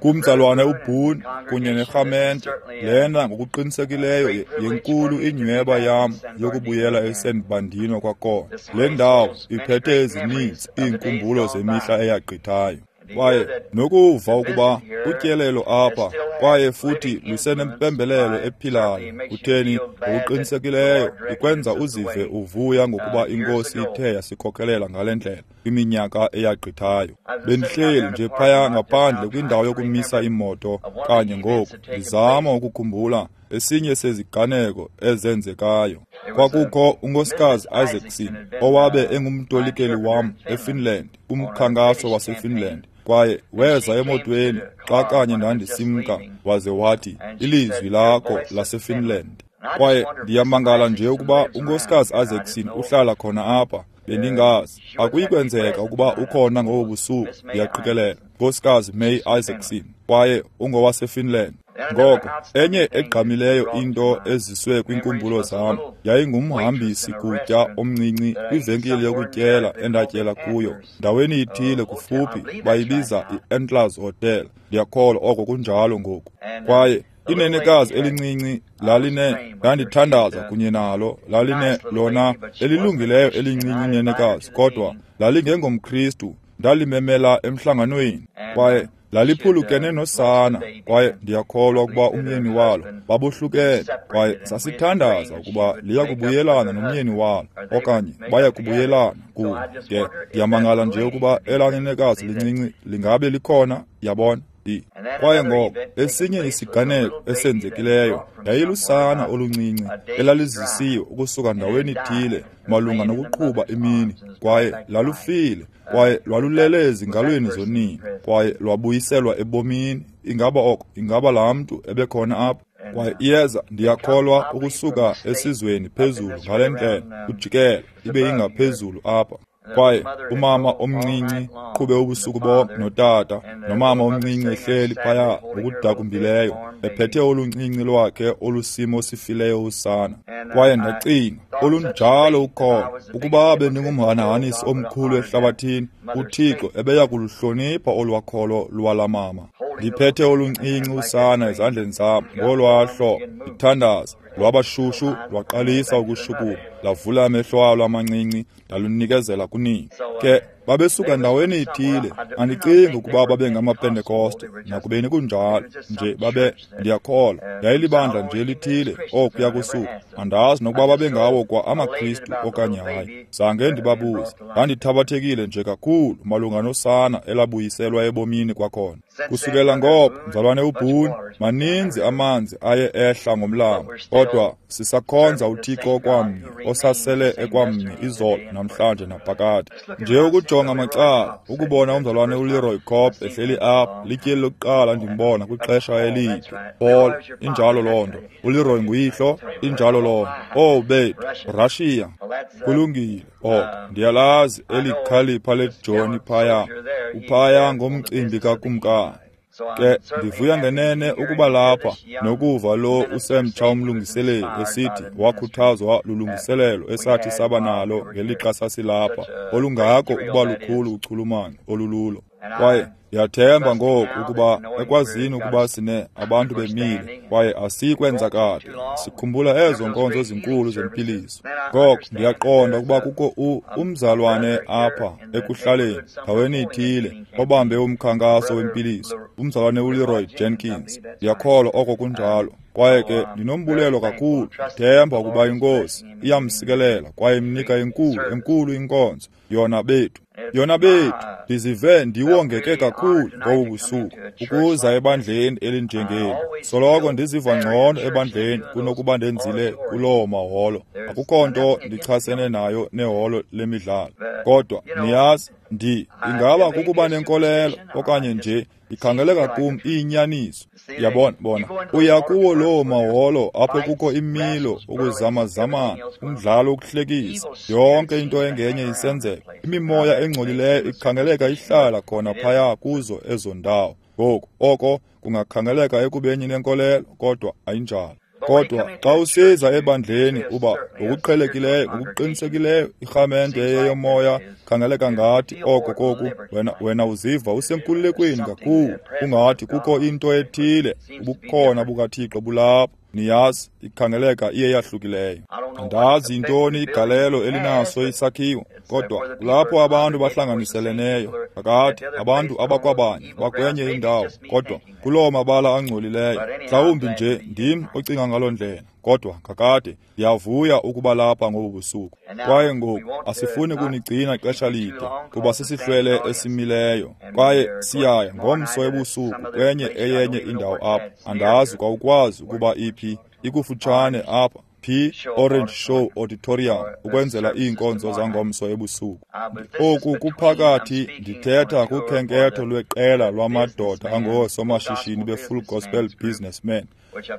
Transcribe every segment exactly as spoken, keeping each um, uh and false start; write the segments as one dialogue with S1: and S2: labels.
S1: Kumzalwane uBoone kunye nerhamente, lena ngokuqinisekileyo yenkulu inyweba yam yokubuyela eSan Bernardino kwakhona. Le ndawo iphethe ezininzi iinkumbulo zemihla eyagqithayo. Kwaye nokuva ukuba utyelelo apha kwaye futhi lusenempembelelo ephilayo, kutheni ngokuqinisekileyo ikwenza uzive uvuya ngokuba iNkosi ithe yasikhokelela ngale ndlela kwiminyaka eyagqithayo. Bendihleli nje phaya ngaphandle kwindawo yokumisa iimoto kanye ngoku, ndizama ukukhumbula esinye seziganeko ezenzekayo. Kwakukho unkosikazi Isaacson owabe engumtolikeli wam eFinland, kumkhankaso waseFinland. Kwaye weza emotweni xa kanye ndandisimka, waze wathi, ilizwi lakho laseFinland. Kwaye ndiyamangala nje ukuba unkosikazi Isaacson uhlala khona apha. Bendingazi. Akuyikwenzeka ukuba ukhona ngobu busuku, ndiyaqikelela. Nkosikazi May Isaacson, kwaye ungowaseFinland. Ngoko, enye egqamileyo into eziswe kwiinkumbulo zam yayingumhambisi kutya omncinci kwivenkile yokutyela endatyela kuyo. Ndaweni ithile kufuphi bayibiza i-Antlers Hotel. Ndiyakholwa oko kunjalo ngoku. Kwaye inenekazi elincinci laline, ndandithandaza kunye nalo, laline lona elilungileyo elincinci inenekazi, kodwa lalingengomKristu. Ndalimemela emhlanganweni, kwaye laliphulukene nosana, kwaye ndiyakholwa ukuba umyeni walo babohlukene, kwaye sasithandaza ukuba liya kubuyelana nomyeni walo, okanye baya kubuyelana kunye. Ke ndiyamangala nje ukuba elaa nenekazi lincinci lingabe likhona, yabona. Kwaye ngoko esinye isiganeko esenzekileyo yayilusana oluncinci elalizisiwe ukusuka ndaweni ithile malunga nokuqhuba imini, kwaye lalufile, kwaye lwalulele ezingalweni zonina, kwaye lwabuyiselwa ebomini. Ingaba oko, ingaba laa mntu ebekhona apha? Kwaye iyeza, ndiyakholwa, ukusuka esizweni phezulu ngale ndlela, ujikela ibe ingaphezulu apha. Kwaye umama omncinci qhube ubusuku bonke notata, nomama omncinci ehleli phaya ngokudakumbileyo, ephethe oluncinci lwakhe olusimo sifileyo usana. Kwaye ndacinga, olunjalo ukholo, ukuba bendingumhanahanisi omkhulu ehlabathini, uThixo ebeya kuluhlonipha olwakholo lwala mama. Ndiphethe oluncinci usana ezandleni zam ngolwaa hlobo, ndithandaza. Lwabashushu, lwaqalisa ukushukuma, lavula amehlo alo amancinci, ndalunikezela kunina. Ke babesuka ndaweni ithile, andicingi ukuba babe ngamaPentekoste, nakubeni kunjalo nje babe, ndiyakholwa, yayilibandla nje lithile okuya kusuka. Andazi nokuba babengawo kwa amaKristu okanye hayi, zange ndibabuze. Ndandithabathekile nje kakhulu malunga nosana elabuyiselwa ebomini kwakhona. Kusukela ngoko, mzalwane uBoone, maninzi amanzi aye ehla ngomlambo, kodwa sisakhonza uThixo okwamnye, osasele ekwamnye izolo, namhlanje naphakade. Nje ukujonga macala, ukubona umzalwane uLeroy Cobb ehleli apha, lityeli lokuqala ndimbona kwixesha elide. Paul, injalo loo nto. ULeroy nguyihlo, injalo loo nto. Oh bethu, Russia, kulungile oko. Ndiyalazi elikhalipha leJohny phaya, uphaya ngomcimbi kakumkani. Ke ndivuya ngenene ukuba lapha nokuva lo usemtsha umlungiseleli esithi wakhuthazwa lulungiselelo esathi saba nalo ngelixa sasilapha, olungako ukuba lukhulu uchulumanco olululo. Kwaye ndiyathemba ngoku ukuba ekwazini ukuba sine abantu bemile kwaye asikwenza kade, sikhumbula ezo nkonzo zinkulu zempiliso. Ngoko ndiyaqonda ukuba kukho umzalwane apha ekuhlaleni ndaweni ithile obambe umkhankaso wempiliso, umzalwane uLeroy Jenkins. Ndiyakholwa oko kunjalo. Kwaye ke ndinombulelo kakhulu, ndithemba ukuba iNkosi iyamsikelela kwaye imnika enkulu enkulu inkonzo yona bethu. Yona bethu, ndizive ndiwongeke kakhulu ngobu busuku ukuza ebandleni elinjengeli. Soloko ndiziva ngcono ebandleni kunokuba ndenzile kuloo maholo. Akukho nto ndichasene nayo neholo lemidlalo. Kodwa niyazi, ndi ingaba kukuba nenkolelo okanye nje ikhangeleka kum iyinyaniso. Yabona, bona, uya kuwo loo maholo apho kukho imilo, ukuzamazamana, umdlalo wokuhlekisa, yonke into engenye isenzeka. Imimoya engcolileyo ikhangeleka ihlala khona phaya kuzo ezo ndawo. Ngoku oko kungakhangeleka ekubeni nenkolelo, kodwa ayinjalo. Kodwa xa usiza ebandleni uba ngokuqhelekileyo, ngokuqinisekileyo irhamente eyeyomoya khangeleka ngathi oko koku, wena wena uziva usenkululekweni kakhulu, ungathi kukho into ethile, ubukhona bukaThixo bulapho. Niyazi, ikhangeleka iye yahlukileyo. Andazi yintoni igalelo elinaso isakhiwo, kodwa kulapho abantu bahlanganiseleneyo, kakade abantu abakwabanye bakwenye indawo, kodwa kuloo mabala angcolileyo. Mhlawumbi nje ndim ocinga ngaloo ndlela, kodwa kakade ndiyavuya ukuba lapha ngobu busuku. Kwaye ngoku asifuni kunigcina ixesha lide, kuba sisihlwele esimileyo, kwaye siyaya ngomso ebusuku kwenye eyenye indawo apha. Andazi kwawukwazi ukuba iphi, ikufutshane apha P Orange Show Auditorium, ukwenzela iinkonzo zangomso ebusuku. Oku kuphakathi, ndithetha kukhenketho lweqela lwamadoda angoosomashishini be-Full Gospel Businessmen,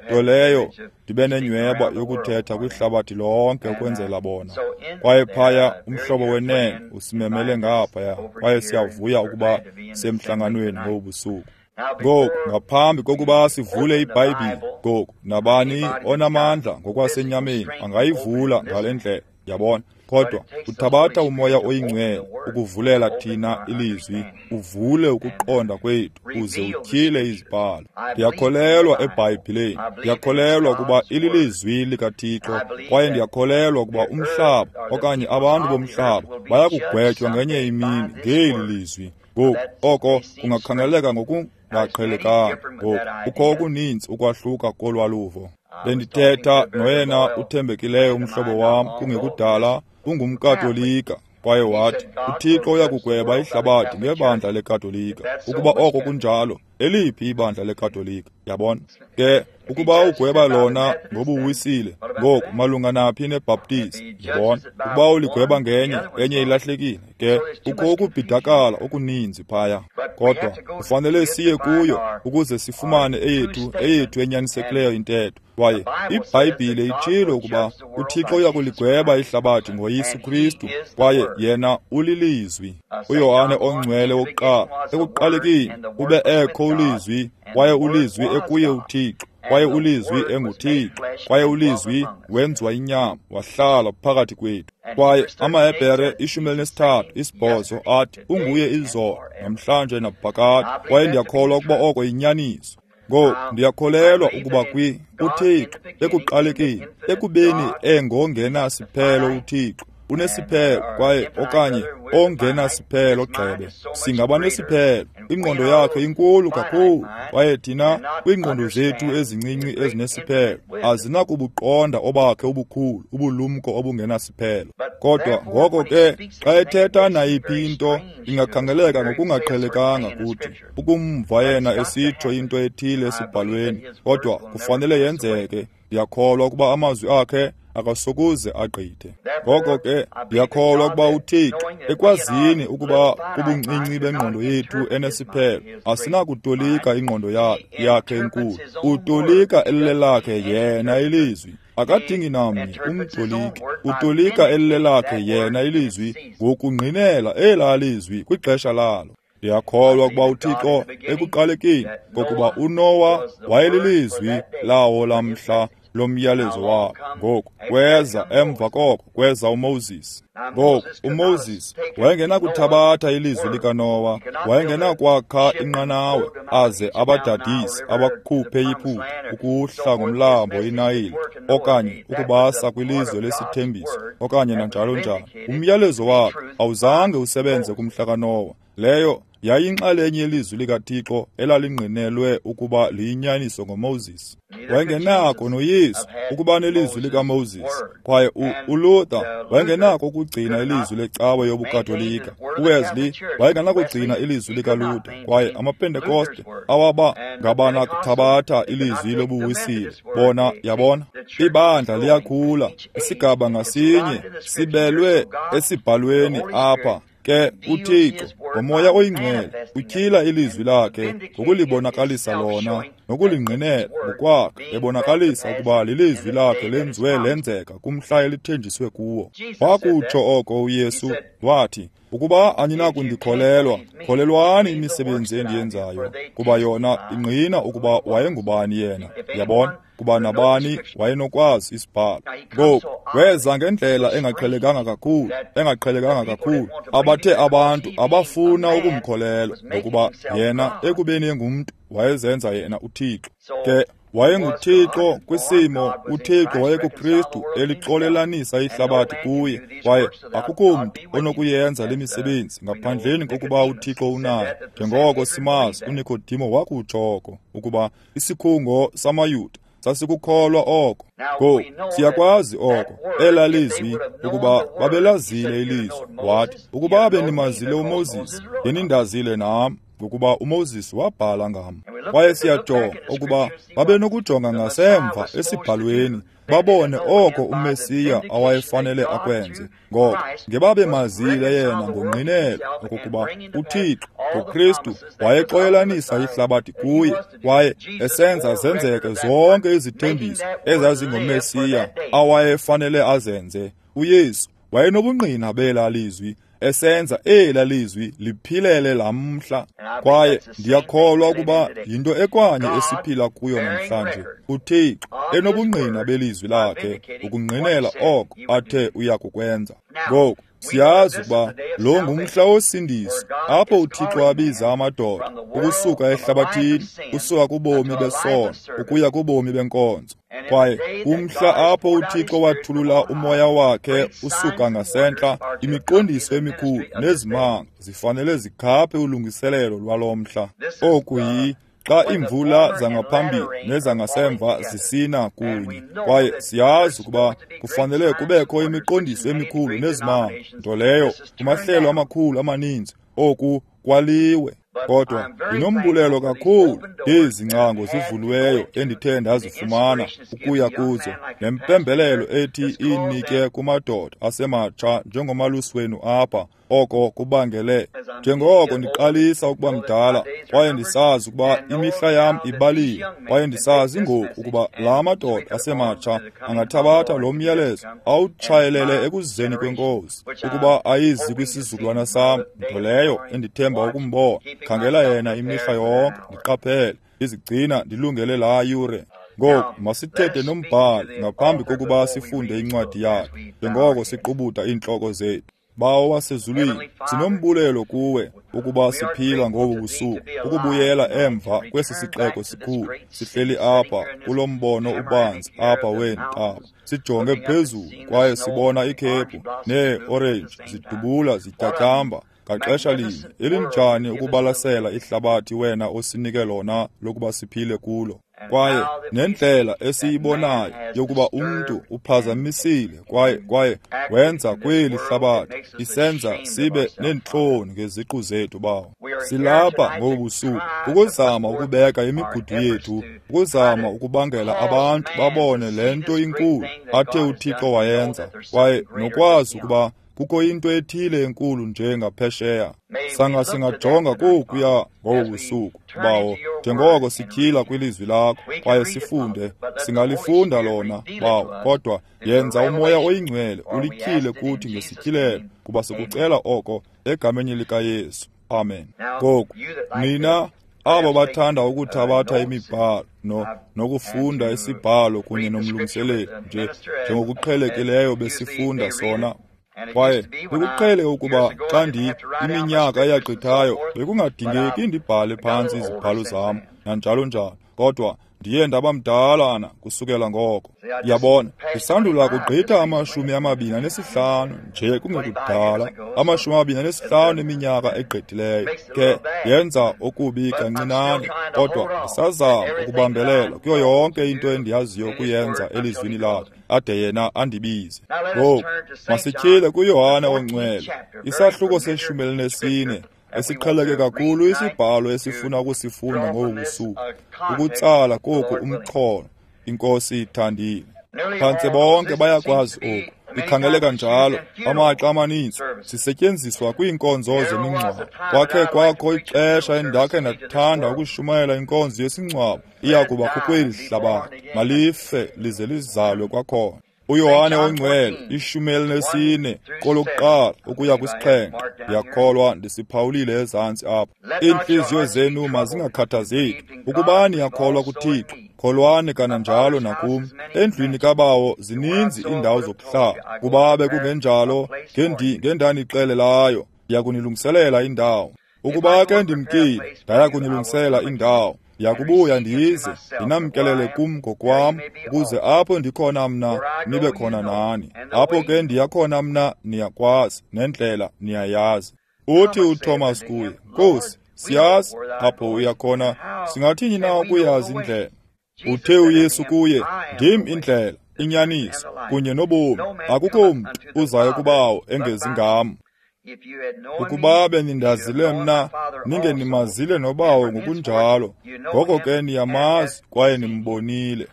S1: nto leyo ndibe nenyweba yokuthetha kwihlabathi lonke ukwenzela bona. Kwaye phaya umhlobo wenene usimemele ngaphaya, kwaye siyavuya ukuba semhlanganweni ngobu busuku. Ngoku, ngaphambi kokuba sivule iBhayibhile, ngoku nabani onamandla ngokwasenyameni angayivula ngale ndlela, yabona. Kodwa uthabatha uMoya oyiNgcwele ukuvulela thina ilizwi, uvule ukuqonda kwethu, uze utyhile izibhalo. Ndiyakholelwa eBhayibhileni, ndiyakholelwa ukuba ililizwi likaThixo, kwaye ndiyakholelwa ukuba umhlaba okanye abantu bomhlaba bayakugwetywa ngenye imini ngeli lizwi. Ngoku oko kungakhangeleka ngokungaqhelekanga. Ngoku kukho okuninzi ukwahluka kolwaluvo. Bendithetha noyena uthembekileyo umhlobo wam kungekudala, ungumKatolika, kwaye wathi uThixo uyakugweba ihlabathi ngebandla leKatolika. Ukuba oko kunjalo, eliphi ibandla leKatolika? Yabona ke, ukuba ugweba lona ngobuwisile, ngoku malunga naphi neBaptist? Yabona, ukuba uligweba ngenye, enye ilahlekile. Ke kukho ukubhidakala okuninzi phaya, kodwa kufanele siye kuyo ukuze sifumane eyethu eyethu enyanisekileyo intetho. Kwaye iBhayibhile itshilo ukuba uThixo uyakuligweba ihlabathi ngoYesu Kristu, kwaye yena ulilizwi. UYohane ongcwele wokuqala, ekuqalekeni ube ekho ulizwi, kwaye ulizwi ekuye uThixo, kwaye ulizwi enguThixo, kwaye ulizwi wenziwa inyama wahlala phakathi kwethu. Kwaye amaHebhere ishumi elinesithathu isibhozo athi unguye izolo, namhlanje naphakade. Kwaye ndiyakholwa ukuba oko yinyaniso. Ngoku ndiyakholelwa ukuba kwi uThixo ekuqalekeni, ekubeni engongenasiphelo uThixo unesiphelo, kwaye okanye ongenasiphelo gxebe, singaba nesiphelo. Ingqondo yakhe inkulu kakhulu, kwaye thina kwiingqondo zethu ezincinci ezinesiphelo azinakubuqonda obakhe ubukhulu ubulumko obungenasiphelo. Kodwa ngoko ke xa ethetha nayiphi into ingakhangeleka ngokungaqhelekanga kuthi ukumva yena esitsho into ethile esibhalweni, kodwa kufanele yenzeke. Ndiyakholwa ukuba amazwi akhe akasokuze agqithe. Ngoko ke ndiyakholwa ukuba uThixo, ekwazini ukuba kubuncinci bengqondo yethu enesiphelo, asinakutolika ingqondo yakhe enkulu, utolika elilelakhe yena ilizwi. Akadingi namnye umtoliki, utolika elilelakhe yena ilizwi ngokungqinela elaa lizwi kwixesha lalo. Ndiyakholwa ukuba uThixo ekuqalekeni, ngokuba uNowa wayelilizwi lawo lamhla lomyalezo wabo. Ngoku kweza emva koko kweza uMoses. Ngoku uMoses wayengenakuthabatha ilizwi likaNowa, wayengenakwakha inqanawe aze abadadise abakhuphe iphupha ukuhla ngomlambo iNayile, okanye ukubasa kwilizwe lesithembiso, okanye nanjalo njalo. Umyalezo wakhe awuzange usebenze kumhla kaNowa. Leyo yayinxalenye yelizwi likaThixo elalingqinelwe ukuba liyinyaniso ngoMoses. Wayengenako noYesu ukuba nelizwi likaMoses, kwaye uLuther wayengenako ukugcina ilizwi lecawe yobuKatolika. uWesley wayengenakugcina ilizwi likaLuther, kwaye amaPentekoste awaba ngabanakuthabatha ilizwi lobuwisile. Bona, yabona, ibandla liyakhula, isigaba ngasinye sibelwe esibhalweni apha. Ke uThixo ngoMoya oyiNgcwele utyhila ilizwi lakhe ngokulibonakalisa lona nokulingqinela ngokwakhe, ebonakalisa ukuba lilizwi lakhe lenziwe lenzeka kumhla elithenjiswe kuwo. Wakutsho oko uYesu, wathi, ukuba aninakundikholelwa, kholelwani imisebenzi endiyenzayo, kuba yona ingqina ukuba wayengubani yena. Yabona, kuba nabani wayenokwazi isibhalo. Ngoku weza ngendlela engaqhelekanga kakhulu, engaqhelekanga kakhulu, abathe abantu abafuna ukumkholelwa, ngokuba yena ekubeni engumntu wayezenza yena uThixo. Ke wayenguThixo kwisimo, uThixo wayekuKristu elixolelanisa ihlabathi kuye, kwaye akukho mntu onokuyenza le misebenzi ngaphandleni kokuba uThixo unaye. Njengoko simazi uNikodimo wakutsho oko, ukuba isikhungo samaYuda sasikukholwa oko. Ngoku siyakwazi oko, elaa lizwi, ukuba babelazile ilizwi. Wathi, ukuba benimazile uMoses, ngenindazile nam, ngokuba uMoses wabhala ngam. Kwaye siyajonga ukuba babenokujonga ngasemva esibhalweni, babone oko uMesiya awayefanele akwenze. Ngoko ngebabemazile yena ngongqinelo okokuba uThixo ngoKristu wayexolelanisa ihlabathi kuye, kwaye esenza zenzeke zonke izithembiso ezazingoMesiya awayefanele azenze. uYesu wayenobungqina belaa lizwi, esenza elaa lizwi liphilele lamhla. Kwaye ndiyakholwa ukuba yinto ekwanye esiphila kuyo namhlanje, uThixo enobungqina belizwi lakhe ukungqinela oko athe uya kukwenza. Ngoku siyazi ukuba lo ngumhla wosindiso, apho uThixo abiza amadoda ukusuka ehlabathini, usuka kubomi besono ukuya kubomi benkonzo. Kwaye kumhla apho uThixo wathulula umoya wakhe usuka ngasentla, imiqondiso emikhulu nezimanga zifanele zikhaphe ulungiselelo lwalo mhla. Oku yi xa iimvula zangaphambili nezangasemva zisina kunye. Kwaye siyazi ukuba kufanele kubekho imiqondiso emikhulu nezimanga, nto leyo kumahlelo amakhulu amaninzi oku kwaliwe. Kodwa ndinombulelo kakhulu ngezi ngcango zivuliweyo endithe ndazifumana ukuya kuzo, nempembelelo ethi inike kumadoda asematsha njengomalusi wenu apha. Oko kubangele njengoko ndiqalisa ukuba mdala, kwaye ndisazi ukuba imihla yam ibaliwe, kwaye ndisazi ngoku ukuba la madoda asematsha angathabatha lo myalezo awutshayelele ekuzeni kweNkosi, ukuba ayizi kwisizukulwana sam, nto leyo endithemba ukumbona. Khangela yena imihla yonke, ndiqaphele, ndizigcina ndilungele laa yure. Ngoku masithethe nombhali ngaphambi kokuba sifunde incwadi yakhe, njengoko siqubuda iintloko zethu. Bawo wasezulwini, sinombulelo kuwe ukuba siphila ngobu busuku, ukubuyela emva kwesi sixeko sikhulu, sihleli apha kulo mbono ubanzi apha weentaba, sijonge phezulu kwaye sibona ikhephu neeorenji zidubula zityatyamba ngaxesha linye. Elinjani ukubalasela ihlabathi wena osinike lona lokuba siphile kulo. Kwaye nendlela esiyibonayo yokuba umntu uphazamisile kwaye kwaye wenza kweli hlabathi, isenza sibe neentloni ngeziqu zethu. Bawo, silapha ngobu busuku ukuzama ukubeka imigudu yethu, ukuzama ukubangela abantu babone le nto inkulu athe uThixo wayenza, kwaye nokwazi ukuba kukho into ethile enkulu nje ngaphesheya. Sanga singajonga kokuya ngobu busuku, Bawo, njengoko sityhila kwilizwi lakho kwaye sifunde. Singalifunda lona, Bawo, kodwa yenza uMoya oyiNgcwele ulityhile kuthi ngesityhilelo, kuba sikucela oko egameni likaYesu. Amen. Ngoku nina abo bathanda ukuthabatha imibhalo no nokufunda isibhalo kunye nomlungiseleli nje njengokuqhelekileyo besifunda sona. Kwaye bekuqhele ukuba xa ndi iminyaka eyagqithayo bekungadingeki ndibhale phantsi izibhalo zam nanjalo njalo, kodwa ndiye ndaba mdalana kusukela ngoko. Yabona, ndisandula kugqitha amashumi amabini anesihlanu nje kungekudala, amashumi amabini anesihlanu eminyaka egqithileyo. Ke yenza okubi kancinane, kodwa ndisazama ukubambelela kuyo yonke into endiyaziyo ukuyenza elizwini lakhe, ade yena andibize. Ngoku masityhile kuYohane oNgcwele, isahluko seshumi elinesine, esiqheleke kakhulu isibhalo esifuna ukusifunda ngobu busuku, ukutsala koku umxholo, iNkosi ithandile. Phantse bonke bayakwazi oku, Ikhangeleka njalo, amaxa amaninzi sisetyenziswa kwiinkonzo zemingcwabo. Kwakhe kwakho ixesha endakhe ndathanda ukushumayela inkonzo yesingcwabo, iya kuba kukweli hlabathi, malife lize lizalwe kwakhona. UYohane oNgcwele, ishumi elinesine kolokuqala ukuya kwisixhenxe, ndiyakholwa ndisiphawulile ezantsi apha. Iintliziyo zenu mazingakhathazeki, ukuba niyakholwa kuThixo, kholwani kananjalo nakum. Endlwini kaBawo zininzi iindawo zokuhlala, kuba bekungenjalo ngendanixelelayo, ndiyakunilungiselela indawo. Ukuba ke ndimkile, ndaya kunilungisela indawo, ndiyakubuya ndize ndinamkelele kum ngokwam, ukuze apho ndikhona mna nibe khona nani. Apho ke ndiyakhona mna niyakwazi, nendlela niyayazi. Uthi uThomas kuye, Nkosi, siyazi apho uyakhona, singathini na ukuyazi indlela? Uthe uYesu kuye, ndim indlela, inyaniso kunye nobomi, akukho mntu uzayo kuBawo engezi ngam. Ukuba benindazile mna, ningenimazile noBawo ngokunjalo, ngoko ke niyamazi kwaye nimbonile.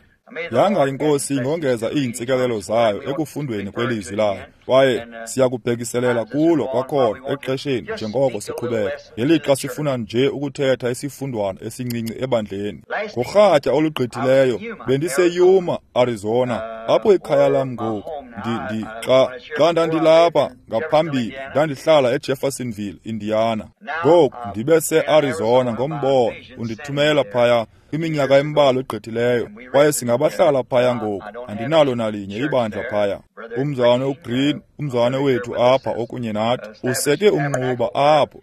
S1: Yanga iNkosi ingongeza iintsikelelo zayo ekufundweni kwelizwi layo, kwaye siyakubhekiselela kulo kwakhona exesheni njengoko siqhubeka, ngelixa sifuna nje ukuthetha isifundwana esincinci ebandleni. Ngorhatya olugqithileyo bendiseYuma, Arizona, apho ikhaya lam ngoku. Ndi, ndi, xa, xa ndandilapha ngaphambili ndandihlala eJeffersonville, Indiana. Ngoku ndibe se-Arizona ngombono undithumela phaya kwiminyaka embalwa egqithileyo, kwaye singabahlala phaya ngoku. Andinalo nalinye ibandla phaya. Umzalwane uGreen, umzalwane wethu apha okunye nathi, useke umnquba apho,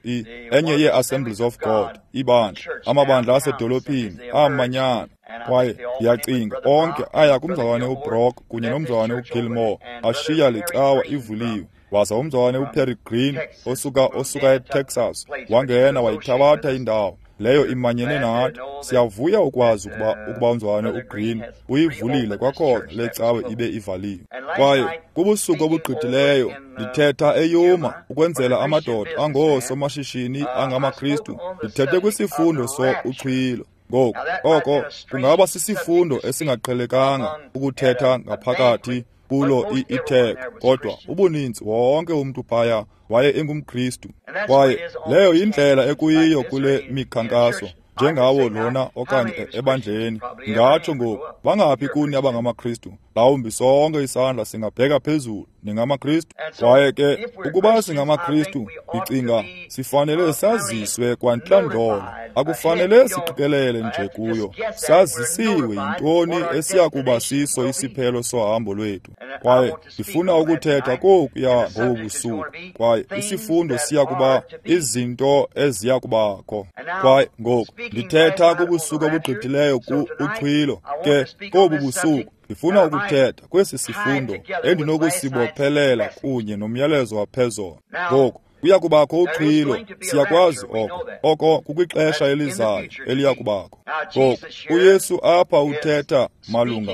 S1: enye yee-Assemblies of God, ibandla, amabandla asedolophini amanyana. Kwaye ndiyacinga onke aya kumzalwane uBrock kunye nomzalwane uGilmore, ashiya licawa ivuliwe. Waza umzalwane uPerry Green osuka osuka eTexas wangena wayithabatha indawo leyo imanyene nathi. Siyavuya ukwazi ukuba ukuba umzalwane uGreen uyivulile kwakhona le cawe ibe ivaliwe. Kwaye kubusuku obugqithileyo ndithetha eYuma ukwenzela amadoda angoosomashishini angamaKristu, ndithethe kwisifundo so uchwilo. Ngoku oko kungaba sisifundo esingaqhelekanga ukuthetha ngaphakathi kulo itheko, kodwa ubuninzi wonke umntu phaya waye engumKristu. Kwaye leyo yindlela ekuyiyo kule mikhankaso, njengawo lona okanye ebandleni. Ndingatsho ngoku, bangaphi kuni abangamaKristu? Mhlawumbi sonke isandla singabheka phezulu, ningamaKristu. Kwaye ke ukuba singamaKristu, ndicinga sifanele saziswe kwantlandlolo. Akufanele siqikelele nje kuyo, sazisiwe yintoni esiya kuba siso isiphelo sohambo lwethu. Kwaye ndifuna ukuthetha kokuya ngobu busuku, kwaye isifundo siya kuba izinto eziya kubakho. Kwaye ngoku ndithetha kubusuku obugqithileyo ku uchwilo, ke kobu busuku ndifuna ukuthetha kwesi sifundo endinokusibophelela kunye nomyalezo waphezolo. Ngoku kuya kubakho uchwilo, siyakwazi oko, oko kukwixesha elizayo eliya kubakho. Ngoku uYesu apha uthetha malunga,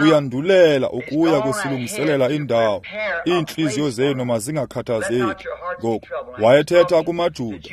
S1: uyandulela ukuya kusilungiselela indawo, iintliziyo zenu mazingakhathazeki. Ngoku wayethetha kumaJuda,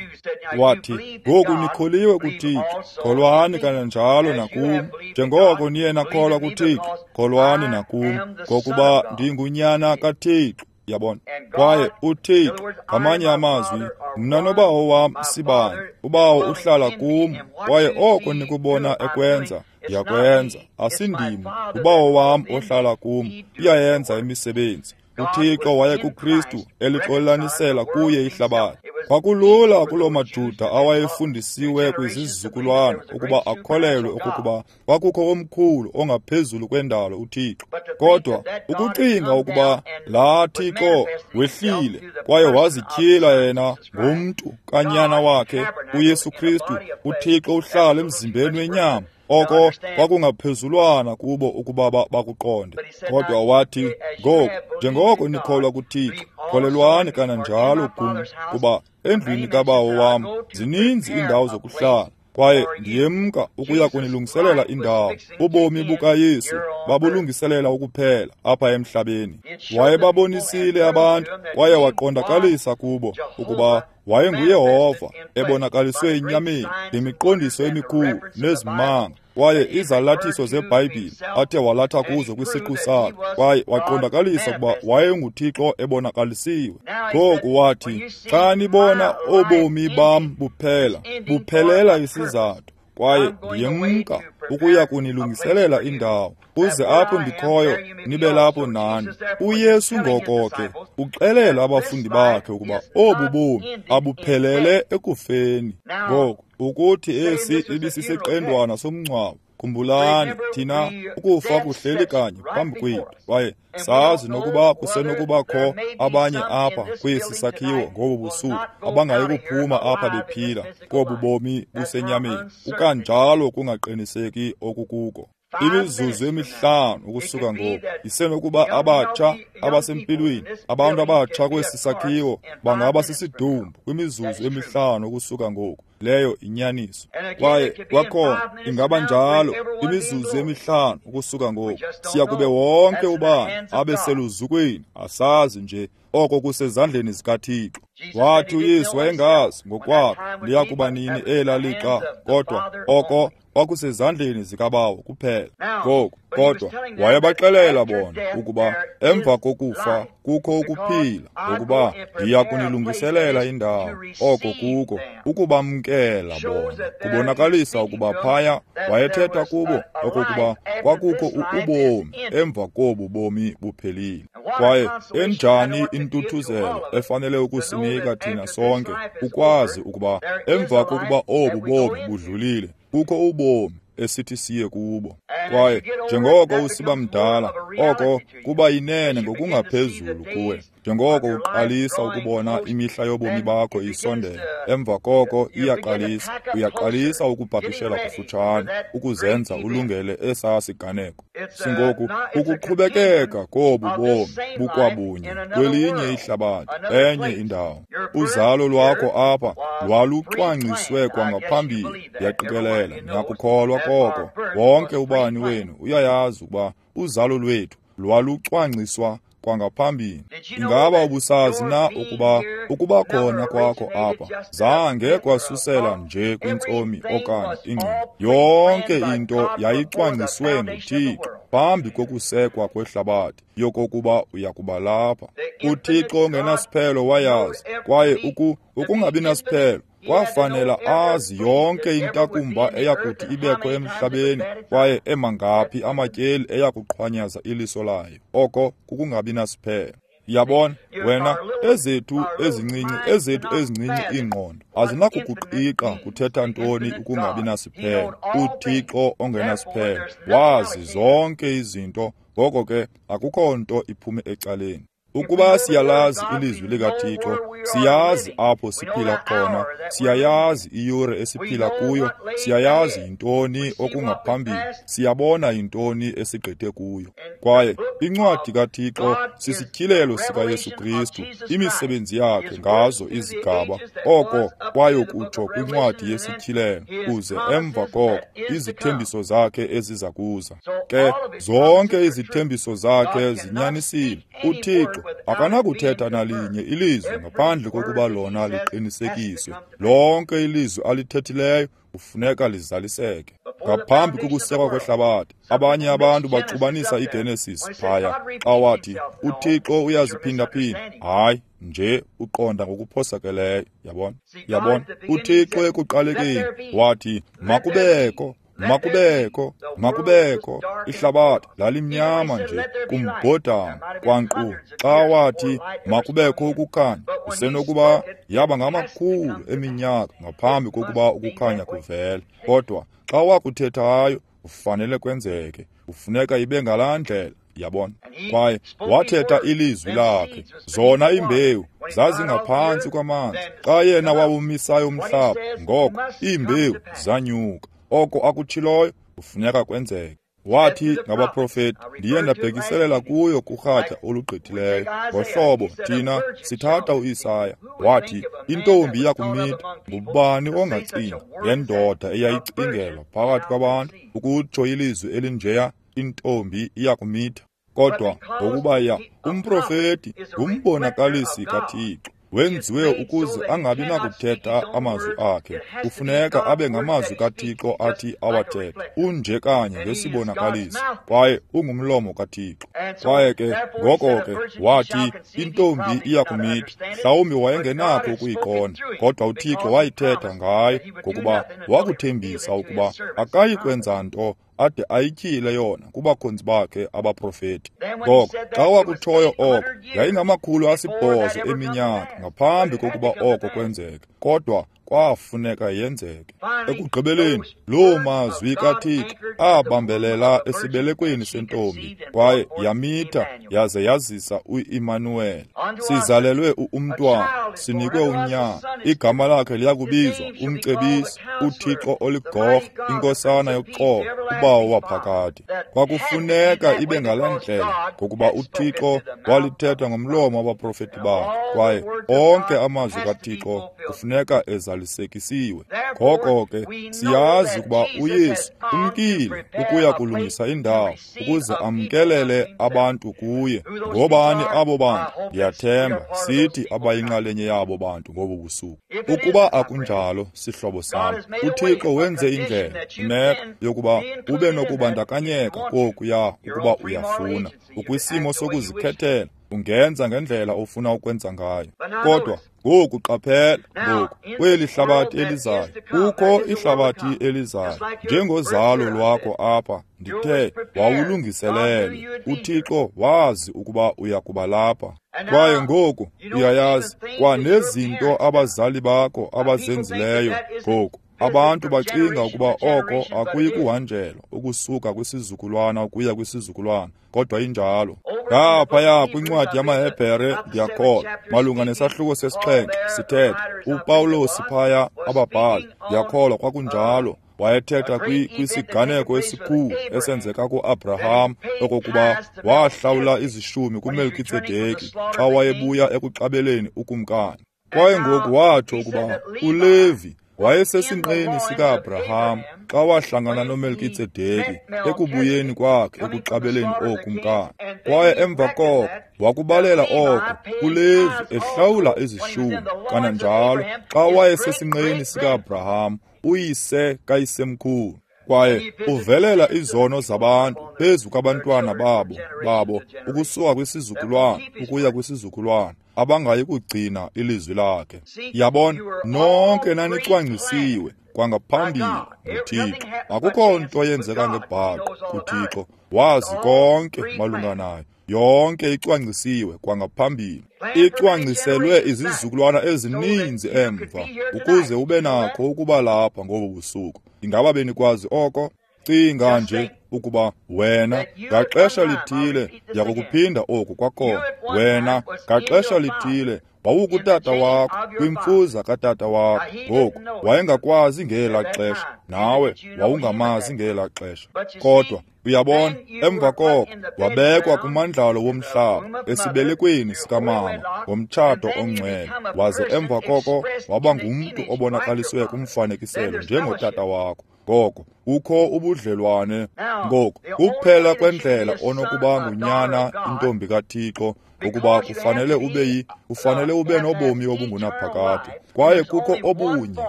S1: wathi, ngoku nikholiwe kuThixo, kholwani kananjalo nakum. Njengoko niye nakholwa kuThixo, kholwani nakum, ngokuba ndingunyana kaThixo. Yabona? Kwaye uThixo, ngamanye amazwi, mna noBawo wam sibanye, uBawo uhlala kum, kwaye oko nikubona ekwenza, ndiyakwenza. Asindim, uBawo wam ohlala kum, uyayenza imisebenzi. uThixo waye kuKristu elixolelanisela kuye ihlabathi. Kwakulula kuloo maJuda awayefundisiwe kwizizukulwana ukuba akholelwe okokuba kwakukho omkhulu ongaphezulu kwendalo uThixo. Kodwa ukucinga ukuba laa Thixo wehlile kwaye wazityhila yena ngomntu kanyana wakhe uYesu Kristu, uThixo uhlala emzimbeni wenyama, oko kwakungaphezulwana kubo ukuba bakuqonde. Kodwa wathi, ngoku njengoko nikholwa kuThixo, kholelwani kananjalo kum, kuba endlwini kaBawo wam zininzi iindawo zokuhlala, kwaye ndiyemka ukuya kunilungiselela indawo. Ubomi bukaYesu babulungiselela ukuphela apha emhlabeni. Wayebabonisile abantu kwaye waqondakalisa kubo ukuba WayenguYehova ebonakaliswe enyameni ngemiqondiso emikhulu nezimanga, kwaye izalathiso zeBhayibhile athe walatha kuzo kwisiqu sakhe, kwaye waqondakalisa ukuba wayenguThixo ebonakalisiwe. Ngoku wathi, xa nibona obomi bam buphela, buphelela isizathu, kwaye ndiyemka ukuya kunilungiselela indawo, uze apho ndikhoyo nibe lapho nani. UYesu ngoko ke uxelela abafundi bakhe ukuba obu bomi abuphelele ekufeni. Ngoku ukuthi esi ibisisiqendwana somngcwabo, khumbulani thina ukufa kuhleli kanye phambi kwethu, kwaye sazi nokuba kusenokubakho abanye apha kwesi sakhiwo ngobu busuku abangayi kuphuma apha bephila kobu bomi busenyameni. Kukanjalo kungaqiniseki okukuko. Imizuzu emihlanu ukusuka ngoku isenokuba abatsha abasempilweni, abantu abatsha kwesi sakhiwo bangaba sisidumbu kwimizuzu emihlanu ukusuka ngoku. Leyo inyaniso. Kwaye kwakhona ingaba njalo imizuzu emihlanu ukusuka ngoku siya kube wonke ubani abe seluzukweni. Asazi nje, oko kusezandleni zikaThixo. Wathi uYesu wayengazi ngokwakhe liya kuba nini ela lixa, kodwa oko kwakusezandleni zikaBawo kuphela. Ngoku kodwa wayebaxelela bona ukuba emva kokufa kukho ukuphila, ngokuba ndiya kunilungiselela indawo. Oko kuko ukubamkela bona, kubonakalisa ukuba phaya wayethetha kubo okokuba kwakukho ubomi emva kobu bomi buphelile. Kwaye enjani intuthuzelo efanele ukusinika thina sonke ukwazi ukuba emva kokuba obu bomi budlulile kukho ubomi esithi siye kubo. Kwaye njengoko usiba mdala, oko kuba yinene ngokungaphezulu kuwe. Njengoko uqalisa ukubona imihla yobomi bakho isondela, emva koko iyaqalisa, uyaqalisa ukupakishela kufutshane, ukuzenza ulungele esaa siganeko. Singoku ukuqhubekeka kobu bomi bukwabunye kwelinye ihlabathi, enye indawo. Uzalo lwakho apha lwalucwangciswe kwangaphambili. Ndiyaqikelela niyakukholwa koko. Wonke ubani wenu uyayazi ukuba uzalo lwethu lwalucwangciswa kwangaphambili. Ingaba ubusazi na ukuba ukuba khona kwakho apha zange kwasusela nje kwintsomi okanye ingcinga? Yonke into yayicwangciswe nguThixo phambi kokusekwa kwehlabathi yokokuba uyakuba lapha. UThixo ongenasiphelo wayazi, kwaye uku ukungabi nasiphelo kwafanela azi yonke intakumba eyakuthi ibekho emhlabeni, kwaye emangaphi amatyeli eyakuqhwanyaza iliso layo. Oko kukungabi nasiphelo. Yabona wena, ezethu ezincinci ezethu ezincinci iingqondo azinakukuqiqa kuthetha ntoni ukungabi nasiphelo. UThixo ongenasiphelo wazi zonke izinto, ngoko ke akukho nto iphume ecaleni. Ukuba siyalazi ilizwi likaThixo, siyazi apho siphila khona, siyayazi iyure esiphila kuyo, siyayazi yintoni okungaphambili, siyabona yintoni esigqithe kuyo. Kwaye incwadi kaThixo sisityhilelo sikaYesu Kristu, imisebenzi yakhe ngazo izigaba, oko kwayokutsho kwincwadi yesityhilelo, kuze emva koko izithembiso zakhe eziza kuza. Ke zonke izithembiso zakhe zinyanisile. UThixo akanakuthetha nalinye ilizwi ngaphandle kokuba lona liqinisekiswe. Lonke ilizwi alithethileyo kufuneka lizaliseke. Ngaphambi kokusekwa kwehlabathi, abanye abantu baxubanisa iGenesis phaya xa wathi uThixo uyaziphindaphinda. Hayi, nje uqonda ngokuphosakeleyo. Yabona, yabona, uThixo ekuqalekeni wathi makubekho, makubekho, makubekho. Ihlabathi lalimnyama nje kumbhodama kwankqu. Xa wathi makubekho ukukhanya, kusenokuba yaba ngamakhulu eminyaka ngaphambi kokuba ukukhanya kuvele. Kodwa xa wakuthethayo kufanele kwenzeke, kufuneka ibe ngalaa ndlela. Yabona, kwaye wathetha ilizwi lakhe, zona iimbewu zazingaphantsi kwamanzi. Xa yena wawumisayo umhlaba, ngoko iimbewu zanyuka. Oko akutshiloyo kufuneka kwenzeke. Wathi ngabaprofeti, ndiye ndabhekiselela kuyo kurhatya olugqithileyo. Ngohlobo thina sithatha uIsaya, wathi intombi iyakumitha. Ngubani ongacinga ngendoda eyayicingelwa phakathi kwabantu ukutsho ilizwi elinjeya, intombi iyakumitha? Kodwa ngokuba ya umprofeti ngumbonakalisi kaThixo, Wenziwe ukuze angabi nakuthetha amazwi akhe. Kufuneka abe ngamazwi kaThixo athi awathethe. Unje kanye ngesibonakaliso, kwaye ungumlomo kaThixo. Kwaye ke ngoko ke wathi intombi iya kumitha. Mhlawumbi wayengenakho ukuyiqonda, kodwa uThixo wayithetha ngaye, ngokuba wakuthembisa ukuba akayi kwenza nto ade ayityhile yona kubakhonzi bakhe abaprofeti. Ngoko xa wakutshoyo oko, yayingamakhulu asibhozo eminyaka ngaphambi kokuba oko kwenzeke, kodwa kwafuneka yenzeke. Ekugqibeleni loo mazwi kaThixo abambelela esibelekweni sentombi, kwaye yamitha yaze yazisa uImanuweli. Sizalelwe umntwana, sinikwe unyana, igama lakhe liyakubizwa uMcebisi, uThixo oligorha, inkosana yoxolo, uBawo waphakade. Kwakufuneka ibe ngala ndlela, ngokuba uThixo walithetha ngomlomo wabaprofeti bakhe, kwaye onke amazwi kaThixo kufuneka ezalisekisiwe. Ngoko ke siyazi ukuba uYesu umkile ukuya kulungisa indawo ukuze amkelele abantu kuye. Ngobani abo bantu? Ndiyathemba sithi abayinxalenye yabo bantu ngobu busuku. Ukuba akunjalo, sihlobo sam, uThixo wenze indlela imeko yokuba ube nokubandakanyeka kokuya ukuba uyafuna. Ukwisimo sokuzikhethela, ungenza ngendlela ofuna ukwenza ngayo. Kodwa ngoku qaphela, ngoku kweli hlabathi elizayo, kukho ihlabathi elizayo. Njengozalo lwakho apha, ndithe wawulungiselelwe. uThixo wazi ukuba uya kuba lapha. Kwaye ngoku uyayazi kwanezinto abazali bakho abazenzileyo. Ngoku abantu bacinga ukuba oko akuyi kuhanjelwa ukusuka kwisizukulwana ukuya kwisizukulwana, kodwa injalo. Ngaphaya kwincwadi yamaHebhere, ndiyakholwa, malunga nesahluko sesixhenxe sithetha uPawulos phaya ababhali, ndiyakholwa kwakunjalo, wayethetha kwisiganeko esikhulu esenzeka kuAbraham, okokuba wahlawula izishumi kuMelkitsedeki xa wayebuya ekuxabeleni ukumkani. Kwaye ngoku watsho ukuba uLevi wayesesinqeni sika-Abraham xa wahlangana noMelkitsedeki ekubuyeni kwakhe ekuxabeleni ookumkani. Kwaye emva koko wakubalela oko uLevi ehlawula izishumi, kananjalo xa wayesesinqeni sika-Abraham, uyise kayisemkhulu. Kwaye uvelela izono zabantu phezu kwabantwana babo babo ukusuka kwisizukulwana ukuya kwisizukulwana, abangayi kugcina ilizwi lakhe. Yabona, nonke nanicwangcisiwe kwangaphambili nguThixo. Akukho nto yenzeka ngebhaqo kuThixo, wazi konke malunga nayo. Yonke icwangcisiwe kwangaphambili, icwangciselwe izizukulwana ezininzi emva, ukuze ube nakho ukuba lapha ngobu busuku. Ingaba benikwazi oko? Cinga nje ukuba wena ngaxesha lithile, ndiyakukuphinda oku kwakhona, wena ngaxesha lithile wawukutata wakho, kwimfuza katata wakho. Ngoku wayengakwazi ngela xesha, nawe wawungamazi ngela xesha. Kodwa uyabona, emva koko wabekwa kumandlalo womhlaba esibelekweni sikamama ngomtshato ongcwele, waze emva koko waba ngumntu obonakaliswe kumfanekiselo njengotata wakho. Ngoko kukho ubudlelwane. Ngoku kuphela kwendlela onokuba ngunyana intombi kaThixo, ukuba kufanele ube yi kufanele ube nobomi obungunaphakade. Kwaye kukho obunye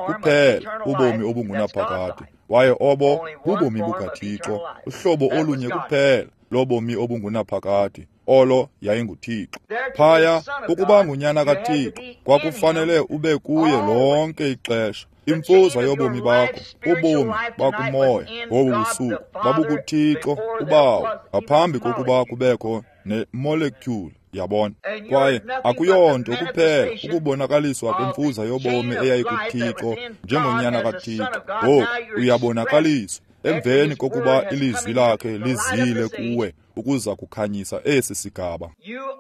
S1: kuphela ubomi obungunaphakade, kwaye obo bubomi bukaThixo, uhlobo olunye kuphela lobomi obungunaphakade, olo yayinguThixo. Phaya ukuba ngunyana kaThixo kwakufanele ube kuye lonke ixesha. Imfuza yobomi bakho, ubomi bakumoya ngobu busuku babukuThixo uBawo ngaphambi kokuba kubekho ne-molecule. Yabona, kwaye akuyonto kuphela ukubonakaliswa kwemfuza yobomi eyayikuThixo njengonyana kaThixo. Ngoku uyabonakaliswa emveni kokuba ilizwi lakhe lizile kuwe ukuza kukhanyisa esi sigaba.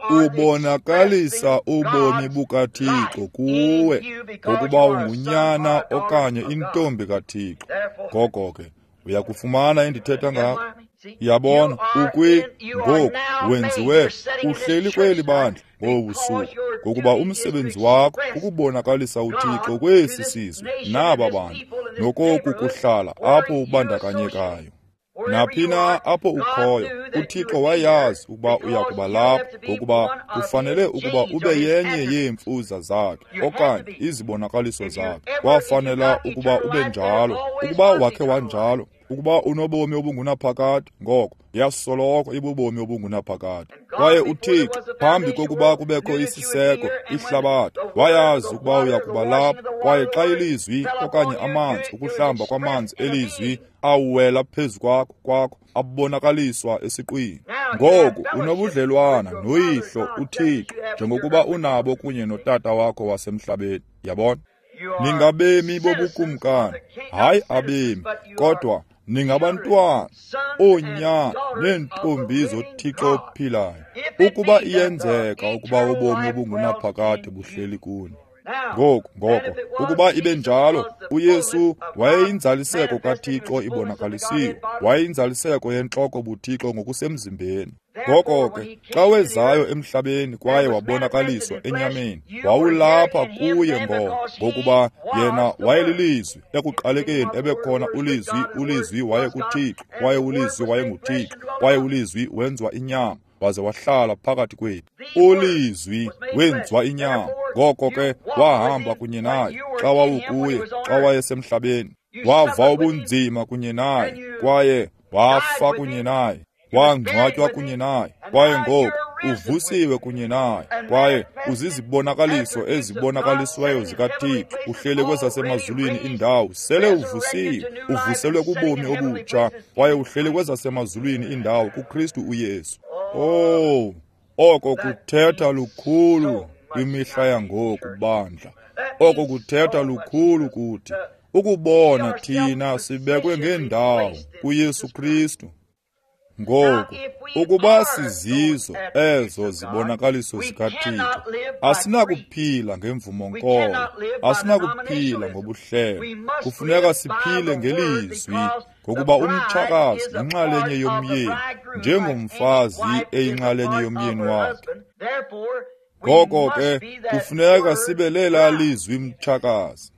S1: Ubonakalisa ubomi bukaThixo kuwe ngokuba ungunyana okanye intombi kaThixo. Ngoko ke uyakufumana endithetha ngako. Yabona, ukwi ngoku wenziwe uhleli kweli bandla ngobu busuku, ngokuba umsebenzi wakho ukubonakalisa uThixo kwesi sizwe naba bantu, nokoku kuhlala apho ubandakanyekayo. Naphi na apho ukhoyo, uThixo wayazi ukuba uya kuba lapho, ngokuba kufanele ukuba ube yenye yeemfuza zakhe okanye izibonakaliso zakhe. Wafanela ukuba ube njalo. Ukuba wakhe wanjalo, ukuba unobomi obungunaphakade, ngoko yasoloko ibubomi obungunaphakade. Kwaye uThixo, phambi kokuba kubekho isiseko, ihlabathi, wayazi ukuba uya kuba lapho. Kwaye xa ilizwi okanye amanzi, ukuhlamba kwamanzi elizwi awela phezu kwakho kwakho abonakaliswa esiqwini. Ngoku unobudlelwana noYihlo uThixo njengokuba unabo kunye notata wakho wasemhlabeni. Yabona? Ningabemi bobukumkani, hayi abemi, kodwa ningabantwana, oonyana neentombi zoThixo ophilayo, ukuba iyenzeka ukuba ubomi obungunaphakade buhleli kuni. Ngoku, ngoko, ukuba ibe njalo, uYesu wayeyinzaliseko kaThixo ibonakalisiwe, wayeyinzaliseko yentloko buThixo ngokusemzimbeni. Ngoko ke, xa wezayo emhlabeni kwaye wabonakaliswa enyameni, wawulapha kuye ngoko, ngokuba yena wayelilizwi. Ekuqalekeni ebekhona ulizwi, ulizwi wayekuThixo, kwaye ulizwi wayenguThixo, kwaye ulizwi wenziwa inyama waze wahlala phakathi kwethu. Ulizwi wenziwa inyama. Ngoko ke wahamba kunye naye xa wawukuye, xa wayesemhlabeni. Wava ubunzima kunye naye, kwaye wafa kunye naye, wangcwatywa kunye naye, kwaye ngoku uvusiwe kunye naye, kwaye uzizibonakaliso ezibonakalisweyo zikaThixo. Uhleli kwezasemazulwini indawo, sele uvusiwe, uvuselwe kubomi obutsha, kwaye uhleli kwezasemazulwini indawo kuKristu uYesu. Oh, oko kuthetha lukhulu kwimihla yangoku, bandla. Oko kuthetha lukhulu kuthi, ukubona thina sibekwe ngendawo kuYesu Kristu. Ngoku, ukuba sizizo ezo zibonakaliso zikaThixo, asinakuphila ngemvumo-nkolo, asinakuphila ngobuhlelo. Kufuneka siphile ngelizwi, ngokuba umtshakazi yinxalenye yomyeni, njengomfazi eyinxalenye yomyeni wakhe. Ngoko ke, kufuneka sibe lela lizwi mtshakazi.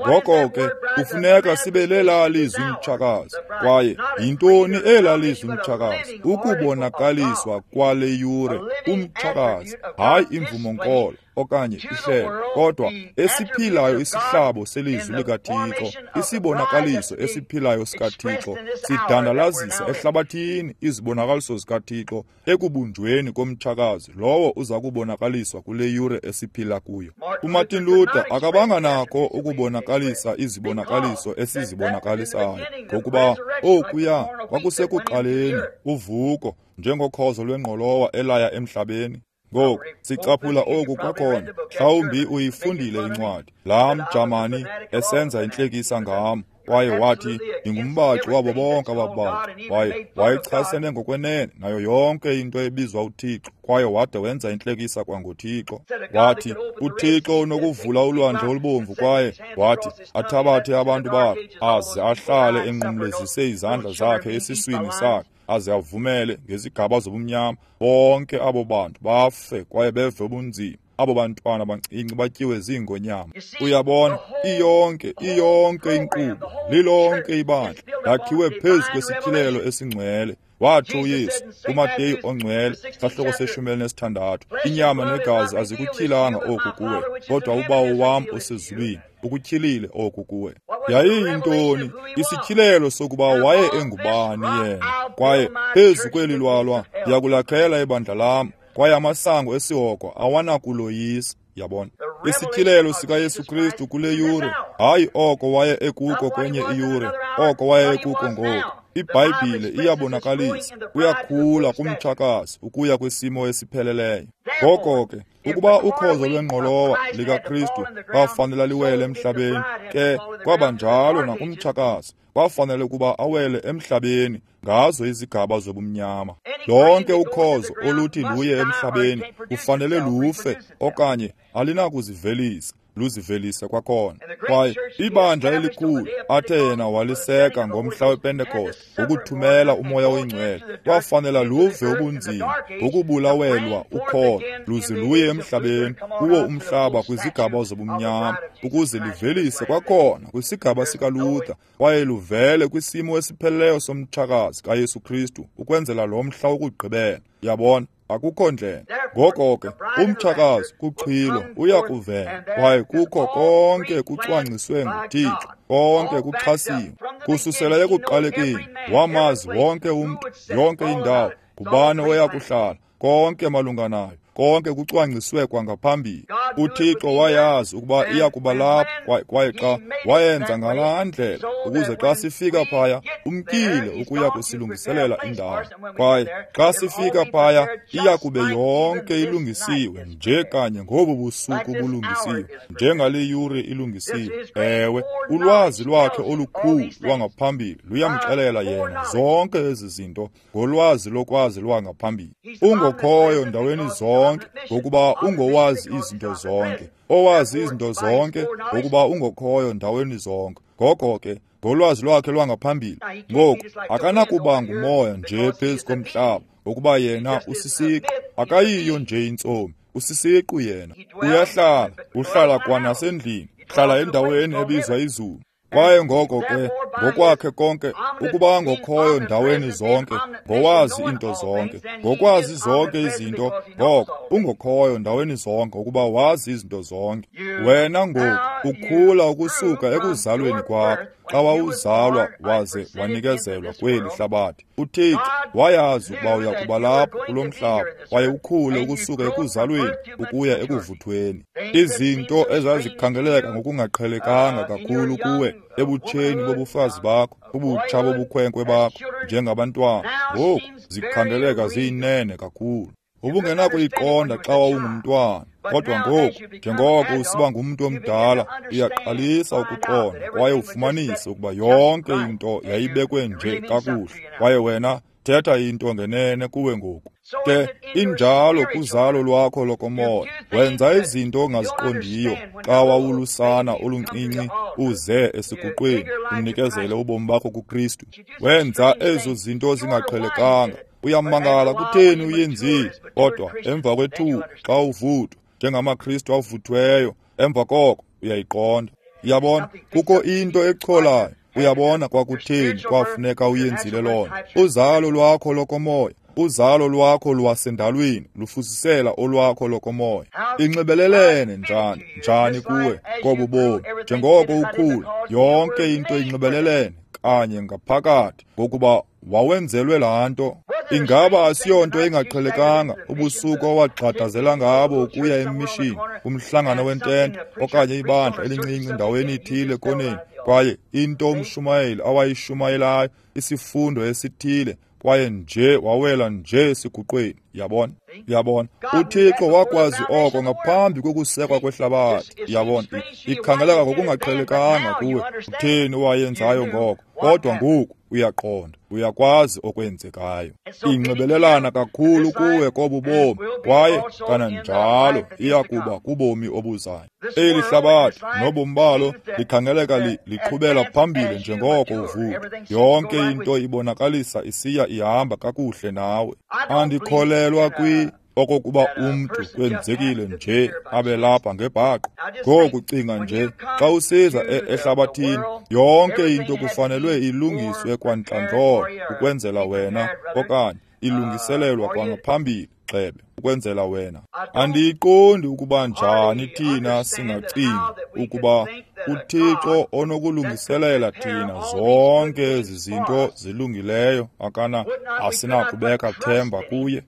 S1: Ngoko ke, kufuneka sibe lela lizwi mtshakazi. Kwaye yintoni ela lizwi mtshakazi? Ukubonakaliswa kwale yure umtshakazi, hayi imvumo-nkolo okanye ihlelo, kodwa esiphilayo isihlabo selizwi likaThixo, isibonakaliso esiphilayo sikaThixo, sidandalazisa ehlabathini izibonakaliso zikaThixo ekubunjweni komtshakazi lowo uza kubonakaliswa kule yure esiphila kuyo. UMartin Luther akabanga nako ukubonakalisa izibonakaliso esizibonakalisayo, ngokuba okuya kwakusekuqaleni uvuko njengokhozo lwengqolowa elaya emhlabeni. Ngoku sicaphula oku kwakhona. Mhlawumbi uyifundile incwadi. Laa mJamani esenza intlekisa ngam, kwaye wathi ndingumbaxi wabo bonke ababaxi. Kwaye wayechasene ngokwenene nayo yonke into ebizwa uThixo, kwaye wade wenza intlekisa kwangoThixo. Wathi uThixo unokuvula ulwandle olubomvu, kwaye wathi athabathe abantu bakhe aze ahlale enqumlezise izandla zakhe esiswini sakhe, aze avumele ngezigaba zobumnyama bonke abo bantu bafe kwaye beve ubunzima. Abo bantwana bancinci batyiwe ziingonyama. Uyabona, iyonke iyonke inkqubo, lilonke ibandla lakhiwe phezu kwesityhilelo esingcwele. Watsho uYesu kuMateyu ongcwele, sahluko seshumi elinesithandathu, inyama negazi azikutyhilanga oku kuwe, kodwa uBawo wam osezulwini ukutyhilile oku kuwe. Yayiyintoni isityhilelo sokuba waye engubani yena? Kwaye phezu kweli lwalwa ndiyakulakhela ibandla lam, kwaye amasango esihogo awanakuloyisa. Yabona, isityhilelo sikaYesu Kristu kule yure, hayi oko waye ekuko kwenye iyure, oko waye ekuko ngoku. IBhayibhile iyabonakalisa, uyakhula kumtshakazi ukuya kwisimo esipheleleyo. Ngoko ke, ukuba ukhozo lwengqolowa likaKristu kwafanele liwele emhlabeni, ke kwaba njalo nakumtshakazi, kwafanele ukuba awele emhlabeni ngazo izigaba zobumnyama. Lonke ukhozo oluthi luye emhlabeni kufanele lufe okanye alinakuzivelisa, luzivelise kwakhona. Kwaye ibandla elikhulu athe yena waliseka ngomhla wePentekoste ngokuthumela uMoya oyiNgcwele, kwafanela luve ubunzima ngokubulawelwa ukholo, luze luye emhlabeni kuwo umhlaba kwizigaba zobumnyama, ukuze livelise kwakhona kwisigaba sikaLuther, kwaye luvele kwisimo esipheleleyo somtshakazi kaYesu Kristu ukwenzela lo mhla wokugqibela. Yabona, akukho ndlela. Ngoko ke umtshakazi kuxhilo uya kuvela, kwaye kukho konke kucwangciswe nguThixo, konke kuxhasiwe kususela ekuqalekeni. Wamazi wonke umntu, yonke indawo, ngubani oya kuhlala, konke malunga nayo, konke kucwangciswe kwangaphambili. UThixo wayazi ukuba iya kuba lapho, kwaye xa wayenza ngalaa ndlela ukuze xa sifika phaya umkile ukuya kusilungiselela indawo. Kwaye xa sifika phaya iya kube yonke ilungisiwe, nje kanye ngobu busuku bulungisiwe, njengale yure ilungisiwe. Ewe, ulwazi lwakhe olukhulu lwangaphambili luyamxelela yena zonke ezi zinto ngolwazi lokwazi lwangaphambili. Ungokhoyo ndaweni zonke, ngokuba ungowazi izinto zonke, owazi izinto zonke, ngokuba ungokhoyo ndaweni zonke. Ngoko ke ngolwazi lwakhe lwangaphambili, ngoku akanakuba ngumoya nje phezu komhlaba, ngokuba yena usisiqu. Akayiyo nje intsomi, usisiqu yena. Uyahlala, uhlala kwanasendlini, hlala endaweni ebizwa izulu. Kwaye ngoko ke ngokwakhe konke, ukuba ngokhoyo ndaweni zonke, ngowazi into zonke, ngokwazi zonke izinto, ngoko ungokhoyo ndaweni zonke, ukuba wazi izinto zonke. Wena ngoku ukhula ukusuka ekuzalweni kwakho. Xa wawuzalwa waze wanikezelwa kweli hlabathi, uThixo wayazi ukuba uya kuba lapho kulo mhlaba, kwaye ukhule ukusuka ekuzalweni ukuya ekuvuthweni. Izinto ezazikhangeleka ngokungaqhelekanga kakhulu kuwe ebutsheni bobufazi bakho, ubutsha bobukhwenkwe bakho njengabantwana, ngoku zikhangeleka ziyinene kakhulu. Ubungenakuyiqonda xa wawungumntwana, kodwa ngoku njengoko usiba ngumntu omdala, uyaqalisa ukuqonda kwaye ufumanise ukuba yonke into yayibekwe nje kakuhle, kwaye wena thetha into ngenene kuwe ngoku. Ke injalo kuzalo lwakho lokomoya. Wenza izinto ongaziqondiyo xa wawulusana oluncinci uze esiguqweni unikezele ubomi bakho kuKristu. Wenza ezo zinto zingaqhelekanga. Uyamangala kutheni uyenzile, kodwa emva kwethuba xa uvuthwa njengamaKristu avuthweyo, emva koko uyayiqonda. Uyabona, kukho into echolayo. Uyabona kwakutheni kwafuneka uyenzile loo nto. Uzalo lwakho lokomoya, uzalo lwakho lwasendalweni lufuzisela olwakho lokomoya. Inxibelelene njani njani kuwe kobu bomi? Njengoko ukhula, yonke into inxibelelene kanye ngaphakathi, ngokuba wawenzelwe laa nto. Ingaba asiyonto engaqhelekanga ubusuku owagxadazela ngabo ukuya emishini, kumhlangano wentente okanye ibandla elincinci ndaweni ithile koneni, kwaye into umshumayeli awayishumayelayo, isifundo esithile, kwaye nje wawela nje esiguqweni. Yabona, yabona, uThixo wakwazi oko ngaphambi kokusekwa kwehlabathi. Yabona, ikhangeleka ngokungaqhelekanga kuwe utheni owayenzayo ngoko, kodwa ngoku uyaqonda, uyakwazi okwenzekayo. Inxibelelana kakhulu kuwe kobu bomi, kwaye kananjalo iya kuba kubomi obuzayo. Eli hlabathi nobomi balo likhangeleka liqhubela phambili njengoko uvuka. Yonke into ibonakalisa isiya ihamba kakuhle nawe. Andikholelwa kwi okokuba umntu kwenzekile nje abe lapha ngebhaqo. Ngoku cinga nje, xa usiza ehlabathini, yonke into kufanelwe ilungiswe kwantlandlolo ukwenzela wena, okanye ilungiselelwa kwangaphambili gxebe ukwenzela wena. Andiyiqondi ukuba njani thina singacinga ukuba uThixo onokulungiselela thina zonke ezi zinto zilungileyo akana asinakubeka themba kuye.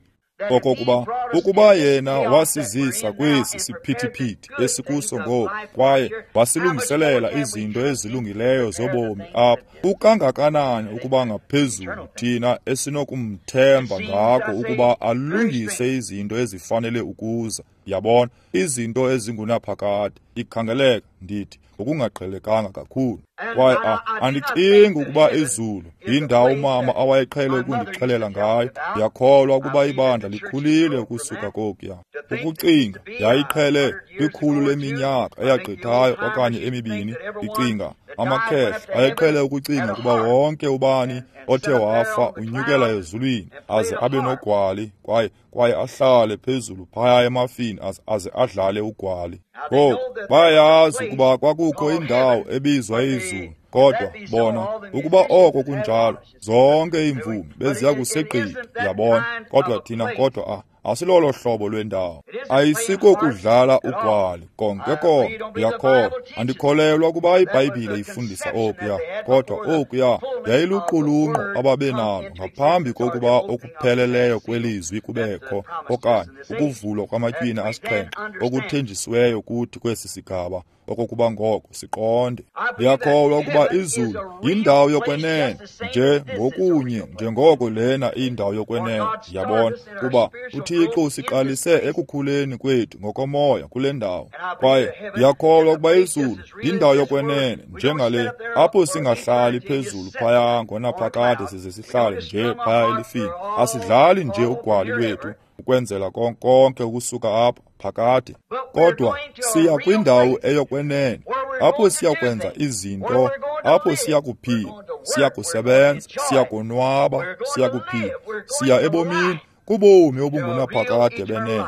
S1: Okokuba ukuba yena wasizisa kwesi siphithiphithi esikuso ngoku, kwaye wasilungiselela izinto ezilungileyo zobomi apha, kukangakanani ukuba ngaphezulu thina esinokumthemba ngako ukuba alungise izinto ezifanele ukuza. Yabona, izinto ezingunaphakade. Ikhangeleka, ndithi, ngokungaqhelekanga kakhulu. Kwaye andicingi ukuba izulu yindawo umama awayeqhele ukundixelela ngayo. Ndiyakholwa ukuba ibandla likhulile ukusuka kokuya. Ukucinga yayiqhele kwikhulu leminyaka eyagqithayo okanye emibini. Ndicinga amakhehla ayeqhele ukucinga ukuba wonke ubani othe wafa unyukela ezulwini aze abe nogwali kwaye kwaye ahlale phezulu phaya emafini aze, aze adlale ugwali. Ngoku bayayazi ukuba kwakukho indawo ebizwa izulu, kodwa bona ukuba oko kunjalo zonke iimvumi beziya kusigqitha, yabona. Kodwa thina kodwa a asilolo hlobo lwendawo. Ayisiko kudlala ugwali konke konke. Ndiyakholwa, andikholelwa ukuba iBhayibhile ifundisa okuya, kodwa okuya yayiluqulunqo ababenalo ngaphambi kokuba okupheleleyo kwelizwi kubekho, okanye ukuvulwa kwamatywina asixhenxe okuthenjisiweyo kuthi kwesi sigaba, okokuba ngoko siqonde. Ndiyakholwa ukuba izulu yindawo yokwenene nje ngokunye njengoko lena indawo yokwenene, yabona, kuba uThixo usiqalise ekukhuleni kwethu ngokomoya kule ndawo. Kwaye ndiyakholwa ukuba izulu yindawo yokwenene njengale, apho singahlali phezulu phaya ngonaphakade size sihlale nje phaya elifini. Asidlali nje ugwali lwethu ukwenzela konke ukusuka apha phakade, kodwa siya kwindawo eyokwenene apho siya kwenza izinto, apho siya kuphila, siya kusebenza, siya konwaba, siya kuphila, siya ebomini, kubomi obungunaphakade benene.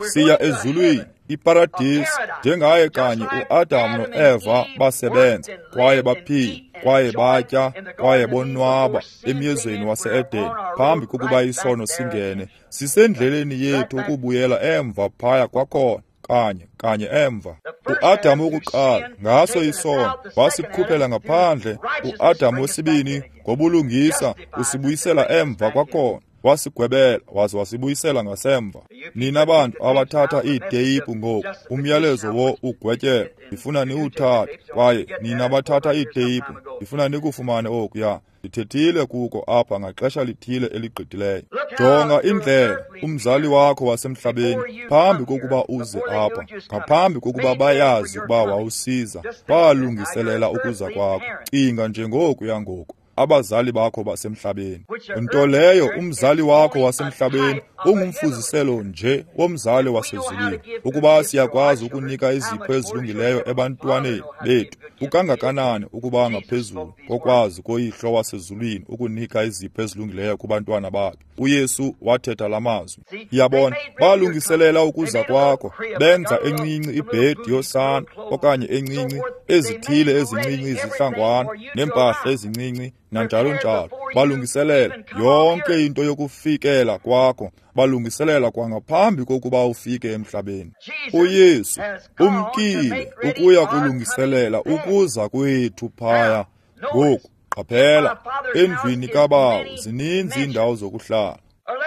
S1: Siya ezulwini, iparadisi, njengaye kanye uAdam noEva basebenza kwaye baphila kwaye batya kwaye bonwaba emyezweni wase-Edeni phambi kokuba isono singene. Sisendleleni yethu ukubuyela emva phaya kwakhona, kanye kanye emva. uAdam wokuqala ngaso isono wasikhuphela ngaphandle. uAdam wesibini ngobulungisa usibuyisela emva kwakhona, wasigwebela waze wasibuyisela ngasemva. Nina bantu abathatha iiteyipu ngoku, umyalezo wo ugwetyelo ndifuna niwuthathe, kwaye nina bathatha iiteyipu ndifuna nikufumane okuya. Ndithethile kuko apha ngaxesha lithile eligqithileyo. Jonga indlela umzali wakho wasemhlabeni phambi kokuba uze apha, ngaphambi kokuba bayazi ukuba wawusiza, balungiselela ukuza kwakho. Cinga nje ngokuya ngoku, abazali bakho basemhlabeni. Nto leyo umzali wakho wasemhlabeni ungumfuziselo nje womzali wasezulwini. Ukuba siyakwazi ukunika izipho ezilungileyo ebantwaneni bethu, kukangakanani ukuba ngaphezulu kokwazi koyihlo wasezulwini ukunika izipho ezilungileyo kubantwana bakhe? uYesu wathetha la mazwi. Yabona, balungiselela ukuza kwakho, benza encinci ibhedi yosana okanye encinci ezithile ezincinci izihlangwana neempahla ezincinci nanjalo njalo. Balungiselela yonke into yokufikela kwakho, balungiselela kwangaphambi kokuba ufike emhlabeni. uYesu umkile ukuya kulungiselela ukuza kwethu phaya. Ngoku qaphela, endlwini kaBawo zininzi iindawo zokuhlala.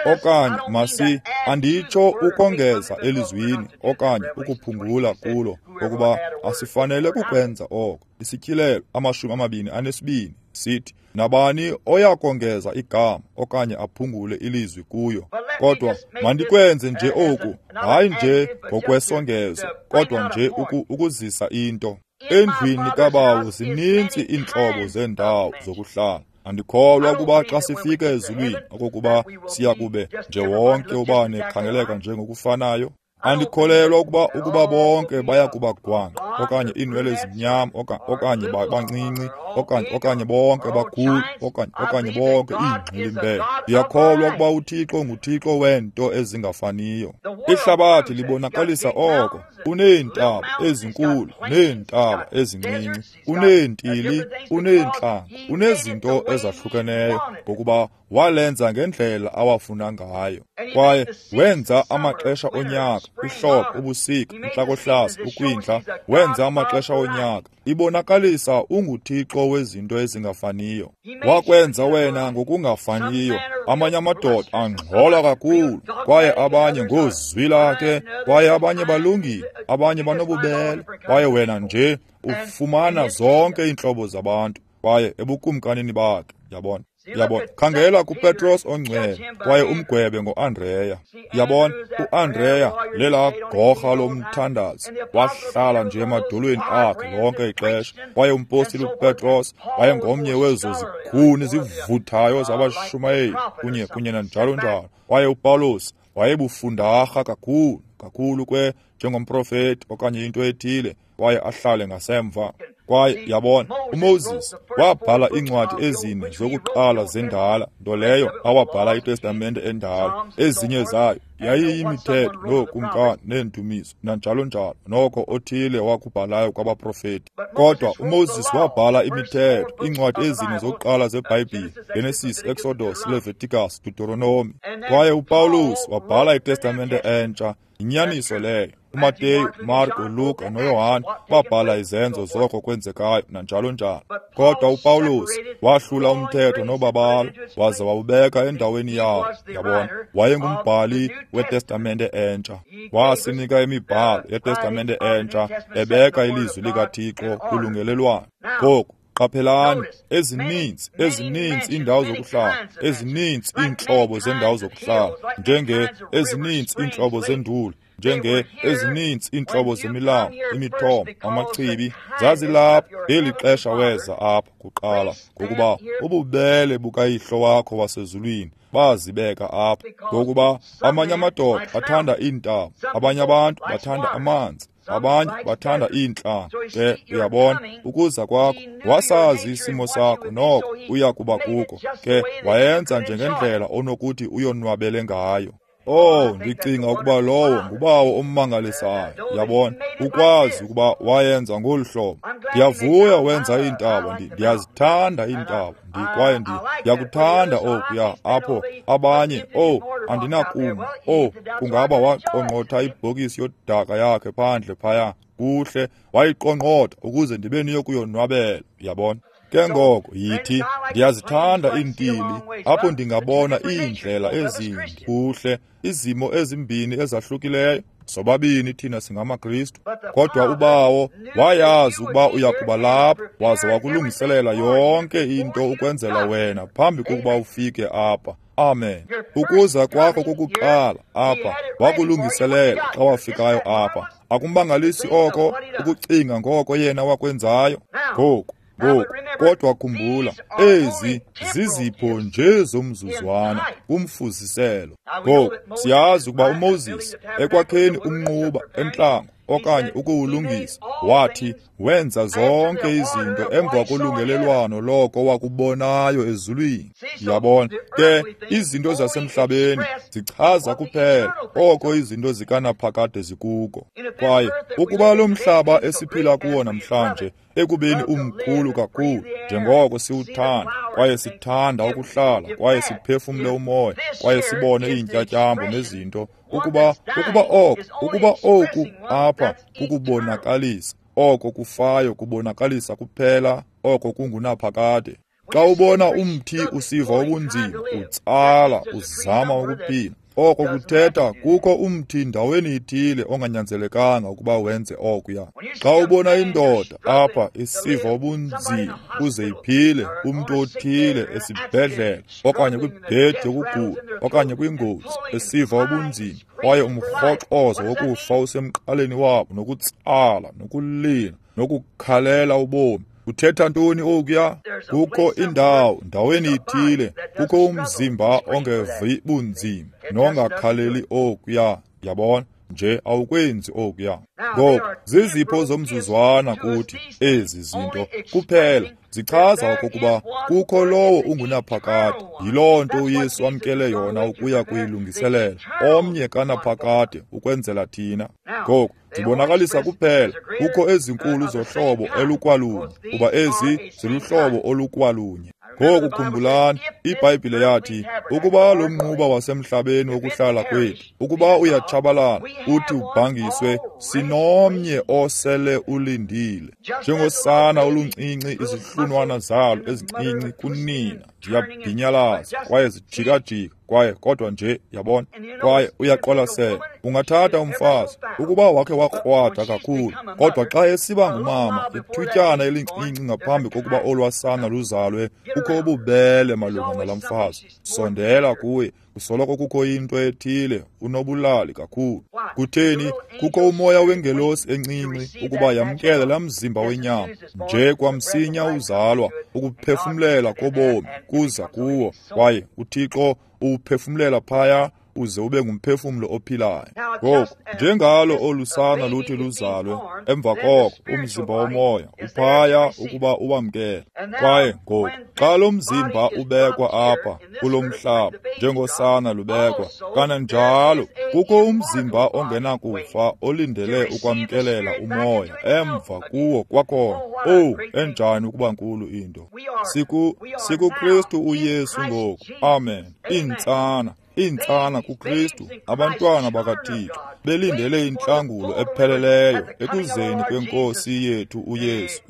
S1: Okanye masi anditsho ukongeza elizwini okanye ukuphungula kulo, ngokuba asifanele kukwenza oko. Isityhilelo amashumi amabini anesibini sithi, nabani oyakongeza igama okanye aphungule ilizwi kuyo. Kodwa mandikwenze nje oku, hayi nje ngokwesongezo, kodwa nje uku, ukuzisa into. Endlwini kaBawo zininzi iintlobo zeendawo zokuhlala. Andikholwa ukuba xa sifika ezulwini okokuba siya kube nje wonke ubani ekhangeleka njengokufanayo. Andikholelwa ukuba ukuba bonke baya kuba gwangqa okanye iinwele ezimnyama okanye bancinci okanye okanye bonke bakhulu okanye okanye bonke iingxilimbela. Ndiyakholwa ukuba uThixo nguThixo weento ezingafaniyo. Ihlabathi libonakalisa oko. Uneentaba ezinkulu neentaba ezincinci, uneentili, uneentlanga, unezinto ezahlukeneyo, ngokuba walenza ngendlela awafuna ngayo. Kwaye wenza amaxesha onyaka, ihlobo, ubusika, intlakohlaza, ukwindla, wenza amaxesha onyaka. Ibonakalisa unguThixo wezinto ezingafaniyo. Wakwenza wena ngokungafaniyo. Amanye amadoda angxola kakhulu, kwaye abanye ngozwi lakhe, kwaye abanye balungile, abanye banobubele, kwaye wena nje ufumana zonke iintlobo zabantu, kwaye ebukumkanini bakhe, yabona. Yabona, khangela kuPetros ongcwele kwaye umgwebe ngoAndreya. Yabona, uAndreya lelaa gorha lomthandazo, wahlala nje emadolweni akhe lonke ixesha. Kwaye umpostile uPetros wayengomnye wezo zikhuni zivuthayo zabashumayeli kunye kunye nanjalo njalo. Kwaye uPawulos wayebufundarha kakhulu kakhulu kwe njengomprofeti okanye into ethile, kwaye ahlale ngasemva. Kwaye yabona, uMoses wabhala iincwadi ezine zokuqala zendala, nto leyo awabhala iTestamente endala. Ezinye zayo yayiyimithetho nookumkani neendumiso nanjalo njalo, noko othile wakubhalayo kwabaprofeti. Kodwa uMoses wabhala imithetho, iincwadi ezine zokuqala zeBhayibhile, Genesis, Exodus, Leviticus, Deuteronomy. Kwaye uPawulos wabhala iTestamente entsha. Yinyaniso leyo. uMateyu, Marko, Luka noYohane babhala izenzo zoko kwenzekayo nanjalo njalo. Kodwa uPawulos wahlula umthetho nobabalo waze wawubeka endaweni yawo. Yabona, wayengumbhali weTestamente entsha. Wasinika imibhalo yeTestamente entsha ebeka ilizwi likaThixo kulungelelwano. Ngoku qaphelani, ezininzi ezininzi iindawo zokuhlala, ezininzi iintlobo zendawo zokuhlala, njenge ezininzi iintlobo zenduli, njenge ezininzi iintlobo zemilambo, imithombo, amachibi, zazilapha ngeli xesha weza apha kuqala, ngokuba ububele bukayihlo wakho wasezulwini bazibeka apha. Ngokuba amanye amadoda athanda iintaba, abanye abantu bathanda amanzi, abanye bathanda iintlanga. Ke uyabona, ukuza kwakho wasazi isimo sakho, noko uya kuba kuko. Ke wayenza njengendlela onokuthi uyonwabele ngayo. Oh, ndicinga ukuba lowo ngubawo ommangalisayo. Yabona, ukwazi ukuba wayenza ngolu hlobo. Ndiyavuya wenza iintaba, ndiyazithanda iintaba, kwaye ndiyakuthanda okuya apho abanye. Oh, andinakuma. Oh, kungaba waqongqotha ibhokisi yodaka yakhe phandle phaya. Kuhle, wayiqongqotha ukuze ndibe niyokuyonwabela. Yabona. Ke ngoko yithi, ndiyazithanda iintili apho ndingabona iindlela ezinde. Kuhle, izimo ezimbini ezahlukileyo. Sobabini thina singamaKristu. Kodwa ubawo wayazi ukuba uya kuba lapha, waze wakulungiselela yonke into ukwenzela wena phambi kokuba ufike apha. Amen. Ukuza kwakho kokuqala apha wakulungiselela xa wafikayo apha. Akumbangalisi oko ukucinga ngoko yena wakwenzayo. Ngoku Ngoku, kodwa khumbula, ezi zizipho nje zomzuzwana kumfuziselo. Ngoku, siyazi ukuba uMoses ekwakheni umnquba entlango okanye ukuwulungisa, wathi wenza zonke izinto emva kolungelelwano loko wakubonayo ezulwini. Yabona, ke izinto zasemhlabeni zichaza kuphela oko izinto zikanaphakade zikuko. Kwaye ukuba lo mhlaba esiphila kuwo namhlanje ekubeni umkhulu kakhulu njengoko siwuthanda, kwaye sithanda ukuhlala, kwaye siphefumle umoya, kwaye sibone iintyatyambo nezinto, ukuba ukuba oko ukuba oku apha kukubonakalisa oko kufayo, kubonakalisa kuphela oko kungunaphakade. Xa ubona umthi usiva ubunzima, utsala, uzama ukuphila, oko kuthetha kukho umthi ndaweni ithile onganyanzelekanga ukuba wenze okuya. Xa ubona indoda apha isiva ubunzima ukuze iphile, umntu othile esibhedlele okanye kwibhedi yokugula okanye kwingozi esiva ubunzima, kwaye umrhoxozo wokufa usemqaleni wabo, nokutsala, nokulila, nokukhalela ubomi, kuthetha ntoni okuya? Kukho indawo ndaweni ithile, kukho umzimba ongevi bunzima nongakhaleli okuya. Yabona, nje awukwenzi okuya. Ngoku zizipho zomzuzwana kuthi ezi zinto kuphela zichaza okokuba kukho lowo ungunaphakade. Yiloo nto uYesu amkele yona ukuya kuyilungiselela omnye kanaphakade ukwenzela thina. Ngoku zibonakalisa kuphela kukho ezinkulu zohlobo elukwalunye, kuba ezi ziluhlobo olukwalunye. Ngoku khumbulani, iBhayibhile yathi ukuba lo mnquba wasemhlabeni wokuhlala kwethu, ukuba uyatshabalala uthi ubhangiswe, sinomnye osele ulindile. Njengosana oluncinci, izihlunwana zalo ezincinci kunina ziyabhinyalaza kwaye zijikajika, kwaye kodwa nje yabona, kwaye uyaqwalasela. Ungathatha umfazi, ukuba wakhe wakrwada kakhulu, kodwa xa esiba ngumama, ithutyana elincinci ngaphambi kokuba olwasana luzalwe, kukho ububele malunga nalaa mfazi. Sondela kuye, kusoloko kukho into ethile, unobulali kakhulu. Kutheni? Kukho umoya wengelosi encinci ukuba yamkele laa mzimba wenyama. Nje kwamsinya uzalwa, ukuphefumlela kobomi kuza kuwo, kwaye uThixo uwuphefumlela phaya uze ube ngumphefumlo ophilayo. Ngoku, njengalo olu sana luthi luzalwe, emva koko umzimba womoya uphaya ukuba uwamkele. Kwaye ngoku, xa lo mzimba ubekwa apha kulo mhlaba, njengosana lubekwa, kananjalo kukho umzimba ongenakufa olindele ukwamkelela umoya emva kuwo kwakhona. Owu, enjani ukuba nkulu into! Siku, sikuKristu uYesu ngoku. Amen. Iintsana. Iintsana kuKristu, abantwana bakaThixo, belindele intlangulo epheleleyo ekuzeni kweNkosi yethu uYesu,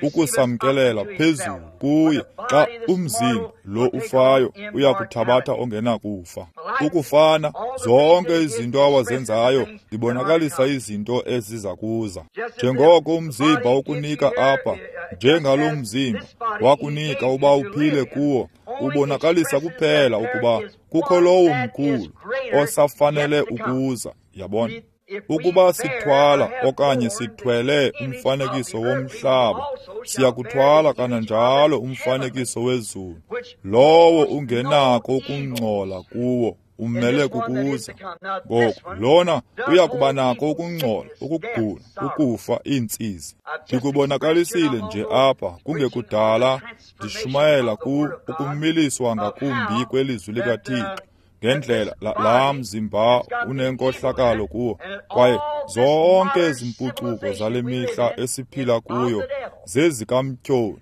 S1: ukusamkelela phezulu kuye. Xa umzimba lo ufayo uyakuthabatha ongenakufa. Ukufana, zonke izinto awazenzayo zibonakalisa izinto eziza kuza. Njengoko umzimba ukunika apha, njengalo mzimba wakunika uba uphile kuwo, ubonakalisa kuphela ukuba kukho lowo mkhulu osafanele ukuza. Yabona? Ukuba sithwala okanye sithwele umfanekiso womhlaba, siyakuthwala kananjalo umfanekiso wezulu, lowo ungenako ukungcola kuwo umele kukuza. Ngoku lona uyakuba nako ukungcola, ukugula, ukufa, iintsizi. Ndikubonakalisile nje apha kungekudala ndishumayela ku ukumiliswa ngakumbi kwelizwi likaThixo ngendlela laa mzimba unenkohlakalo kuwo, kwaye zonke ezi mpucuko zale mihla esiphila kuyo zezikamtyholi.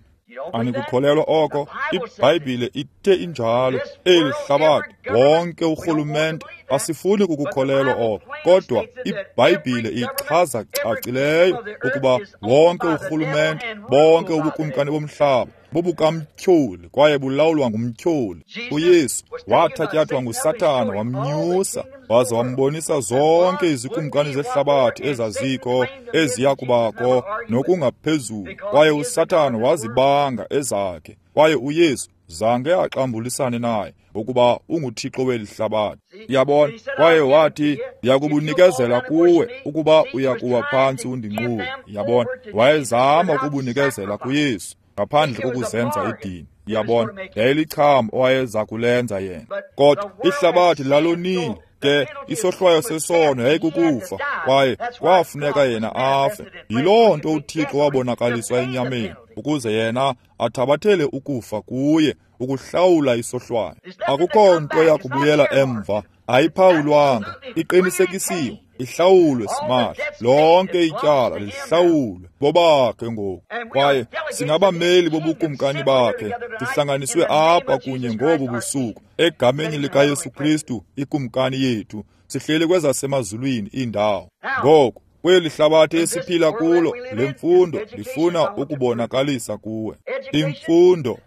S1: Anikukholelwa oko? IBhayibhile ithe injalo. Eli hlabathi, wonke urhulumente, asifuni kukukholelwa oko, kodwa iBhayibhile ichaza cacileyo ukuba wonke urhulumente, bonke ubukumkani bomhlaba bubukamtyholi kwaye bulawulwa ngumtyholi. uYesu wathatyathwa nguSathana, wamnyusa waza wambonisa zonke izikumkani zehlabathi ezazikho, eziya kubakho nokungaphezulu, kwaye uSathana wazibanga ezakhe, kwaye uYesu zange axambulisane naye ngokuba unguThixo weli hlabathi. Yabona? Kwaye wathi, ndiyakubunikezela kuwe ukuba uyakuwa phantsi undinqule. Yabona? Wayezama ukubunikezela kuYesu ngaphandle kokuzenza idini. Yabona? Yayilicham owayeza kulenza yena. Kodwa ihlabathi lalonile, ke isohlwayo sesono yayikukufa, kwaye kwafuneka yena afe. Yiloo nto uThixo wabonakaliswa enyameni, ukuze yena athabathele ukufa kuye, ukuhlawula isohlwayo. Akukho nto yakubuyela emva, ayiphawulwanga, iqinisekisiwe, ihlawulwe simahla. Lonke ityala lihlawulwe bobakhe ngoku, kwaye singabameli bobukumkani bakhe. Sihlanganiswe apha kunye ngobu busuku egameni likaYesu Kristu, ikumkani yethu. Sihleli kwezasemazulwini iindawo. Ngoku kweli hlabathi esiphila kulo, le mfundo ndifuna ukubonakalisa kuwe. Imfundo,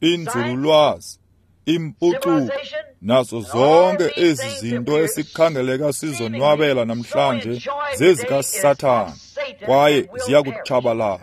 S1: inzululwazi, impucuko, nazo zonke ezi zinto esikhangeleka sizonwabela namhlanje zezikaSathana, kwaye ziyakutshabalala.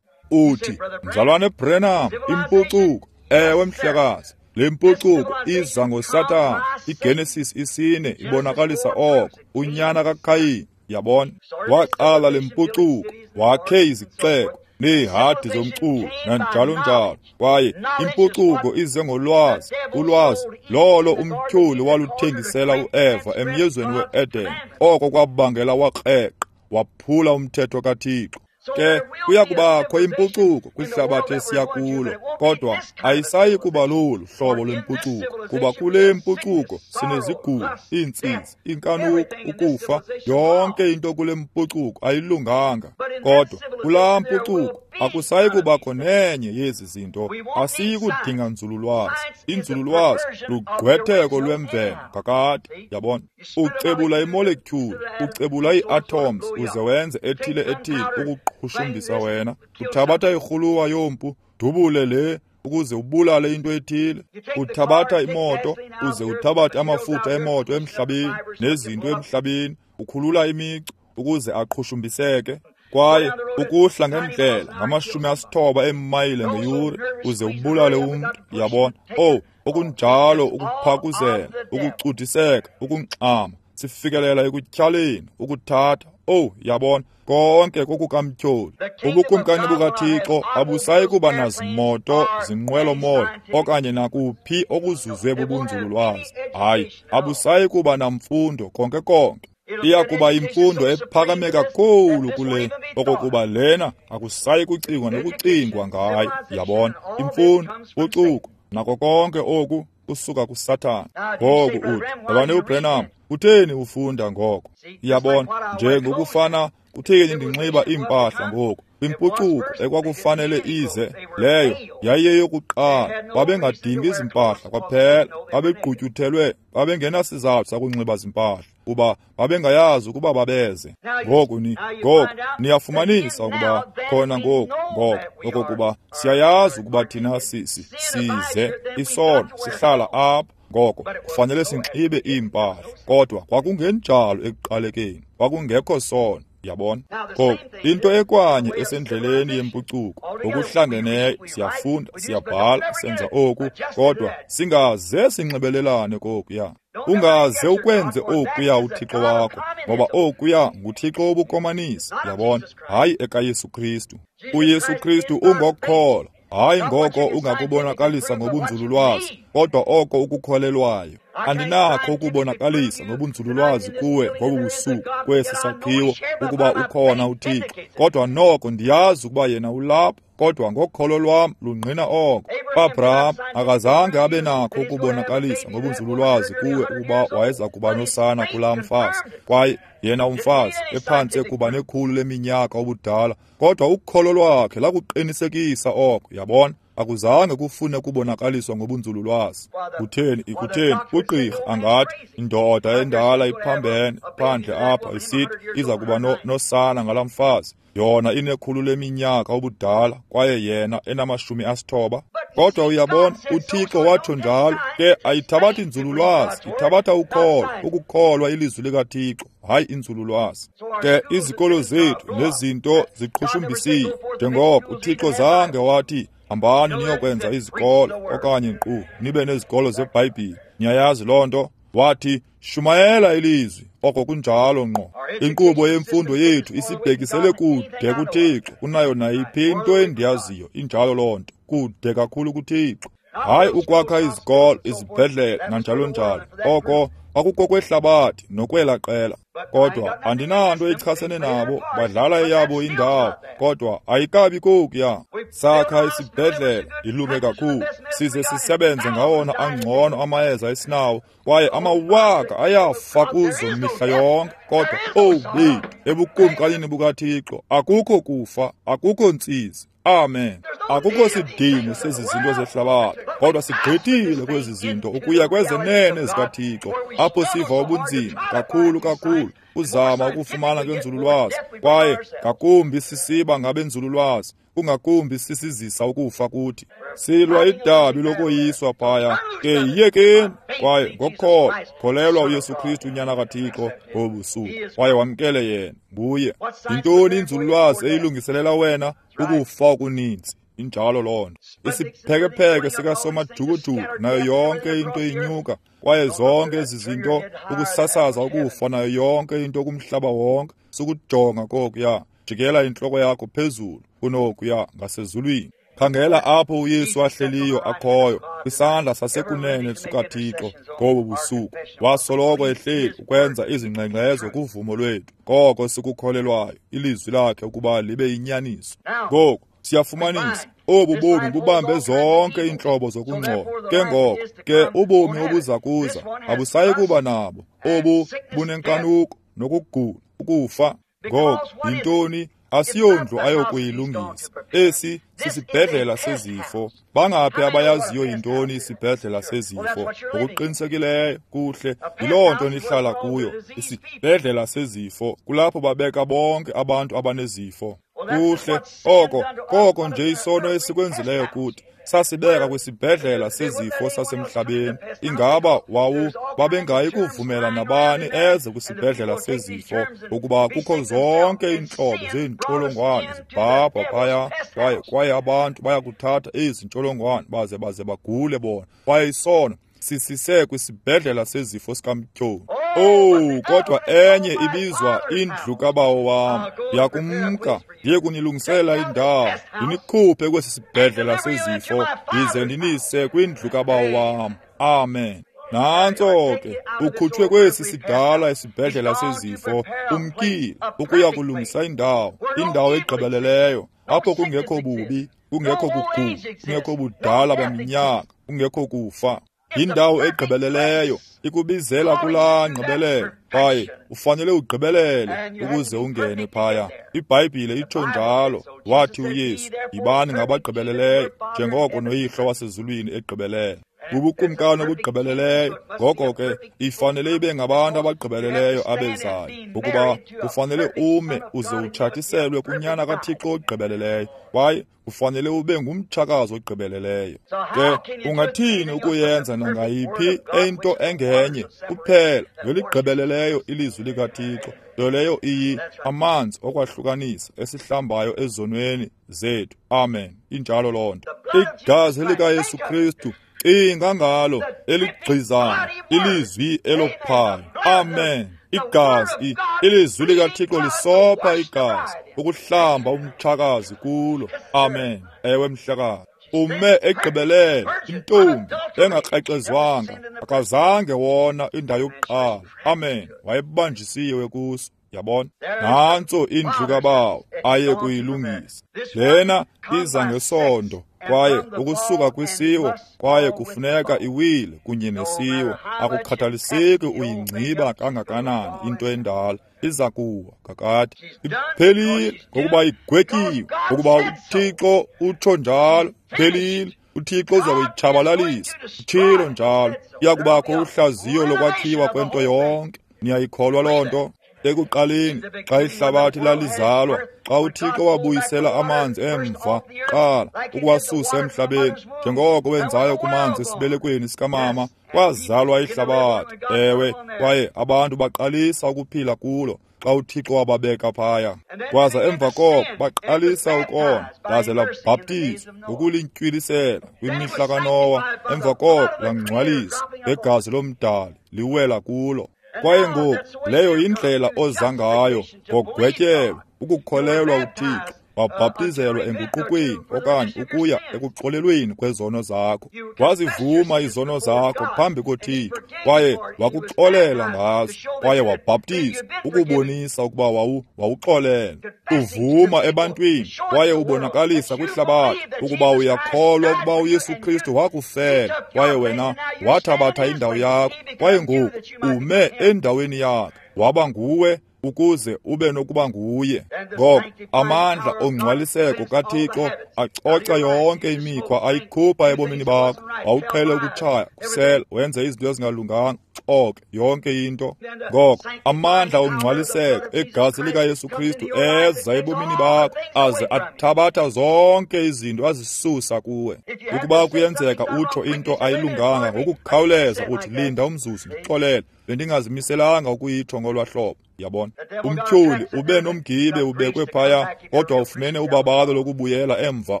S1: Uthi, Mzalwane Branham, impucuko, ewe mhlekazi, le mpucuko iza ngoSathana. IGenesis isine ibonakalisa oko, unyana kaKhayini. Yabona? Waqala le mpucuko, wakhe izixeko neehadi zomculo nanjalo njalo, kwaye impucuko ize ngolwazi. Ulwazi lolo umtyholi waluthengisela uEva emyezweni we-Eden. Oko kwabangela wakreqa, waphula umthetho kaThixo. Ke kuya kubakho impucuko kwihlabathi esiya kulo, kodwa ayisayi kuba lolu hlobo lwempucuko, kuba kule mpucuko sinezigulo, iintsizi, inkanuko, ukufa. Yonke into kule mpucuko ayilunganga, kodwa kulaa mpucuko akusayi kubakho nenye yezi zinto. Asiyi kudinga nzululwazi. Inzululwazi lugqwetheko lwemvelo kakade. Yabona? Ucebula imolekyuli, ucebula ii-atoms uze wenze ethile ethile ukuqhushumbisa wena. Uthabatha irhuluwa yompu, dubule le ukuze ubulale into ethile. Uthabatha imoto uze uthabathe amafutha emoto emhlabeni nezinto emhlabeni, Ukhulula imicu ukuze aqhushumbiseke. Kwaye ukuhla ngendlela ngamashumi asithoba eemayile ngeyure uze ubulale umntu, yabona. Owu, okunjalo ukuphakuzela, ukucudiseka, ukungxama, sifikelela ekutyhaleni, ukuthatha. Owu, yabona, konke kokukamtyholi. Ubukumkani bukaThixo abusayi kuba nazimoto zinqwelomoya okanye nakuphi okuzuzwe bubunzululwazi. Hayi, abusayi kuba namfundo konke konke. Iya kuba imfundo ephakame kakhulu kule, okokuba lena akusayi kucingwa nokucingwa ngayo. Yabona, imfundo, ucuko, nako konke oku kusuka kuSathana. Ngoku uthi, Mzalwane uBranham, kutheni ufunda ngoko? Yabona, nje ngokufana, kutheni ndinxiba iimpahla ngoku? Kwimpucuko ekwakufanele ize, leyo yayiyeyokuqala. Babengadingi izimpahla kwaphela, babegqutyuthelwe, babengenasizathu sakunxiba zimpahla, kuba babengayazi ukuba babeze. Ngoku ni ngoku niyafumanisa ukuba khona ngoku ngoko okokuba siyayazi ukuba thina sisi size isono sihlala apha. Ngoko kufanele sinxibe iimpahla, kodwa kwakungenjalo ekuqalekeni, kwakungekho sono. Yabona? Ngoku into ekwanye esendleleni yempucuko ngokuhlangeneyo, siyafunda, siyabhala, senza oku, kodwa singaze sinxibelelane kokuya. Ungaze ukwenze okuya uThixo wakho, ngoba okuya nguThixo wobukomanisi, yabona, hayi ekaYesu Kristu. UYesu Kristu ungokukholwa, hayi ngoko ungakubonakalisa ngobunzululwazi, kodwa oko ukukholelwayo. Andinakho ukubonakalisa ngobunzululwazi kuwe ngobu busuku kwesi sakhiwo ukuba ukhona uThixo, kodwa noko ndiyazi ukuba yena ulapho, kodwa ngokholo lwam lungqina oko. UAbraham akazange abe nakho ukubonakalisa ngobunzululwazi kuwe ukuba wayeza kuba nosana kulaa mfazi, kwaye yena umfazi ephantse kuba nekhulu leminyaka ubudala, kodwa ukholo lwakhe lakuqinisekisa oko. Yabona, akuzange kufune kubonakaliswa ngobunzululwazi. Kutheni ikutheni ugqirha angathi indoda endala iphambene phandle apha isithi iza kuba no, nosana ngalaa mfazi, yona inekhulu leminyaka ubudala kwaye yena enamashumi asithoba. Kodwa uyabona, uThixo watsho njalo. Ke ayithabathi inzululwazi, ithabatha ukholo, ukukholwa ilizwi likaThixo, hayi inzululwazi. Ke izikolo zethu nezinto ziqhushumbisiwe, njengoko uThixo zange wathi hambani niyokwenza izikolo okanye nkqu nibe nezikolo zeBhayibhile. Niyayazi loo nto? Wathi shumayela ilizwi, oko kunjalo ngqo. Inkqubo yemfundo yethu isibhekisele kude kuThixo kunayo nayiphi into endiyaziyo. Injalo loo nto, kude kakhulu kuThixo. Hayi ukwakha izikolo, izibhedlele nanjalo njalo, oko akukokwehlabathi nokwela qela. Kodwa andinanto ichasene nabo, badlala eyabo indawo, kodwa ayikabi kokuya. Sakha isibhedlele ilunge kakhulu, size sisebenze ngawona angcono amayeza esinawo, kwaye amawaka ayafa kuzo mihla yonke. Kodwa owu bethu, ebukumkanini bukaThixo akukho kufa, akukho ntsizi. Amen. Akukho sidingo sezi zinto zehlabathi, kodwa sigqithile kwezi zinto ukuya kwezenene zikaThixo, apho siva ubunzima kakhulu kakhulu uzama ukufumana kwenzululwazi, kwaye ngakumbi sisiba ngabenzululwazi, kungakumbi sisizisa ukufa kuthi. Silwa idabi lokoyiswa phaya, ke yiyekeni, kwaye ngokukholwa kholelwa uYesu Kristu unyana kaThixo ngobusuku, kwaye wamkele yena nguye. Yintoni inzululwazi eyilungiselela wena? Ukufa okuninzi. Injalo loo nto. Isiphekepheke sikasomajukujuku nayo yonke into inyuka, kwaye zonke ezi zinto ukusasaza ukufa nayo yonke into kumhlaba wonke, sukujonga kokuya. Jikela intloko yakho phezulu kunokuya ngasezulwini. Khangela apho uYesu ahleliyo akhoyo, kwisandla sasekunene sikaThixo ngobu busuku. Wasoloko ehleli ukwenza izingxengxezo kuvumo lwethu, koko sikukholelwayo ilizwi lakhe ukuba libe yinyaniso. Ngoku siyafumanisa obu bomi bubambe zonke iintlobo zokungcola. Ke ngoko ke ubomi obuza kuza abusayi kuba nabo obu bunenkanuko nokugula, ukufa. Ngoku yintoni? Asiyondlu ayokuyilungisa. Esi sisibhedlela sezifo. Bangaphi abayaziyo yintoni isibhedlela sezifo? Ngokuqinisekileyo kuhle, yiloo nto nihlala kuyo, isibhedlela sezifo. Kulapho babeka bonke abantu abanezifo. Kuhle oko, koko nje isono esikwenzileyo kuthi. Sasibeka kwisibhedlela sezifo sasemhlabeni. Ingaba wawu babengayi kuvumela nabani eze kwisibhedlela sezifo, ukuba kukho zonke iintlobo zeentsholongwane zibhabha phaya, kwaye kwaye abantu bayakuthatha ezi ntsholongwane baze baze bagule bona. Kwaye isono sisise kwisibhedlela sezifo sikamtyholi. Oh, kodwa enye ibizwa indlu kaBawo wam. Ndiyakumka ndiye kunilungisela indawo, ndinikhuphe kwesi sibhedlela sezifo, ndize ndinise kwindlu kaBawo wam. Amen. Nantso ke, ukhutshwe kwesi sidala isibhedlela sezifo, umkile ukuya kulungisa indawo, indawo egqibeleleyo, apho kungekho bubi, kungekho kugula, kungekho budala baminyaka, kungekho kufa. Indawo egqibeleleyo ikubizela kulaa ngqibelelo, kwaye ufanele ugqibelele ukuze ungene phaya. IBhayibhile itsho njalo. Wathi uYesu, yibani ngabagqibeleleyo njengoko noYihlo wasezulwini egqibelele. Bubukumkani obugqibeleleyo. Ngoko ke ifanele ibe ngabantu abagqibeleleyo abezayo, ukuba kufanele ume uze utshatiselwe kunyana kaThixo ogqibeleleyo, kwaye ufanele ube ngumtshakazi ogqibeleleyo. Ke ungathini ukuyenza nangayiphi into engenye kuphela ngeligqibeleleyo ilizwi likaThixo, nto leyo iyi amanzi okwahlukanisa esihlambayo ezonweni zethu. Amen. Injalo loo nto. Igazi likaYesu Kristu, cinga ngalo, eligqizayo ilizwi elophayo. Amen. Igazi, ilizwi likaThixo lisopha igazi ukuhlamba umtshakazi kulo. Amen. Ewe mhlekazi. Ume egqibelele, intombi engakrexezwanga, akazange wona indawo yokuqala. Amen. Wayebanjisiwe kuso. Yabona, nantso indlu kaBawo aye kuyilungisa. Lena iza ngesondo, kwaye ukusuka kwisiwo, kwaye kufuneka iwile kunye nesiwo. Akukhathaliseki uyingciba kangakanani into endala, iza kuwa kakade. Iphelile, ngokuba igwetyiwe, ngokuba uThixo utsho njalo. Phelile. uThixo uza kuyitshabalalisa, utshilo njalo. Iyakubakho uhlaziyo lokwakhiwa kwento yonke. Niyayikholwa loo nto? Ekuqaleni, xa ihlabathi lalizalwa, xa uThixo wabuyisela amanzi emva qala ukuwasusa emhlabeni, njengoko wenzayo kumanzi esibelekweni sikamama, kwazalwa ihlabathi. Ewe, kwaye abantu baqalisa ukuphila kulo xa uThixo wababeka phaya. Kwaza emva koko baqalisa ukona, laze labhaptizwa ngokulintywilisela kwimihla kaNowa. Emva koko langcwaliswa ngegazi lomdali liwela kulo. Kwaye ngoku leyo yindlela oza ngayo ngogwetyelo, ukukholelwa uThixo, wabhaptizelwa enguqukweni okanye ukuya ekuxolelweni kwezono zakho. Wazivuma izono zakho phambi koThixo, kwaye wakuxolela ngazo, kwaye wabhaptizwa ukubonisa ukuba wawu wawuxolela. Uvuma ebantwini kwaye ubonakalisa kwihlabathi ukuba uyakholwa ukuba uYesu Kristu wakufela, kwaye wena wathabatha indawo yakho, kwaye ngoku ume endaweni yakhe, waba nguwe ukuze ube nokuba nguye. Ngoko amandla ongcwaliseko kaThixo acoca yonke imikhwa ayikhupha ebomini bakho. Wawuqhele ukutshaya, kusela, wenze izinto ezingalunganga, xoke yonke into. Ngoko amandla ongcwaliseko egazi likaYesu Kristu eza ebomini bakho aze athabatha zonke izinto azisusa kuwe. Ukuba kuyenzeka utsho into ayilunganga, ngokukhawuleza uthi, linda umzuzu, ndixolele, bendingazimiselanga ukuyitsho ngolwa hlobo. Yabona, umtyholi ube nomgibe ubekwe phaya, kodwa ufumene ubabalo lokubuyela emva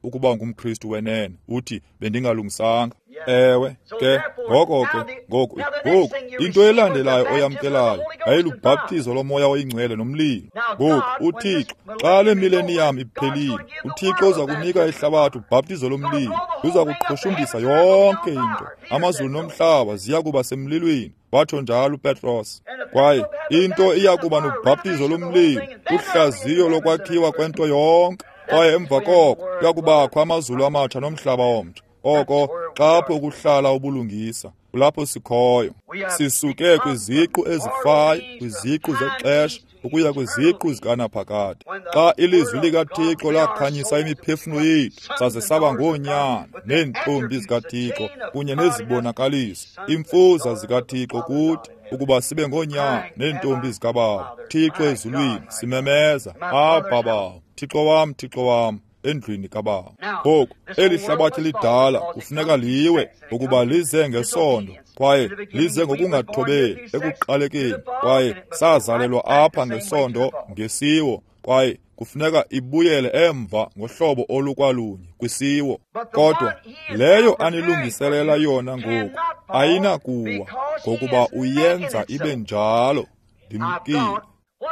S1: ukuba ngumKristu wenene. Uthi, bendingalungisanga. Ewe ke, ngoko ke, ngoku ngoku into elandelayo oyamkelayo yayilubhaptizo loMoya oyiNgcwele nomlilo. Ngoku uThixo, xa le mileniyam iphelile, uThixo uza kunika ihlabathi ubhaptizo lomlilo. Uza kuqhushumbisa yonke into. Amazulu nomhlaba ziya kuba semlilweni, watsho njalo uPetros. Kwaye into iya kuba nobhaptizo lomlilo, uhlaziyo lokwakhiwa kwento yonke. Kwaye emva koko kuya kubakho amazulu amatsha nomhlaba omtsha. Oko xapho kuhlala ubulungisa, kulapho sikhoyo. Sisuke kwiziqu ezifayo, kwiziqu zexesha, ukuya kwiziqu zikanaphakade. Xa ilizwi likaThixo lakhanyisa imiphefumlo yethu, saze saba ngoonyana neentombi zikaThixo kunye nezibonakaliso, imfuza zikaThixo kuthi, ukuba sibe ngoonyana neentombi zikaBawo. Thixo ezulwini, simemeza, Abba Bawo, Thixo wam, Thixo wam, endlwini kaBawo. Ngoku eli hlabathi lidala kufuneka liwe ukuba lize ngesondo kwaye lize ngokungathobeli ekuqalekeni, kwaye sazalelwa apha ngesondo ngesiwo, kwaye kufuneka ibuyele emva ngohlobo olukwalunye kwisiwo. Kodwa leyo anilungiselela yona ngoku ayinakuwa, ngokuba uyenza ibe njalo. Ndimkile.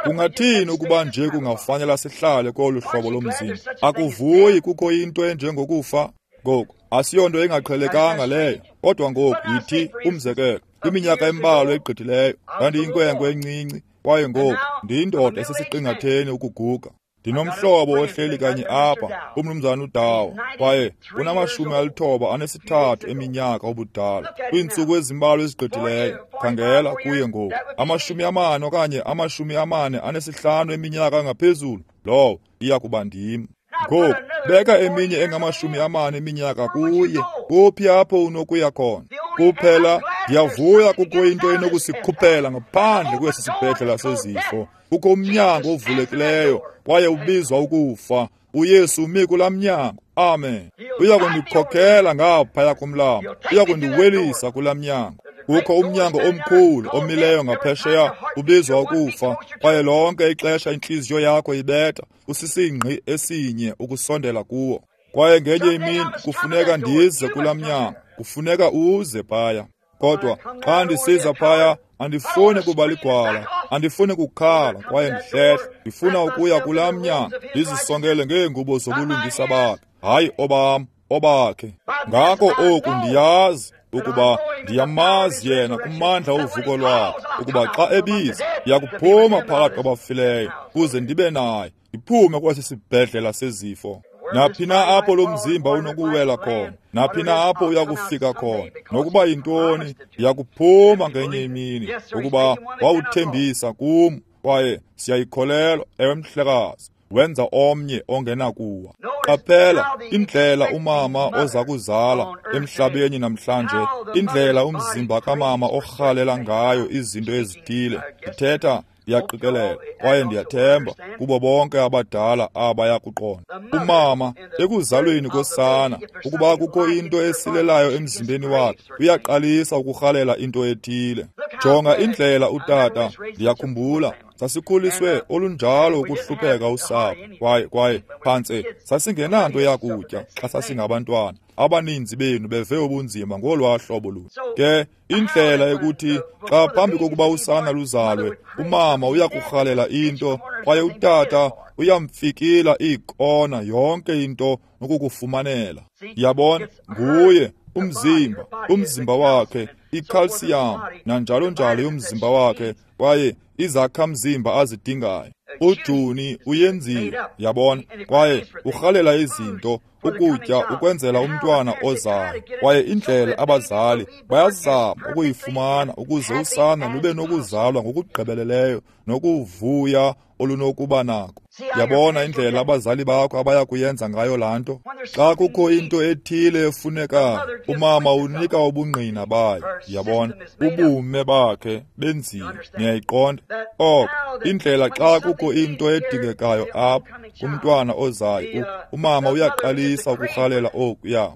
S1: Kungathini ukuba nje kungafanela sihlale kolu hlobo lomzimba? Akuvuyi kukho into enjengokufa. Ngoku asiyonto engaqhelekanga leyo, kodwa ngoku yithi umzekelo, kwiminyaka embalwa egqithileyo ndandiyinkwenkwe encinci, kwaye ngoku ndiyindoda esesiqingatheni ukuguga. Ndinomhlobo ohleli kanye apha, umnumzana uDawo, kwaye unamashumi alithoba anesithathu eminyaka ubudala. Kwiintsuku ezimbalwa ezigqithileyo, khangela kuye ngoku, amashumi amane okanye amashumi amane anesihlanu eminyaka ngaphezulu, lowo iya kuba ndim. Ngoku beka eminye engamashumi amane eminyaka kuye, kuphi apho unokuya khona? Kuphela ndiyavuya kukho into enokusikhuphela ngaphandle kwesi sibhedlela sezifo. Kukho umnyango ovulekileyo kwaye ubizwa ukufa. uYesu umi kulaa mnyango. Amen. Uya kundikhokhela ngaphaya komlambo, uya kundiwelisa kulaa mnyango. Kukho umnyango omkhulu omileyo ngaphesheya ubizwa ukufa, kwaye lonke ixesha intliziyo yakho ibetha usisingqi esinye ukusondela kuwo. Kwaye ngenye imini kufuneka ndize kulaa mnyango, kufuneka uze phaya. Kodwa xa ndisiza phaya andifuni kuba ligwala, andifuni kukhala kwaye ndihlehle. Ndifuna ukuya kulaa mnyango ndizisongele ngeengubo zobulungisa bakhe, hayi obam, obakhe. Ngako oku ndiyazi ukuba ndiyamazi yena kumandla ovuko lwakhe, ukuba xa ebiza ndiyakuphuma phakathi kwabafileyo kuze ndibe naye, ndiphume kwesi sibhedlela sezifo. Naphi na apho lo mzimba unokuwela khona, naphi na apho uyakufika khona, nokuba yintoni, ndiyakuphuma ngenye imini, ukuba wawuthembisa kum, kwaye siyayikholelwa. Ewe mhlekazi, wenza omnye ongenakuwa. Qaphela indlela umama oza kuzala emhlabeni namhlanje, indlela umzimba kamama orhalela ngayo izinto ezithile. Ndithetha ndiyaqikelela kwaye ndiyathemba kubo bonke abadala abayakuqonda. Umama ekuzalweni kosana, ukuba kukho into esilelayo emzimbeni wakhe, uyaqalisa ukurhalela into ethile. Jonga indlela utata, ndiyakhumbula sasikhuliswe olunjalo ukuhlupheka usapho, kwaye kwaye phantse sasingenanto yakutya xa sasingabantwana. Abaninzi benu beve ubunzima ngolwaa hlobo lunye. Ke indlela ekuthi xa phambi kokuba usana luzalwe, umama uyakurhalela into kwaye utata uyamfikila iikona yonke into nokukufumanela. Yabona, nguye umzimba, umzimba wakhe, ikhalsiyam nanjalo njalo yomzimba wakhe, kwaye izakhamzimba azidingayo. uJuni uyenziwe, yabona, kwaye urhalela izinto, ukutya ukwenzela umntwana ozayo. Kwaye indlela abazali bayazama ukuyifumana ukuze usana lube nokuzalwa ngokugqibeleleyo nokuvuya olunokuba nako. Yabona indlela abazali bakho abaya kuyenza ngayo laa nto. Xa kukho into ethile efunekayo, umama unika ubungqina bayo. Yabona, ubume bakhe benziwe. Niyayiqonda? Oko indlela xa kukho into edingekayo apha kumntwana ozayo, umama uyaqalisa ukurhalela okuya.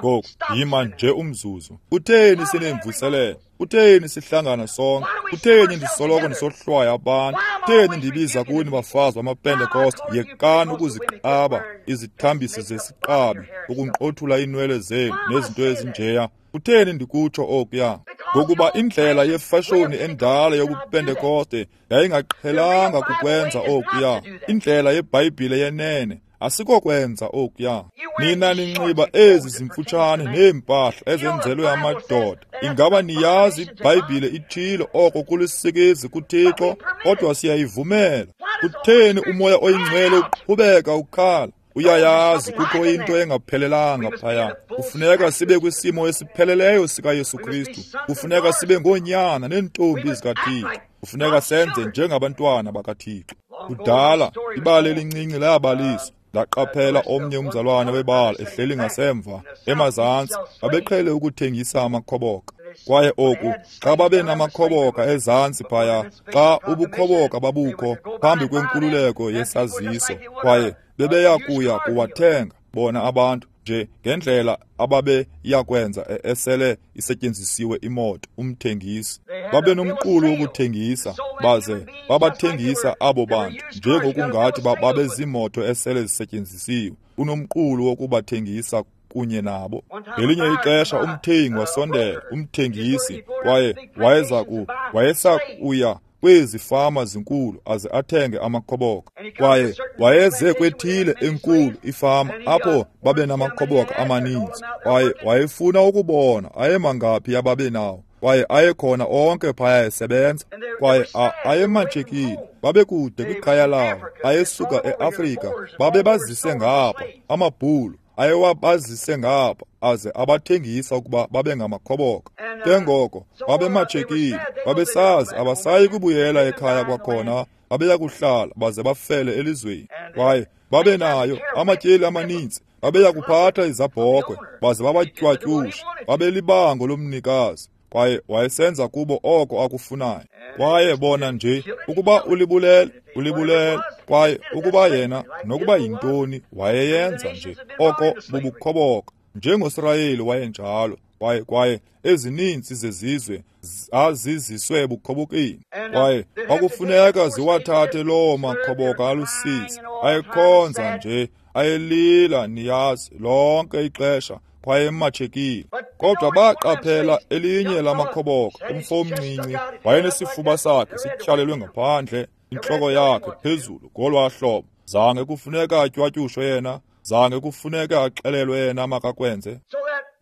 S1: Ngoku yima nje umzuzu. Kutheni sinemvuselelo? Kutheni sihlangana sonke? Kutheni ndisoloko ndisohlwaya abantu? Kutheni ndibiza kuni bafazi bamaPentekoste, yekani ukuziqaba izithambisi zesiqabi, ukunqothula iinwele zenu nezinto ezinjeya? Kutheni ndikutsho okuya? Ngokuba indlela yefashoni endala yobuPentekoste yayingaqhelanga kukwenza okuya. Indlela yeBhayibhile yenene asikokwenza okuya. Nina ninxiba ezi zimfutshane neempahla ezenzelwe amadoda. Ingaba niyazi iBhayibhile ithile oko kulisikizi kuThixo, kodwa siyayivumela. Kutheni uMoya oyiNgcwele uqhubeka ukhala? Uyayazi kukho into engaphelelanga phaya. Kufuneka sibe kwisimo esipheleleyo sikaYesu Kristu. Kufuneka sibe ngoonyana neentombi zikaThixo. Kufuneka senze njengabantwana bakaThixo. Kudala ibali elincinci layabaliswa. Ndaqaphela omnye umzalwane webala ehleli ngasemva emazantsi. Babeqhele ukuthengisa amakhoboka. Kwaye oku, xa babenamakhoboka ezantsi phaya, xa ubukhoboka babukho phambi kwenkululeko yesaziso, kwaye bebeya kuya kuwathenga bona abantu nje ngendlela ababeyakwenza esele isetyenzisiwe imoto, umthengisi. Babenomqulu wokuthengisa, baze babathengisa abo bantu njengokungathi babezimoto esele zisetyenzisiwe. Unomqulu wokubathengisa kunye nabo. Ngelinye ixesha umthengi wasondela, umthengisi, kwaye wayeza ku wayesakuya kwezi fama zinkulu aze athenge amakhoboka. Kwaye wayeze kwethile enkulu ifama apho babenamakhoboka amaninzi, kwaye wayefuna ukubona ayemangaphi ababenawo, kwaye ayekhona onke phaya esebenza, kwaye ayematshekile, babekude kwikhaya lawo, ayesuka eAfrika, babebazise ngapha amabhulu ayewabazise ngapha aze abathengisa ukuba babe ngamakhoboka. Ke ngoko babematshekile, babesazi abasayi kubuyela ekhaya kwakhona, babeya kuhlala baze bafele elizweni. Kwaye babenayo amatyeli amaninzi, babeya kuphatha izabhokhwe baze babatywatyushe, babelibango lomnikazi, kwaye wayesenza kubo oko akufunayo. Kwaye bona nje ukuba ulibulele, ulibulele, kwaye ukuba yena nokuba yintoni wayeyenza nje oko bubukhoboka, njengoSirayeli wayenjalo. Kwaye kwaye ezininzi zezizwe zaziziswe ebukhobokeni, kwaye kwakufuneka ziwathathe loo makhoboka alusizi. Ayekhonza nje, ayelila, niyazi, lonke ixesha, kwaye ematshekile. Kodwa baqaphela elinye lamakhoboka, umfo omncinci, wayenesifuba sakhe sityhalelwe ngaphandle, intloko yakhe phezulu ngolwaa hlobo. Zange kufuneka atywatyushwe yena, zange kufuneka axelelwe yena makakwenze.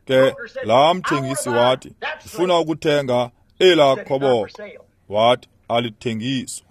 S1: Ke laa mthengisi wathi, ndifuna ukuthenga elaa khoboka. Wathi, alithengiswa.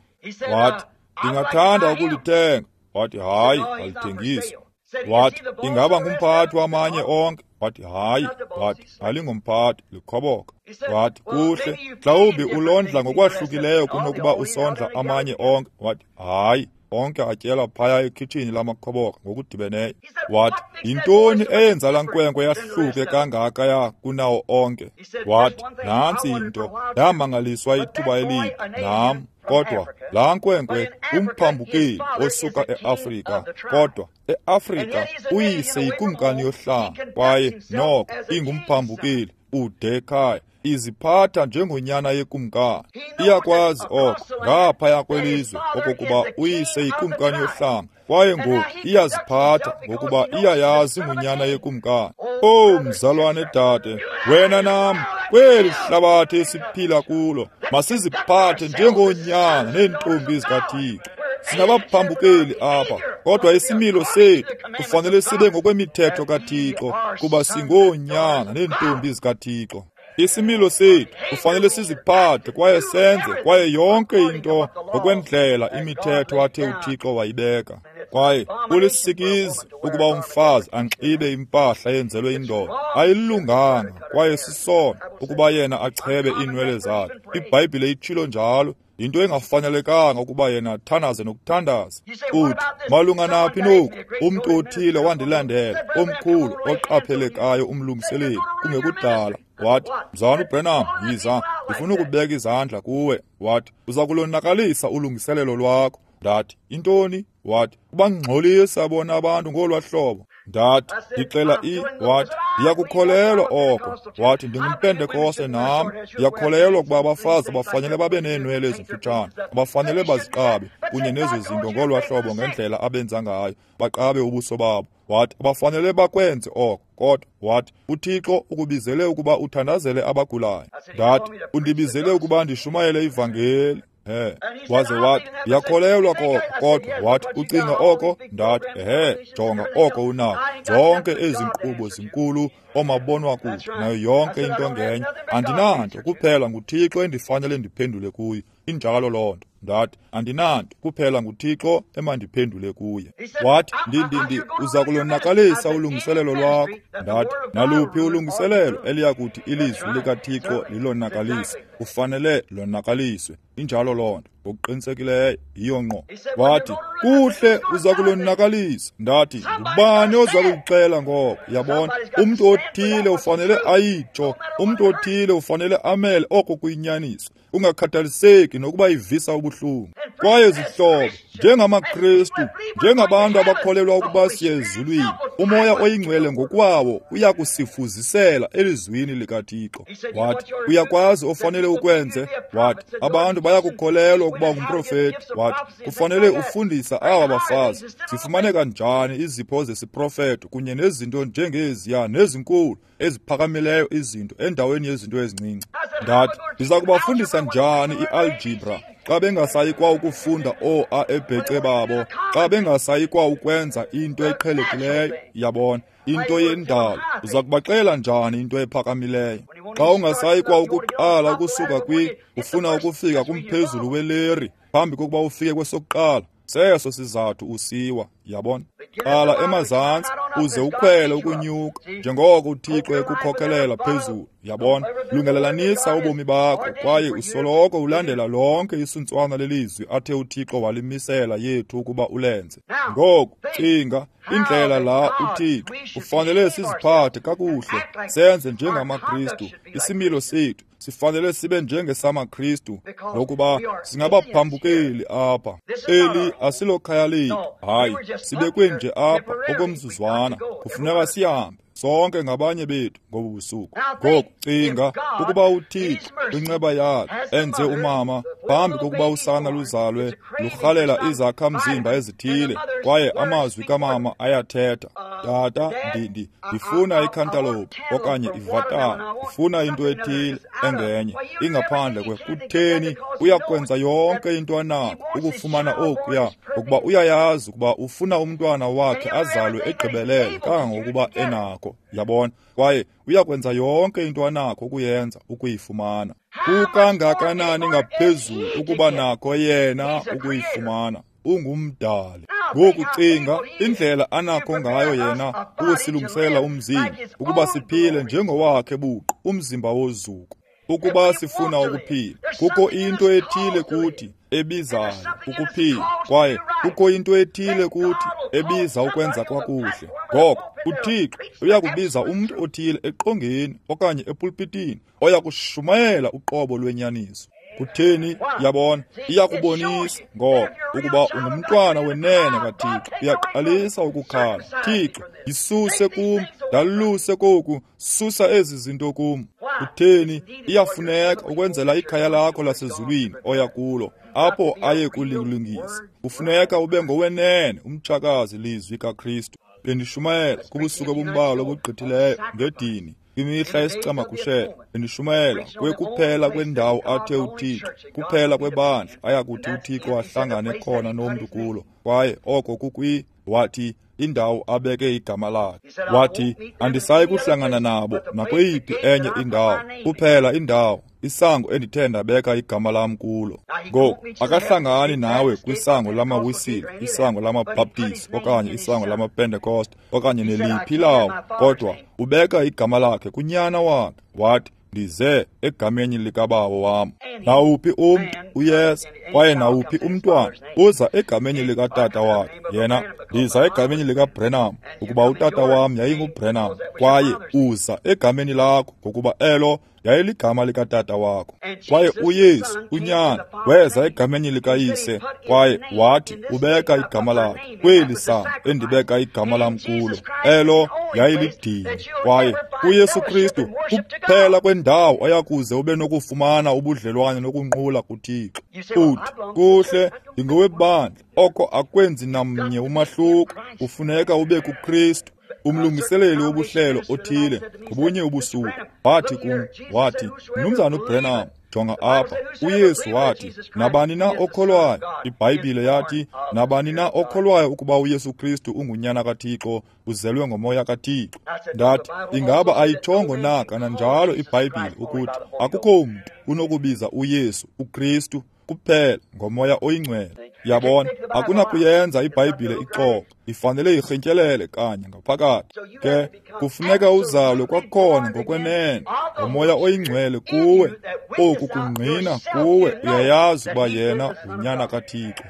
S1: Wathi, ndingathanda ukulithenga. Wathi, hayi, alithengiswa. Wathi, ingaba ngumphathi wamanye onke? Wathi, hayi. Wathi, alingumphathi, likhoboka. Wathi, kuhle, mhlawumbi ulondla ngokwahlukileyo kunokuba usondla amanye onke. Wathi, hayi, onke atyela phaya ekhitshini lamakhoboka ngokudibeneyo. Wathi, yintoni eyenza laa nkwenkwe yahluke kangaka ya kunawo onke? Wathi, nantsi into, ndamangaliswa ithuba elide nam, kodwa laa nkwenkwe umphambukeli osuka eAfrika, kodwa eAfrika uyise yikumkani yohlanga, kwaye noko ingumphambukeli ude ekhaya, iziphatha njengonyana yekumkani. Iyakwazi oko ngaphaya kwelizwe okokuba uyise yikumkani yohlanga, kwaye ngoku iyaziphatha ngokuba iyayazi ngunyana yekumkani. Oh mzalwane dade, wena nam kweli hlabathi esiphila kulo masiziphathe njengoonyana neentombi zikaThixo. Singabaphambukeli apha, kodwa isimilo sethu kufanele sibe ngokwemithetho kaThixo, kuba singoonyana neentombi zikaThixo. Isimilo sethu kufanele siziphathe kwaye senze kwaye yonke into ngokwendlela imithetho athe uThixo wayibeka. Kwaye kulisikizi ukuba umfazi anxibe impahla eyenzelwe indoda, ayilunganga kwaye sisono ukuba yena achebe iinwele zakhe. IBhayibhile itshilo njalo. Yinto engafanelekanga ukuba yena athandaze nokuthandaza. Uthi, malunga naphi noku? Umntu othile wandilandela, omkhulu oqaphelekayo umlungiseleli, kungekudala. Wathi, Mzalwana uBranham, yiza, ndifuna ukubeka izandla kuwe. Wathi, uza kulonakalisa ulungiselelo lwakho. Ndathi, intoni? Wathi, ubangxolisa bona abantu ngolwaa hlobo. Ndathi, ndixela i, wathi, ndiyakukholelwa oko. Wathi, ndingumpentekoste nam, ndiyakholelwa ukuba abafazi abafanele babe neenwele ezimfutshane, abafanele baziqabe kunye nezo zinto ngolwaa hlobo ngendlela abenza ngayo, baqabe ubuso babo. Wathi, abafanele bakwenze oko, kodwa wathi, uThixo ukubizele ukuba uthandazele abagulayo. Ndathi, undibizele ukuba ndishumayele ivangeli. He, waze wathi, ndiyakholelwa koko, kodwa wathi, ucinga oko? Ndathi, ehe, jonga oko unako. Zonke ezi nkqubo zinkulu omabonwakude nayo yonke into ngenye. Andinanto kuphela nguThixo endifanele ndiphendule kuye. Injalo loo nto. Ndathi, andinanto kuphela nguThixo emandiphendule kuye. Wathi, ndi ndi ndi uza kulonakalisa ulungiselelo lwakho. Ndathi, naluphi ulungiselelo eliyakuthi ilizwi likaThixo lilonakalise, kufanele lonakaliswe. Injalo loo nto. Ngokuqinisekileyo yiyo ngqo. Wathi, kuhle uza kulonakalisa. Ndathi, ngubani oza kukuxela ngoko? Yabona, umntu othile ufanele ayitsho, umntu othile ufanele amele oko kuyinyaniso, ungakhathaliseki nokuba ivisa ubuhlungu. Kwaye zihlobo, njengamaKristu, njengabantu abakholelwa ukuba siye ezulwini, uMoya oyiNgcwele ngokwawo uyakusifuzisela elizwini likaThixo. Wathi, uyakwazi ofanele ukwenze. Wathi, abantu bayakukholelwa ukuba ngumprofeti. Wathi, kufanele ufundisa aba bafazi zifumaneka njani izipho zesiprofeto kunye nezinto njengeziya nezinkulu eziphakamileyo izinto endaweni yezinto ezincinci. Ndathi, ndiza kubafundisa njani i-algebra xa bengasayi kwa ukufunda oo-a ebhece babo, xa bengasayi kwa ukwenza into eqhelekileyo? Yabona, into yendalo. Uza kubaxela njani into ephakamileyo xa ungasayi kwa ukuqala ukusuka kwi ufuna ukufika kumphezulu weleri phambi kokuba ufike kwesokuqala? Seso sizathu usiwa. Yabona, qala emazantsi uze ukhwele ukunyuka njengoko uThixo ekukhokelela phezulu. Yabona, lungelelanisa ubomi bakho kwaye usoloko ulandela lonke isuntswana lelizwi athe uThixo walimisela yethu ukuba ulenze. Ngoku cinga indlela la uThixo ufanele siziphathe kakuhle, senze njengamaKristu. Isimilo sethu sifanele sibe njengesamaKristu, ngokuba singabaphambukeli apha. Eli asilokhaya lethu, hayi, sibekwe nje apha okomzuzwana. Kufuneka sihambe sonke ngabanye bethu ngobu busuku. Ngoku cinga ukuba uThixo kwinceba yakhe enze umama phambi kokuba usana luzalwe lurhalela izakhamzimba ezithile, kwaye amazwi kamama ayathetha. Tata, ndindi ndifuna ikhantaloupe okanye ivatala, ndifuna into ethile engenye ingaphandle kwe. Kutheni uyakwenza yonke into anako ukufumana okuya, ngokuba uyayazi ukuba ufuna umntwana wakhe azalwe egqibelele kangangokuba enako. Yabona, kwaye uyakwenza yonke into anakho ukuyenza ukuyifumana. Kukangakanani ngaphezulu ukuba nakho yena ukuyifumana? Ungumdali. Ngoku cinga indlela anakho ngayo yena ukusilungisela umzimba ukuba siphile njengowakhe buqu, umzimba wozuko. Ukuba sifuna ukuphila, kukho into ethile kuthi ebizayo ukuphila, kwaye kukho into ethile kuthi ebiza ukwenza kwakuhle. Ngoko uThixo uyakubiza umntu othile eqongeni okanye epulpitini oyakushumayela uqobo lwenyaniso. Kutheni? Yabona, iyakubonisa ngoko ukuba ungumntwana wenene kaThixo. Uyaqalisa ukukhala, Thixo, yisuse kum, ndaluse koku, susa ezi zinto kum. Kutheni? Iyafuneka ukwenzela ikhaya lakho lasezulwini oya kulo, apho aye kulilungisa. Kufuneka ube ngowenene umtshakazi lizwi kaKristu. Bendishumayela kubusuku obumbalwa obugqithileyo ngedini kwimihla yesicamagushelo. Bendishumayela kwekuphela kwendawo athe uThixo, kuphela kwebandla ayakuthi uThixo ahlangane khona nomntu kulo, kwaye oko kukwi, wathi, indawo abeke igama lakhe. Wathi, andisayi kuhlangana nabo nakweyiphi enye indawo, kuphela indawo, isango endithe ndabeka igama lam kulo. Ngoku akahlangani nawe kwisango lamaWisile, isango lamaBaptist okanye isango lamaPentecost okanye neliphi lawo, kodwa ubeka igama lakhe kunyana wakhe. Wathi, ndize egameni likaBawo wam. Nawuphi umntu uyeza, kwaye nawuphi umntwana uza egameni likatata wakhe. Yena, ndiza egameni likaBrenham, ukuba utata wam yayinguBrenham, kwaye uza egameni lakho, ngokuba elo yayiligama likatata wakho. Kwaye uYesu unyana weza egameni likayise, kwaye wathi ubeka igama lakhe kweli sango endibeka igama lam kulo. Elo yayilidini. Kwaye kuYesu Kristu kuphela kwendawo oyakuze ube nokufumana ubudlelwane nokunqula kuThixo. Uthi, kuhle, ndingowebandla. Oko akwenzi namnye umahluko. Kufuneka ube kuKristu. Umlungiseleli wobuhlelo othile ngobunye ubusuku wathi kum, wathi, Mnumzana uBrenham, jonga apha. uYesu wathi, nabani na okholwayo, iBhayibhile yathi, nabani na okholwayo ukuba uYesu Kristu ungunyana kaThixo, uzelwe ngomoya kaThixo. Ndathi, ingaba ayitshongo na kananjalo iBhayibhile ukuthi akukho mntu unokubiza uYesu uKristu kuphela ngomoya oyingcwele? Yabona, akunakuyenza iBhayibhile ixoxe, ifanele irhintyelele kanye ngaphakathi. Ke kufuneka uzalwe kwakhona ngokwenene ngoMoya oyiNgcwele kuwe. Oku kungqina kuwe, uyayazi uba yena ngunyana kaThixo.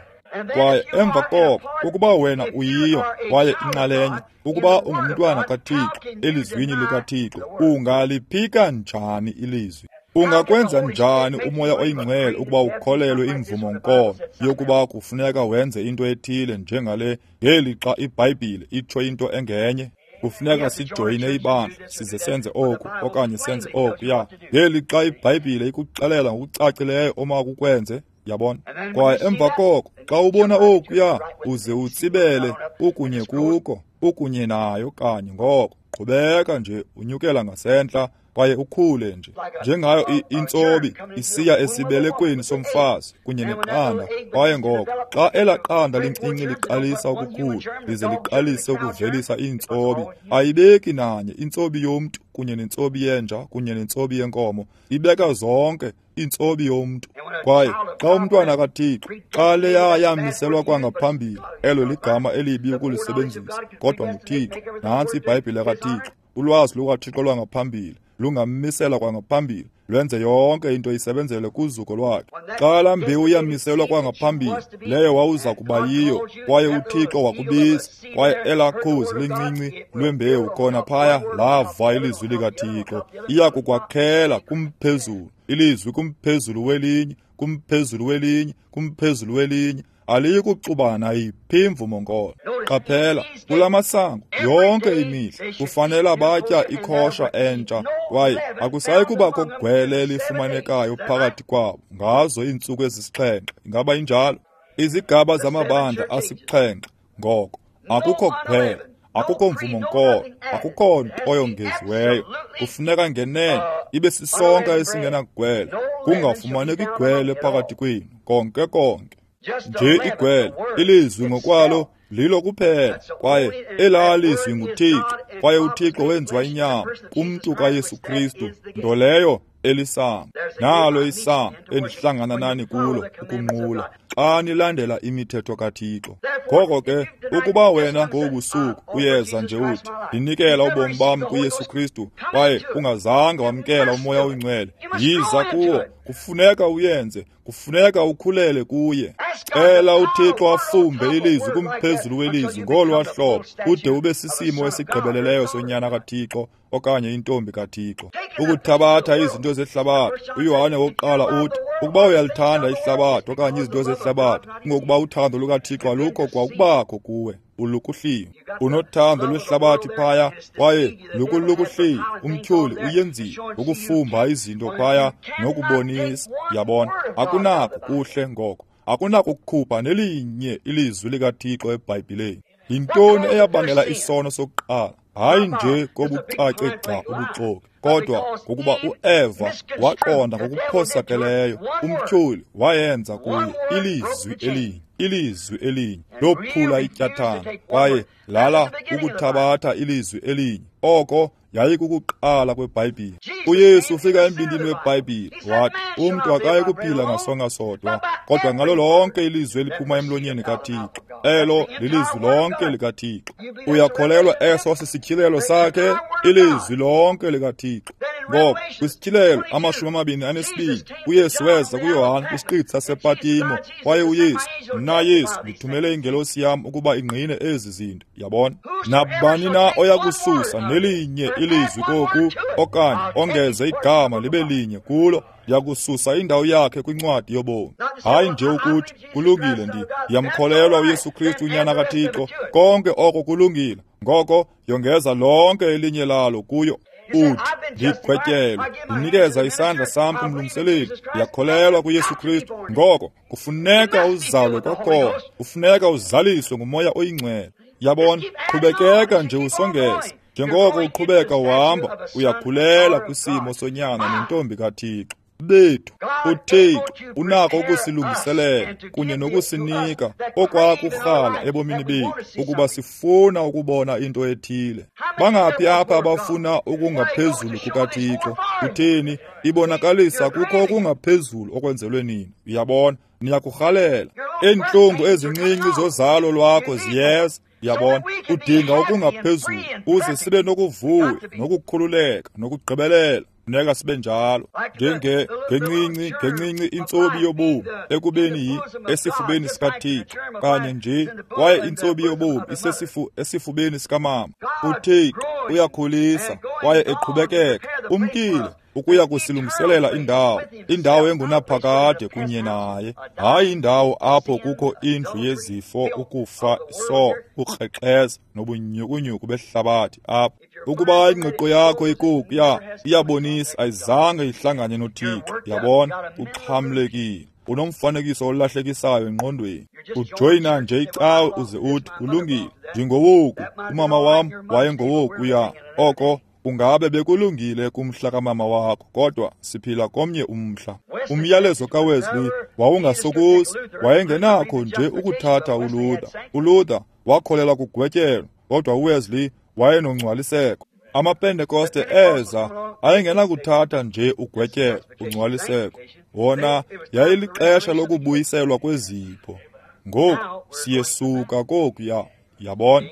S1: Kwaye emva koko, ukuba wena uyiyo kwaye inxalenye, ukuba ungumntwana kaThixo elizwini likaThixo, ungaliphika njani ilizwi? Ungakwenza njani uMoya oyiNgcwele ukuba ukholelwe imvumo-nkolo yokuba kufuneka wenze into ethile njengale ngelixa iBhayibhile itsho into engenye? Kufuneka sijoyine ibandla size senze oku okanye senze okuya, ngelixa iBhayibhile ikuxelela ngokucacileyo omakukwenze. Yabona? Kwaye emva koko, xa ubona okuya, uze utsibele ukunye kuko, ukunye nayo kanye ngoko. Qhubeka nje unyukela ngasentla kwaye ukhule nje njengayo intsobi isiya esibelekweni somfazi kunye neqanda. Kwaye ngoko xa elaa qanda lincinci liqalisa ukukhula lize liqalise ukuvelisa iintsobi, ayibeki nanye intsobi yomntu kunye nentsobi yenja kunye nentsobi yenkomo, ibeka zonke intsobi yomntu. Kwaye xa umntwana kaThixo, xa leya yamiselwa kwangaphambili, elo ligama elibi ukulisebenzisa, kodwa nguThixo. Nantsi iBhayibhile kaThixo, ulwazi lukaThixo lwangaphambili lungammisela kwangaphambili, lwenze yonke into isebenzele kuzuko lwakhe. Xa laa mbewu yamiselwa kwangaphambili, leyo wawuza kuba yiyo, kwaye uThixo wakubiza, kwaye elaa khozi lincinci lwembewu khona phaya lava ilizwi likaThixo, iya kukwakhela kumphezulu, ilizwi kumphezulu welinye, kumphezulu welinye, kumphezulu welinye. Aliyi kuxubana yiphi imvumo-nkolo. Qaphela, kula masango yonke imihla kufanele batya ikhosha entsha, kwaye akusayi kubakho gwele elifumanekayo phakathi kwabo ngazo iintsuku ezisixhenxe. Ingaba injalo? Izigaba zamabandla asixhenxe. Ngoko akukho gwele, akukho mvumo-nkolo, akukho nto yongeziweyo. Kufuneka ngenene ibe sisonka esingenagwele, kungafumaneki igwele phakathi kwenu konke konke. Nje igwele, ilizwi ngokwalo lilo kuphela, kwaye elaa lizwi nguThixo, kwaye uThixo wenziwa inyama kumntu kaYesu Kristu, nto leyo elisango. Nalo isango endihlangana nani kulo ukunqula, xa nilandela imithetho kaThixo. Ngoko ke, ukuba wena ngobusuku uyeza nje uthi, ndinikela ubomi bam kuYesu Kristu, kwaye ungazange wamkela uMoya oyiNgcwele, yiza kuwo. Kufuneka uyenze, kufuneka ukhulele kuye. Cela uThixo afumbe ilizwi kumphezulu welizwi ngolwa hlobo, ude ube sisimo esigqibeleleyo sonyana kaThixo okanye intombi kaThixo. Ukuthabatha izinto zehlabathi, uYohane wokuqala uthi, ukuba uyalithanda ihlabathi okanye izinto zehlabathi, kungokuba uthando lukaThixo alukho kwakubakho kuwe, ulukuhliwe. Unothando lwehlabathi phaya, kwaye lukulukuhliwe. Umtyholi uyenzile ukufumba izinto phaya nokubonisa. Yabona, akunako kuhle ngoko, akunakukhupha nelinye ilizwi likaThixo eBhayibhileni. Yintoni eyabangela isono sokuqala? Hayi nje kobucace gca ubuxoki, kodwa ngokuba uEva waqonda ngokuphosakeleyo, umtyholi wayenza kuye ilizwi elinye, ilizwi elinye lophula ityathanga, kwaye lala ukuthabatha ilizwi elinye. Oko yayikukuqala kweBhayibhile. uYesu ufika embindini weBhayibhile wathi, umntu akayi kuphila ngasonka sodwa, kodwa ngalo lonke ilizwi eliphuma emlonyeni kaThixo. Elo lilizwi lonke likaThixo. Uyakholelwa eso sisityhilelo sakhe? Ilizwi lonke likaThixo. Ngoko kwisityhilelo amashumi amabini anesibini, uYesu weza kuYohane kwisiqithi sasePatimo, kwaye uYesu, mna Yesu, ndithumele ingelosi yam ukuba ingqine ezi zinto. Yabona? Nabani na oya kususa nelinye ilizwi koku okanye ongeze igama libe linye kulo, ndiyakususa indawo yakhe kwincwadi yobomi. Hayi nje ukuthi kulungile, ndi ndiyamkholelwa uYesu Kristu unyana kaThixo, konke oko kulungile, ngoko yongeza lonke elinye lalo kuyo. Uthi, ndigwetyelwe, ndinikeza isandla sam kumlungiseleli, ndiyakholelwa kuYesu Kristu. Ngoko kufuneka uzalwe kwakhona, kufuneka uzaliswe nguMoya oyiNgcwele. Yabona, qhubekeka nje usongeza. Njengoko uqhubeka uhamba, uyakhulela kwisimo sonyana nentombi kaThixo. Bethu, uThixo unako ukusilungiselela kunye nokusinika okwakurhala ebomini bethu ukuba sifuna ukubona into ethile. Bangaphi apha abafuna okungaphezulu kukaThixo? Utheni? Ibonakalisa kukho okungaphezulu okwenzelwe nini. Uyabona, niyakurhalela. Iintlungu ezincinci zozalo lwakho ziyeza. Yabona, udinga okungaphezulu uze sibe nokuvuya, nokukhululeka, nokugqibelela. Funeka sibe njalo, njenge ngencinci ngencinci intsobi yobomi ekubeni yi esifubeni sikaThixo kanye nje, kwaye intsobi yobomi isesifu esifubeni sikamama. UThixo uyakhulisa kwaye eqhubekeka umkile ukuya kusilungiselela indawo, indawo engunaphakade kunye naye, hayi indawo apho kukho indlu yezifo, ukufa, iso, ukrexeza nobunyhukunyhuku behlabathi apho. Ukuba ingqiqo yakho ikukuya iyabonisa ayizange ihlangane noThixo. Yabona, uxhamlekile, unomfanekiso olahlekisayo engqondweni. Ujoyina nje icawe uze uthi kulungile, ndingowoku, umama wam wayengowokuya. Oko kungabe bekulungile kumhla kamama wakho, kodwa siphila komnye umhla. Umyalezo kaWesley wawungasokosi, wayengenakho nje ukuthatha uLuther. ULuther wakholelwa kugwetyelo, kodwa uWesley wayenongcwaliseko. AmaPentekoste eza ayengenakuthatha nje ugwetyelo, ungcwaliseko. Wona yayilixesha lokubuyiselwa kwezipho. Ngoku siyesuka kokuya, yabona.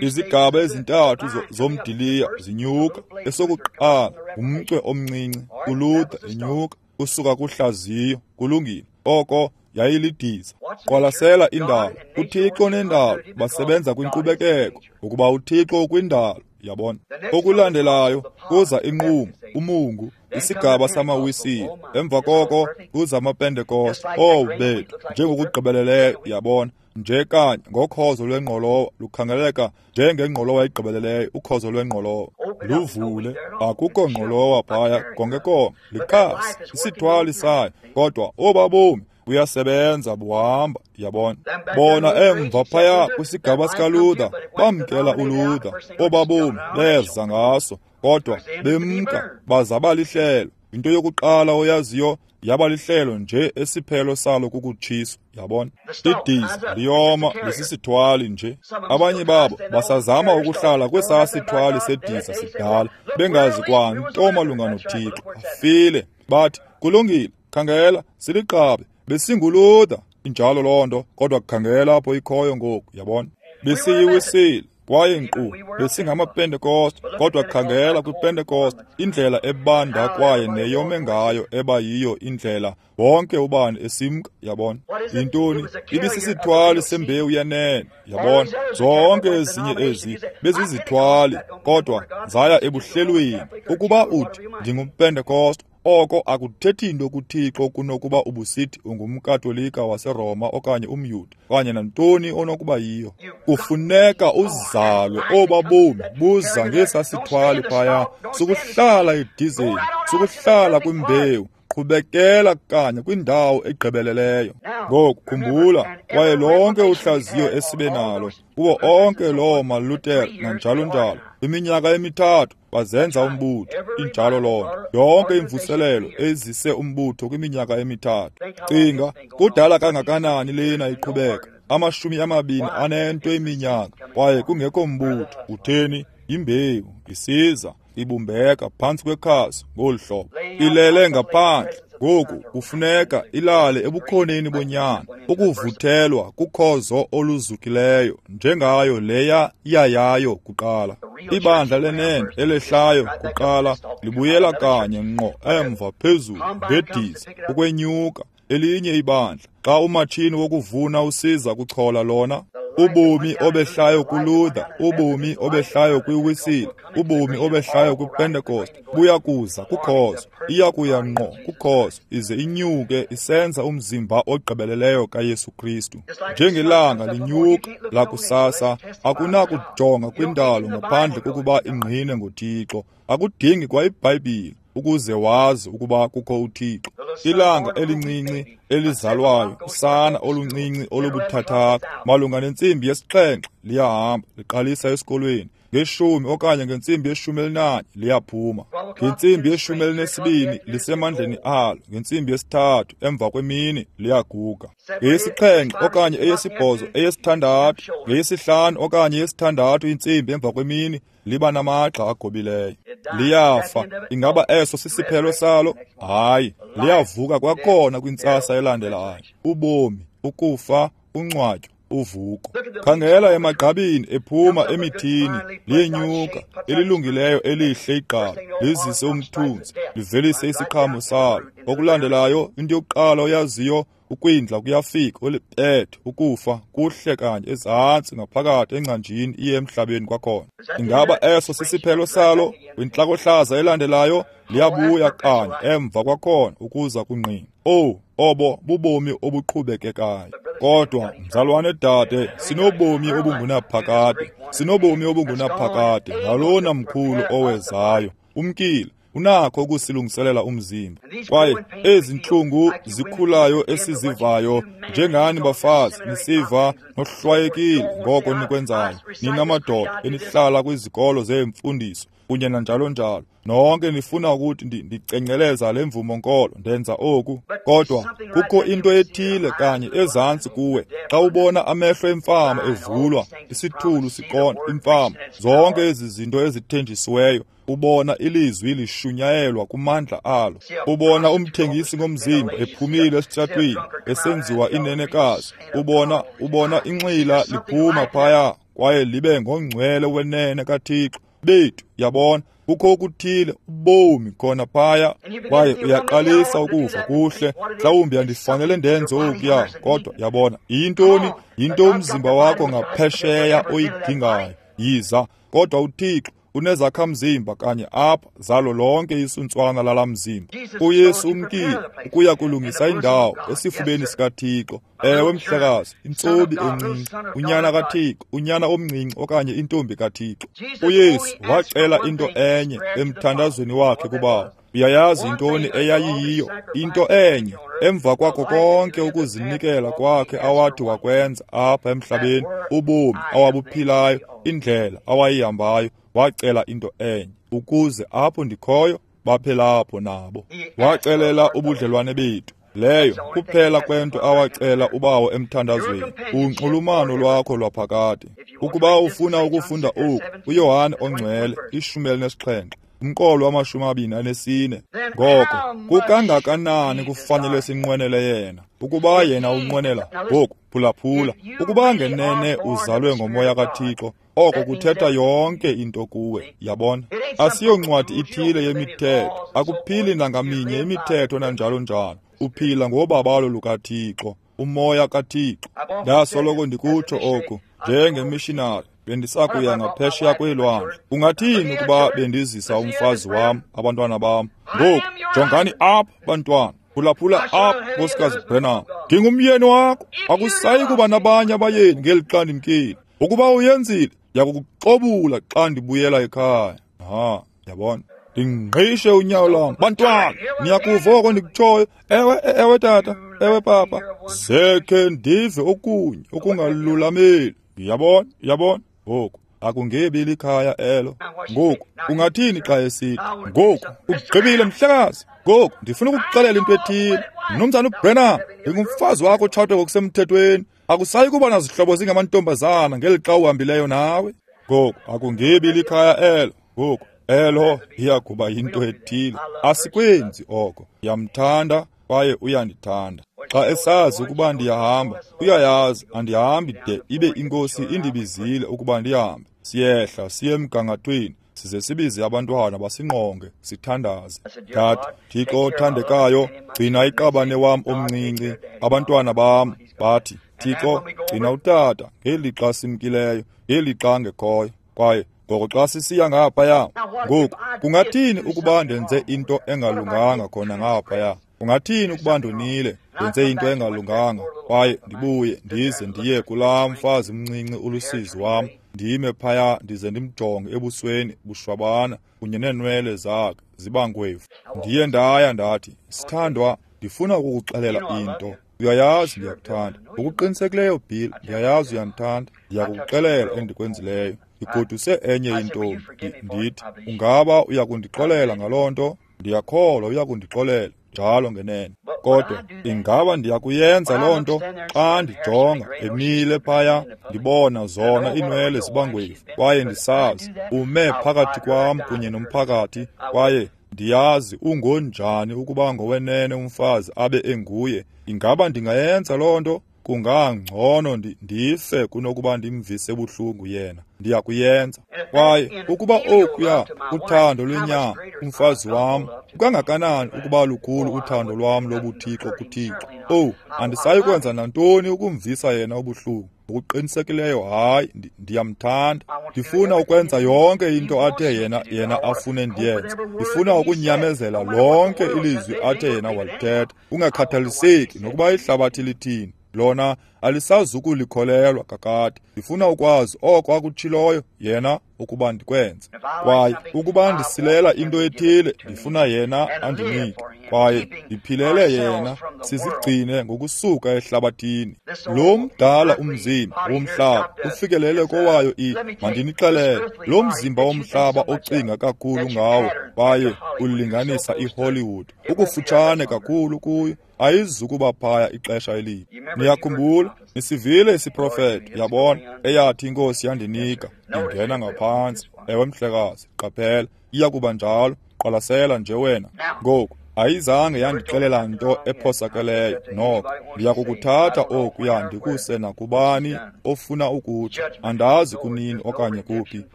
S1: Izigaba ezintathu zomdiliya zinyuka. Esokuqala ngumcwe omncinci, uLuther enyuka usuka kuhlaziyo. Kulungile, oko yayilidiza. Qwalasela indalo. UThixo nendalo basebenza kwinkqubekeko, ukuba uThixo ukwindalo. Yabona. Okulandelayo kuza inqumo, umungu, isigaba samaWisile. Emva koko kuza amaPentekoste. Oh bethu, njengokugqibeleleyo, yabona, nje kanye ngokhozo lwengqolowa, lukhangeleka njengengqolowa egqibeleleyo. Ukhozo lwengqolowa luvule, akukho ngqolowa phaya konke konke, likhasi, isithwali sayo, kodwa obabomi buyasebenza, buhamba. Yabona, bona emva phaya kwisigaba sikaLuther bamkela uLuther, obabomi beza ngaso, kodwa bemka baza balihlelo. Into yokuqala oyaziyo yaba lihlelo nje esiphelo salo kukutshiswa. Yabona, idiza liyoma lisisithwali nje. Abanye babo basazama ukuhlala kwesaa sithwali sediza sidala, bengazi kwanto malunga noThixo. Bafile, bathi kulungile, khangela siliqabe, besinguLuther. Injalo loo nto, kodwa khangela apho ikhoyo ngoku. Yabona, besiyiwisile kwaye nkqu besingamaPentekoste, kodwa khangela kwiPentekoste, indlela ebanda kwaye neyome ngayo eba yiyo indlela wonke ubani esimka. Yabona, yintoni? Ibisisithwali sembewu yenene. Yabona, zonke ezinye ezi bezizithwali, kodwa zaya ebuhlelweni. Ukuba uthi ndingumPentekoste, oko akuthethi nto kuThixo kunokuba ubusithi ungumKatolika waseRoma okanye umYuda okanye nantoni onokuba yiyo. Kufuneka uzalwe obabomi buza ngesasithwali phaya, sukuhlala edizeni, sukuhlala kwimbewu, qhubekela kanye kwindawo egqibeleleyo. Ngoku khumbula, kwaye lonke uhlaziyo esibe nalo kuwo onke loo maLuther nanjalo njalo, iminyaka emithathu bazenza umbutho. Injalo loo nto. Yonke imvuselelo ezise umbutho kwiminyaka emithathu. Cinga, kudala kangakanani lena iqhubeka? Amashumi amabini anento iminyaka, kwaye kungekho mbutho. Utheni? Imbewu isiza ibumbeka phantsi kwekhasi ngolu hlobo, ilele ngaphandle. Ngoku kufuneka ilale ebukhoneni bonyana, ukuvuthelwa kukhozo oluzukileyo njengayo leya yayayo kuqala. Ibandla lenene elehlayo kuqala libuyela kanye ngqo emva phezulu ngediza ukwenyuka elinye ibandla. Xa umatshini wokuvuna usiza kuchola lona, ubomi obehlayo kuLuther, ubomi obehlayo kwiWisile, ubomi obehlayo kwiPentecost buya kuza kukhozo, iya kuya ngqo kukhozo, ize inyuke isenza umzimba ogqibeleleyo kaYesu Kristu. Njengelanga linyuka lakusasa, akunakujonga kwindalo ngaphandle kokuba ingqine ngoThixo. Akudingi kwa iBhayibhile ukuze wazi ukuba kukho uThixo. Ilanga elincinci elizalwayo, usana oluncinci olubuthathaka, malunga nentsimbi yesixhenxe liyahamba liqalisa esikolweni. Ngeshumi okanye ngentsimbi yeshumi elinanye liyaphuma. Ngentsimbi yeshumi elinesibini lisemandleni alo. Ngentsimbi yesithathu emva kwemini liyaguga. Ngeyesixhenxe okanye eyesibhozo, eyesithandathu, ngeyesihlanu okanye eyesithandathu intsimbi emva kwemini Liba namagxa agobileyo. Liyafa. Ingaba eso sisiphelo salo? Hayi, liyavuka kwakhona kwintsasa elandelayo. Ubomi, ukufa, uncwatyo, uvuko. Khangela emagqabini ephuma emithini, liyenyuka, elilungileyo elihle igqabi, lizise umthunzi, livelise isiqhamo salo. Okulandelayo, into yokuqala oyaziyo, ukwindla kuyafika, olipethe, ukufa, kuhle kanye ezantsi ngaphakathi engcanjini iye emhlabeni kwakhona. Ingaba eso sisiphelo salo? Kwintlakohlaza elandelayo, liyabuya kanye emva kwakhona ukuza kungqina. Oh, obo bubomi obuqhubekekayo. Kodwa mzalwane dade, sinobomi obungunaphakade, sinobomi obungunaphakade ngalona mkhulu owezayo. Umkile, unakho ukusilungiselela umzimba. Kwaye ezi ntlungu zikhulayo esizivayo, njengani bafazi nisiva nohlwayekile ngoko nikwenzayo, nina madoda enihlala kwizikolo zeemfundiso kunye nanjalo njalo, nonke nifuna ukuthi ndicenceleza le mvumo nkolo, ndenza oku. Kodwa kukho into ethile kanye ezantsi kuwe xa ubona amehlo emfama evulwa, isithulu siqonda, imfama, zonke ezi zinto ezithenjisiweyo. Ubona ilizwi lishunyayelwa kumandla alo. Ubona umthengisi ngomzimba ephumile esitratweni esenziwa inenekazi. Ubona ubona inxila liphuma phaya kwaye libe ngongcwele wenene kaThixo. Bethu, yabona, kukho okuthile, ubomi khona phaya, kwaye uyaqalisa ukuva kuhle. Mhlawumbi andifanele ndenze okuya, kodwa yabona, yintoni? Yinto umzimba wakho ngaphesheya oyidingayo. Yiza, kodwa uThixo unezakhamzimba kanye apha zalo lonke isuntswana lala mzimba. UYesu umkile ukuya kulungisa indawo esifubeni sikaThixo. Ewe mhlekazi, intsobi encinci, unyana kaThixo, unyana omncinci okanye intombi kaThixo. UYesu wacela into enye emthandazweni wakhe kuBawo. Uyayazi intoni eyayiyiyo? Into enye. Emva kwakho konke ukuzinikela kwakhe awathi wakwenza apha emhlabeni, ubomi awabuphilayo, indlela awayihambayo, wacela into enye, ukuze apho ndikhoyo baphe lapho nabo. Wacelela ubudlelwane bethu. Leyo kuphela kwento awacela uBawo emthandazweni, unxulumano lwakho lwaphakade. Ukuba ufuna ukufunda oku, uYohane ongcwele, ishumi elinesixhenxe, umqolo wamashumi amabini anesine. Ngoko kukangakanani kufanele sinqwenele yena? Ukuba yena unqwenela ngoku, phulaphula, ukuba ngenene uzalwe ngomoya kaThixo, oko kuthetha yonke into kuwe. Yabona, asiyoncwadi ithile yemithetho, akuphili nangaminye imithetho nanjalo njalo. Uphila ngobabalo lukaThixo, umoya kaThixo. Ndasoloko ndikutsho oku njengemishinari, bendisakuya ngaphesheya kweelwandle. Ungathini ukuba bendizisa umfazi wam, abantwana bam? Ngoku jongani apha, bantwana, phulaphula apha, Nkosikazi Branham, ndingumyeni wakho. Akusayi kuba nabanye abayeni ngeli xa ndimkile. Ukuba uyenzile, ndiyakukuxobula xa ndibuyela ekhaya. Ha, yabona, ndingqishe unyawo lwam. Bantwana, niyakuva oko ndikutshoyo? Ewe, ewe tata, ewe papa. Zekhe ndive okunye okungalulameli. Yabona, yabona. Ngoku akungebi likhaya elo. Ngoku ungathini xa esithi, ngoku ugqibile mhlekazi, ngoku ndifuna ukukuxelela into ethile. Mnumzana uBrenham, ndingumfazi wakho otshatwe ngokusemthethweni. Akusayi kuba nazihlobo zingamantombazana ngeli xa uhambileyo nawe. Ngoku akungebi likhaya elo. Ngoku elo iyakuba yinto ethile. Asikwenzi oko. Ndiyamthanda kwaye uyandithanda. Xa esazi ukuba ndiyahamba, uyayazi andihambi de ibe iNkosi indibizile ukuba ndihambe. Siyehla siye emgangathweni, size sibize abantwana basingqonge, sithandaze. Ndathi, Thixo othandekayo, gcina iqabane wam omncinci, abantwana bam. Bathi, Thixo, gcina utata ngelixa simkileyo, ngelixa angekhoyo. Kwaye ngoko xa sisiya ngaphaya, ngoku kungathini ukuba ndenze into engalunganga khona ngaphaya? Ungathini ukuba ndonile, ndenze into engalunganga, kwaye ndibuye ndize ndiye kulaa mfazi mncinci ulusizi wam, ndime phaya ndize ndimjonge ebusweni bushwabana kunye neenwele zakhe zibangwevu. Ndiye ndaya ndathi, sithandwa, ndifuna ukukuxelela into. Uyayazi ndiyakuthanda. Ngokuqinisekileyo, Bill, ndiyayazi uyandithanda. Ndiyakukuxelela endikwenzileyo. Ndigoduse enye intombi. Ndithi, ungaba uyakundixolela ngaloo nto? Ndiyakholwa uyakundixolela njalo ngenene. Kodwa ingaba ndiyakuyenza loo nto xa ndijonga emile phaya, ndibona zona iinwele zibangwevu, kwaye ndisazi ume phakathi kwam kunye nomphakathi, kwaye ndiyazi ungonjani ukuba ngowenene umfazi abe enguye. Ingaba ndingayenza loo nto? Kungangcono ndife kunokuba ndimvise buhlungu yena. Ndiyakuyenza. Kwaye ukuba okuya uthando lwenyama umfazi wam, kukangakanani ukuba lukhulu uthando lwam lobuthixo kuThixo? Owu, andisayi kwenza nantoni ukumvisa yena ubuhlungu. Ngokuqinisekileyo hayi, ndiyamthanda. Ndifuna ukwenza yonke into athe yena yena afune ndiyenze. Ndifuna ukunyamezela lonke ilizwi athe yena walithetha, kungakhathaliseki nokuba ihlabathi lithini. Lona alisazukulikholelwa kakade. Ndifuna ukwazi oko akutshiloyo yena ukuba ndikwenze. Kwaye ukuba ndisilela into ethile, ndifuna yena andinike. Kwaye ndiphilele yena, sizigcine ngokusuka ehlabathini. Lo mdala umzimba womhlaba ufikelele kowayo i, mandinixelele, lo mzimba womhlaba ocinga kakhulu ngawo kwaye ulinganisa iHollywood, ukufutshane kakhulu kuyo, ayizukuba phaya ixesha elide. Niyakhumbula, nisivile isiprofeto, yabona, eyathi iNkosi yandinika, ingena ngaphantsi. Ewe mhlekazi, qaphela, iyakuba njalo. Qwalasela nje wena. Ngoku ayizange yandixelela nto ephosakeleyo noko. Ndiyakukuthatha okuya ndikuse nakubani ofuna ukutsho. Andazi kunini okanye kuphi,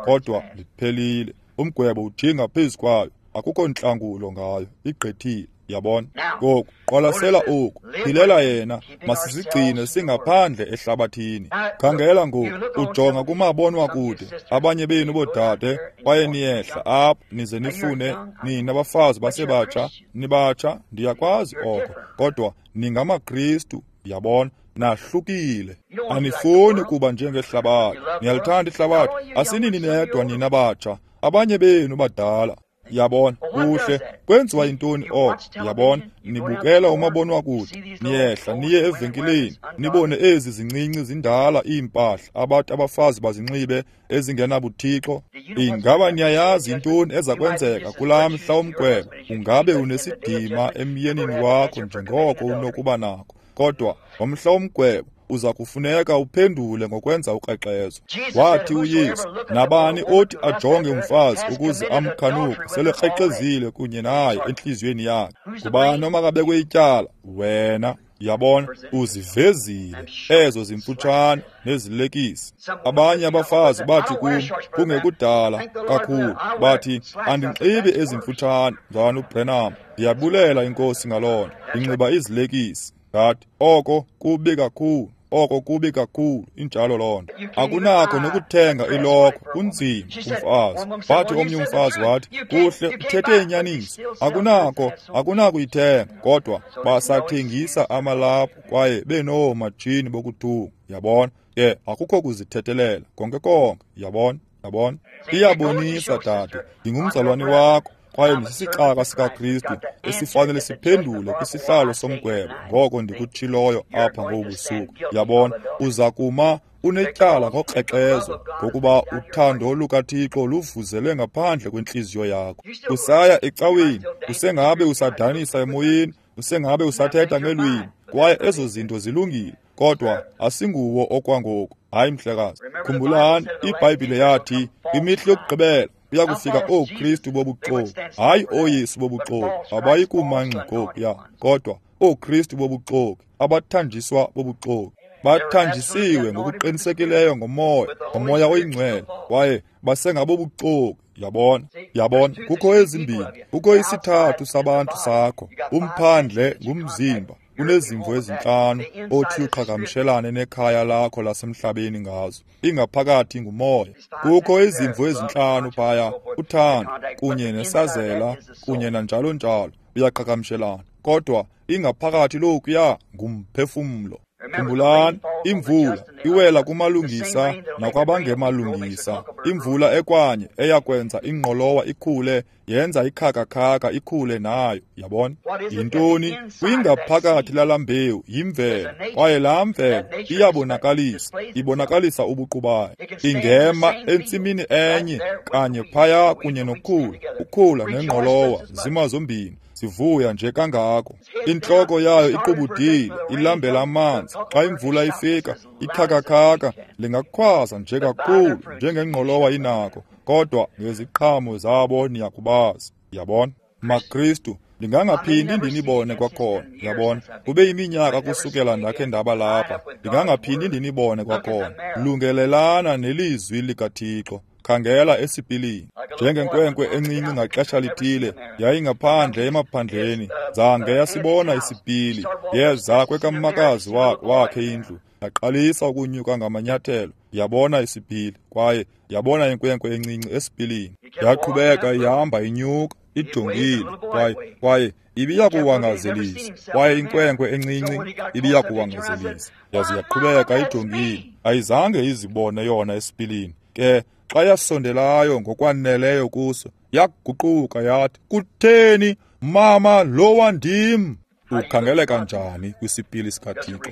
S1: kodwa liphelile. Umgwebo ujinga phezu kwayo, akukho ntlangulo ngayo, igqithile. Yabona? Ngoku qwalasela oku, philela yena, masizigcine singaphandle ehlabathini. Khangela ngoku, ujonga kumabonwakude, abanye benu boodade kwaye niyehla apho nize nifune nina bafazi basebatsha, nibatsha, ndiyakwazi oko, kodwa ningamaKristu, yabona, nahlukile. Anifuni kuba njengehlabathi. Niyalithanda ihlabathi, asinini nedwa nina batsha, abanye benu badala. Yabona, kuhle, kwenziwa yintoni oko? Yabona, nibukela umabonwakude, niyehla niye evenkileni, nibone ezi zincinci zindala iimpahla abathi abafazi bazinxibe ezingenabuthixo. Ingaba niyayazi yintoni eza kwenzeka kulaa mhla womgwebo? Ungabe unesidima emyenini wakho njengoko unokuba nako, kodwa ngomhla womgwebo uza kufuneka uphendule ngokwenza ukrexezo. Wathi uYesu, nabani othi ajonge umfazi ukuze amkhanuke, selekrexezile kunye naye entliziyweni yakhe. Ngubani omakabekwe ityala? Wena. Yabona, uzivezile ezo zimfutshane nezilekisi. Abanye abafazi bathi kum kungekudala kakhulu, bathi andinxibi ezimfutshane, mzalwana uBranham. Ndiyabulela iNkosi ngaloo nto, ndinxiba izilekisi. Ngathi oko kubi kakhulu, oko kubi kakhulu, injalo loo nto. Akunakho nokuthenga ilokhwe, kunzima kumfazi. Wathi omnye umfazi wathi, kuhle, uthethe inyaniso, akunakho, akunakuyithenga, kodwa basathengisa amalaphu kwaye benoomatshini bokuthunga. Yabona, ke akukho kuzithethelela konke konke. Yabona, yabona, iyabonisa dade, ndingumzalwane wakho kwaye ndisisicaka sikaKristu esifanele siphendule kwisihlalo somgwebo ngoko ndikutshiloyo apha ngobusuku. Yabona, uza kuma unetyala ngokrexezo ngokuba uthando lukaThixo luvuzele ngaphandle kwentliziyo yakho. Usaya ecaweni, usengabe usadanisa emoyeni, usengabe usathetha ngelwimi, kwaye ezo zinto zilungile, kodwa asinguwo okwangoku. Hayi mhlekazi, khumbulani iBhayibhile yathi kwimihla yokugqibela kuya kufika ooKristu bobuxoki, hayi ooYesu bobuxoki, abayikuma ngxi ngokuya, kodwa ooKristu bobuxoki, abathanjiswa bobuxoki. Bathanjisiwe ngokuqinisekileyo ngomoya, ngomoya oyingcwele, kwaye basengabobuxoki. Yabona, yabona, kukho ezimbini, kukho isithathu sabantu sakho. Umphandle ngumzimba, unezimvo ezintlanu othi uqhagamshelane nekhaya lakho lasemhlabeni ngazo. Ingaphakathi ngumoya. Kukho izimvo ezintlanu phaya, uthando kunye nesazela kunye nanjalo njalo, uyaqhagamshelana, kodwa ingaphakathi lokuya ngumphefumlo. Khumbulani, imvula iwela kumalungisa nakwabangemalungisa. Imvula ekwanye eyakwenza ingqolowa ikhule yenza ikhakakhaka ikhule nayo. Yabona? Yintoni? Kwingaphakathi lala mbewu yimvelo, kwaye laa mvelo iyabonakalisa, ibonakalisa ubuqu bayo. Ingema entsimini enye kanye phaya kunye nokhula, ukhula nengqolowa zima zombini, sivuya nje kangako. Intloko yayo iqubudile, ilambela amanzi. Xa imvula ifika, ikhakakhaka lingakhwaza nje kakhulu njengengqolowa inako, kodwa ngeziqhamo zabo niyakubazi. Yabona? MaKristu, ndingangaphindi ndinibone kwakhona. Yabona? Kube iminyaka kusukela ndakhe ndaba lapha, ndingangaphindi ndinibone kwakhona. Lungelelana nelizwi likaThixo. Khangela esipilini. Njengenkwenkwe encinci ngaxesha lithile, yayingaphandle emaphandleni, zange yasibona isipili. Yeza kwekamakazi wakhe indlu, yaqalisa ukunyuka ngamanyathelo, yabona isipili, kwaye yabona inkwenkwe encinci esipilini. Yaqhubeka ihamba inyuka, ijongile, kwaye kwaye ibiyakuwangazelisa, kwaye inkwenkwe encinci ibiyakuwangazelisa. Yaze yaqhubeka ijongile, ayizange izibone yona esipilini. Ke xa yasondelayo ngokwaneleyo kuso, yaguquka yathi, "Kutheni, mama, lowa ndim?" Ukhangeleka njani kwisipili sikaThixo?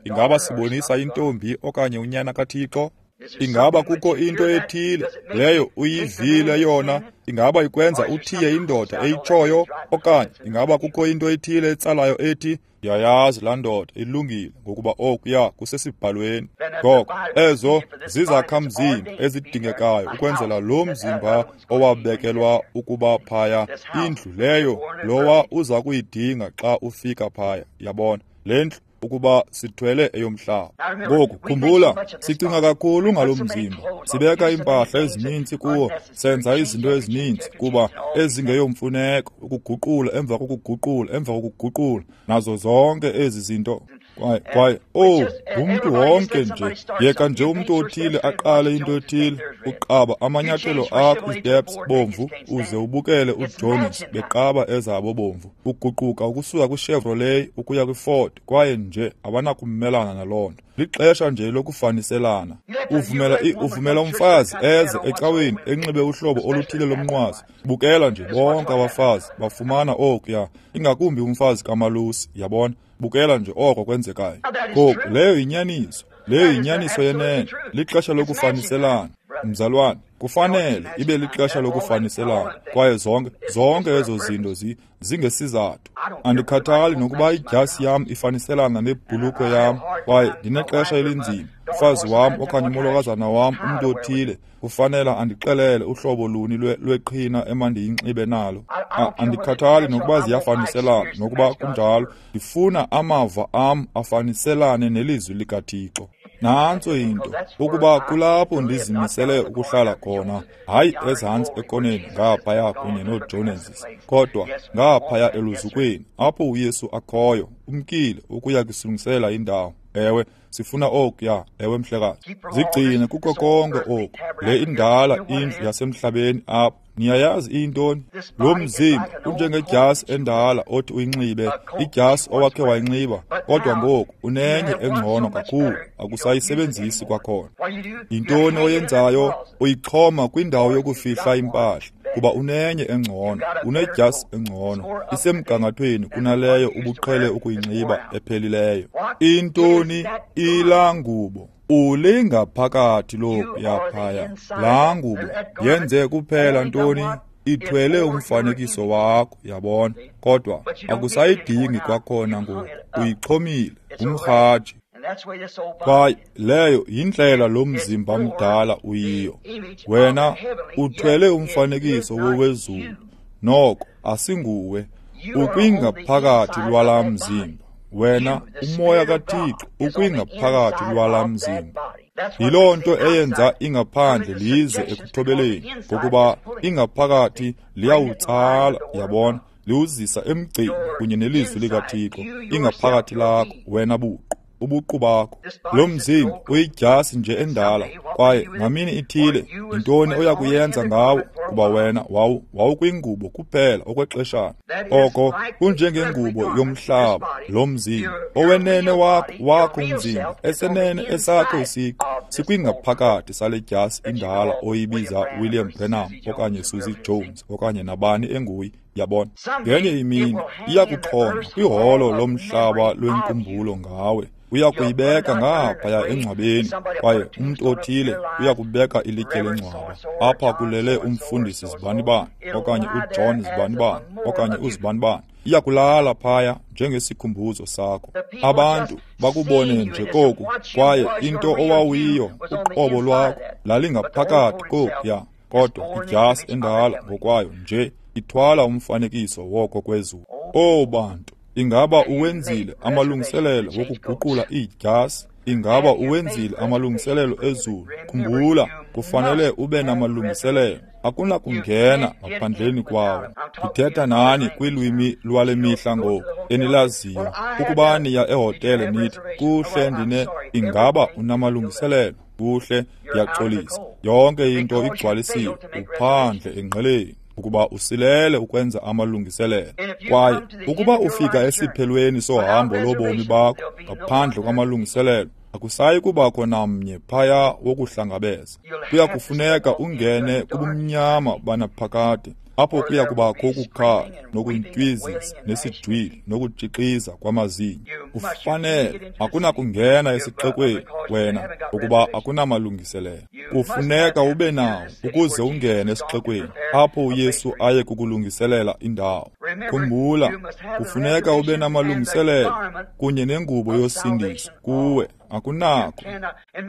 S1: Ingaba sibonisa intombi okanye unyana kaThixo? Ingaba kukho into ethile leyo uyivile yona? Ingaba ikwenza uthiye indoda eyitshoyo? Okanye ingaba kukho into ethile etsalayo ethi, "Ndiyayazi laa ndoda ilungile, ngokuba okuya kusesibhalweni"? Ngoko ezo zizakhamzimba ezidingekayo ukwenzela lo mzimba owabekelwa ukuba phaya, indlu leyo lowa uza kuyidinga xa ufika phaya. Yabona? Le ndlu ukuba sithwele eyomhlaba. Ngoku khumbula, sicinga kakhulu ngalo mzimba, sibeka iimpahla ezininzi kuwo, senza izinto ezininzi kuba ezingeyomfuneko, ukuguqula emva kokuguqula emva kokuguqula, nazo zonke ezi zinto. Kwaye kwaye oh, ngumntu wonke nje. Yeka nje umntu othile aqale into ethile, uqaba amanyathelo akho isteps bomvu, uze ubukele uJones beqaba ezabo bomvu. Uguquka ukusuka kwiChevrolet ukuya kwiFord, kwaye nje abanakumelana naloo nto. Lixesha nje lokufaniselana. Uvumela uvumela umfazi eze ecaweni enxibe uhlobo oluthile lomnqwazi. Bukela nje bonke abafazi bafumana okuya, ingakumbi umfazi kamalusi, yabona? Bukela nje oko kwenzekayo. Ngoku leyo yinyaniso, leyo yinyaniso yenene. Lixesha lokufaniselana, mzalwane. Kufanele ibe lixesha lokufaniselana, kwaye zonke zonke ezo zinto zi zingesizathu. Andikhathali nokuba idyasi yam ifaniselana nebhulukhwe yam, kwaye ndinexesha elinzima. Umfazi wam okanye umolokazana wam, umntu othile, kufanele andixelele uhlobo luni lweqhina emandiyinxibe nalo. Andikhathali nokuba ziyafaniselana, nokuba kunjalo, ndifuna amava am afaniselane nelizwi likaThixo. Nantso into, ukuba kulapho ndizimisele ukuhlala khona, hayi ezantsi ekoneni ngaphaya kunye nooJoneses, kodwa ngaphaya eluzukweni apho uYesu akhoyo, umkile ukuya kusilungisela indawo. Ewe, sifuna okuya. Ewe, mhlekazi. Zigcine kuko konke oku. Le indala indlu yasemhlabeni apha, niyayazi iyintoni? Lo mzimba unjengedyasi endala othi uyinxibe, idyasi owakhe wayinxiba, kodwa ngoku unenye engcono kakhulu, akusayisebenzisi kwakhona. Yintoni oyenzayo? Uyixhoma kwindawo yokufihla impahla, kuba unenye engcono, unedyasi engcono, isemgangathweni kunaleyo ubuqhele ukuyinxiba ephelileyo. Intoni? Ilaa ngubo. Ulingaphakathi lokuya phaya. Laa ngubo yenze kuphela ntoni? Ithwele umfanekiso wakho, yabona? Kodwa akusayidingi kwakhona ngoku, uyixhomile, ngumrhaji. Kwaye leyo yindlela lo mzimba mdala uyiyo. Wena uthwele umfanekiso wowezulu, noko asinguwe, ukwingaphakathi lwalaa mzimba. Wena, umoya kaThixo ukwingaphakathi lwalaa mzimba. Yiloo nto eyenza ingaphandle lize ekuthobeleni, ngokuba ingaphakathi liyawutsala, yabona, liwuzisa emgceni kunye nelizwi likaThixo. Ingaphakathi lakho, wena buqu, ubuqu bakho. Lo mzimba uyidyasi nje endala, kwaye ngamini ithile yintoni oya kuyenza ngawo? Kuba Ukuba wena wawu wawukwingubo kuphela okwexeshana. Oko kunjengengubo yomhlaba, lo mzimba owenene wakho wakho umzimba esenene esakho isiqu sikwingaphakathi sale dyasi indala oyibiza William Branham okanye Susie Jones okanye nabani enguye. Yabona, ngenye imini iyakuxhonywa kwiholo lomhlaba lwenkumbulo ngawe. Uya kuyibeka ngaphaya engcwabeni, kwaye umntu othile uya kubeka ilitye lengcwaba. Apha kulele umfundisi zibanibani okanye uJohn zibanibani okanye uzibanibani. Iya kulala phaya njengesikhumbuzo sakho. Abantu bakubone nje koku, kwaye into owawuyiyo uqobo lwakho lalingaphakathi kokuya, kodwa idyasi endala ngokwayo nje ithwala umfanekiso woko kwezulu. O bantu, ingaba uwenzile amalungiselelo wokuguqula iidyasi? Ingaba uwenzile amalungiselelo ezulu? Khumbula, kufanele ube namalungiselelo. Akunakungena ngaphandleni kwawo. Ndithetha nani kwilwimi lwale mihla ngoku enilaziyo. Ukuba niya ehotele nithi, kuhle ndine, ingaba unamalungiselelo? Kuhle, ndiyaxolisa. Yonke into igcwalisiwe, uphandle engqeleni, ukuba usilele ukwenza amalungiselelo. Kwaye ukuba ufika esiphelweni sohambo lobomi bakho ngaphandle kwamalungiselelo, akusayi kubakho namnye phaya wokuhlangabeza. Kuya kufuneka ungene kubumnyama banaphakade, apho kuya kubakho ukukhala nokuntywizisa nesijwili nokutshixiza kwamazinyo. Ufanele, akunakungena esixekweni wena ukuba akunamalungiselelo. Kufuneka ube nawo ukuze ungene esixekweni apho uYesu aye kukulungiselela indawo. Khumbula, kufuneka ube namalungiselelo kunye nengubo yosindiso kuwe. Akunakho.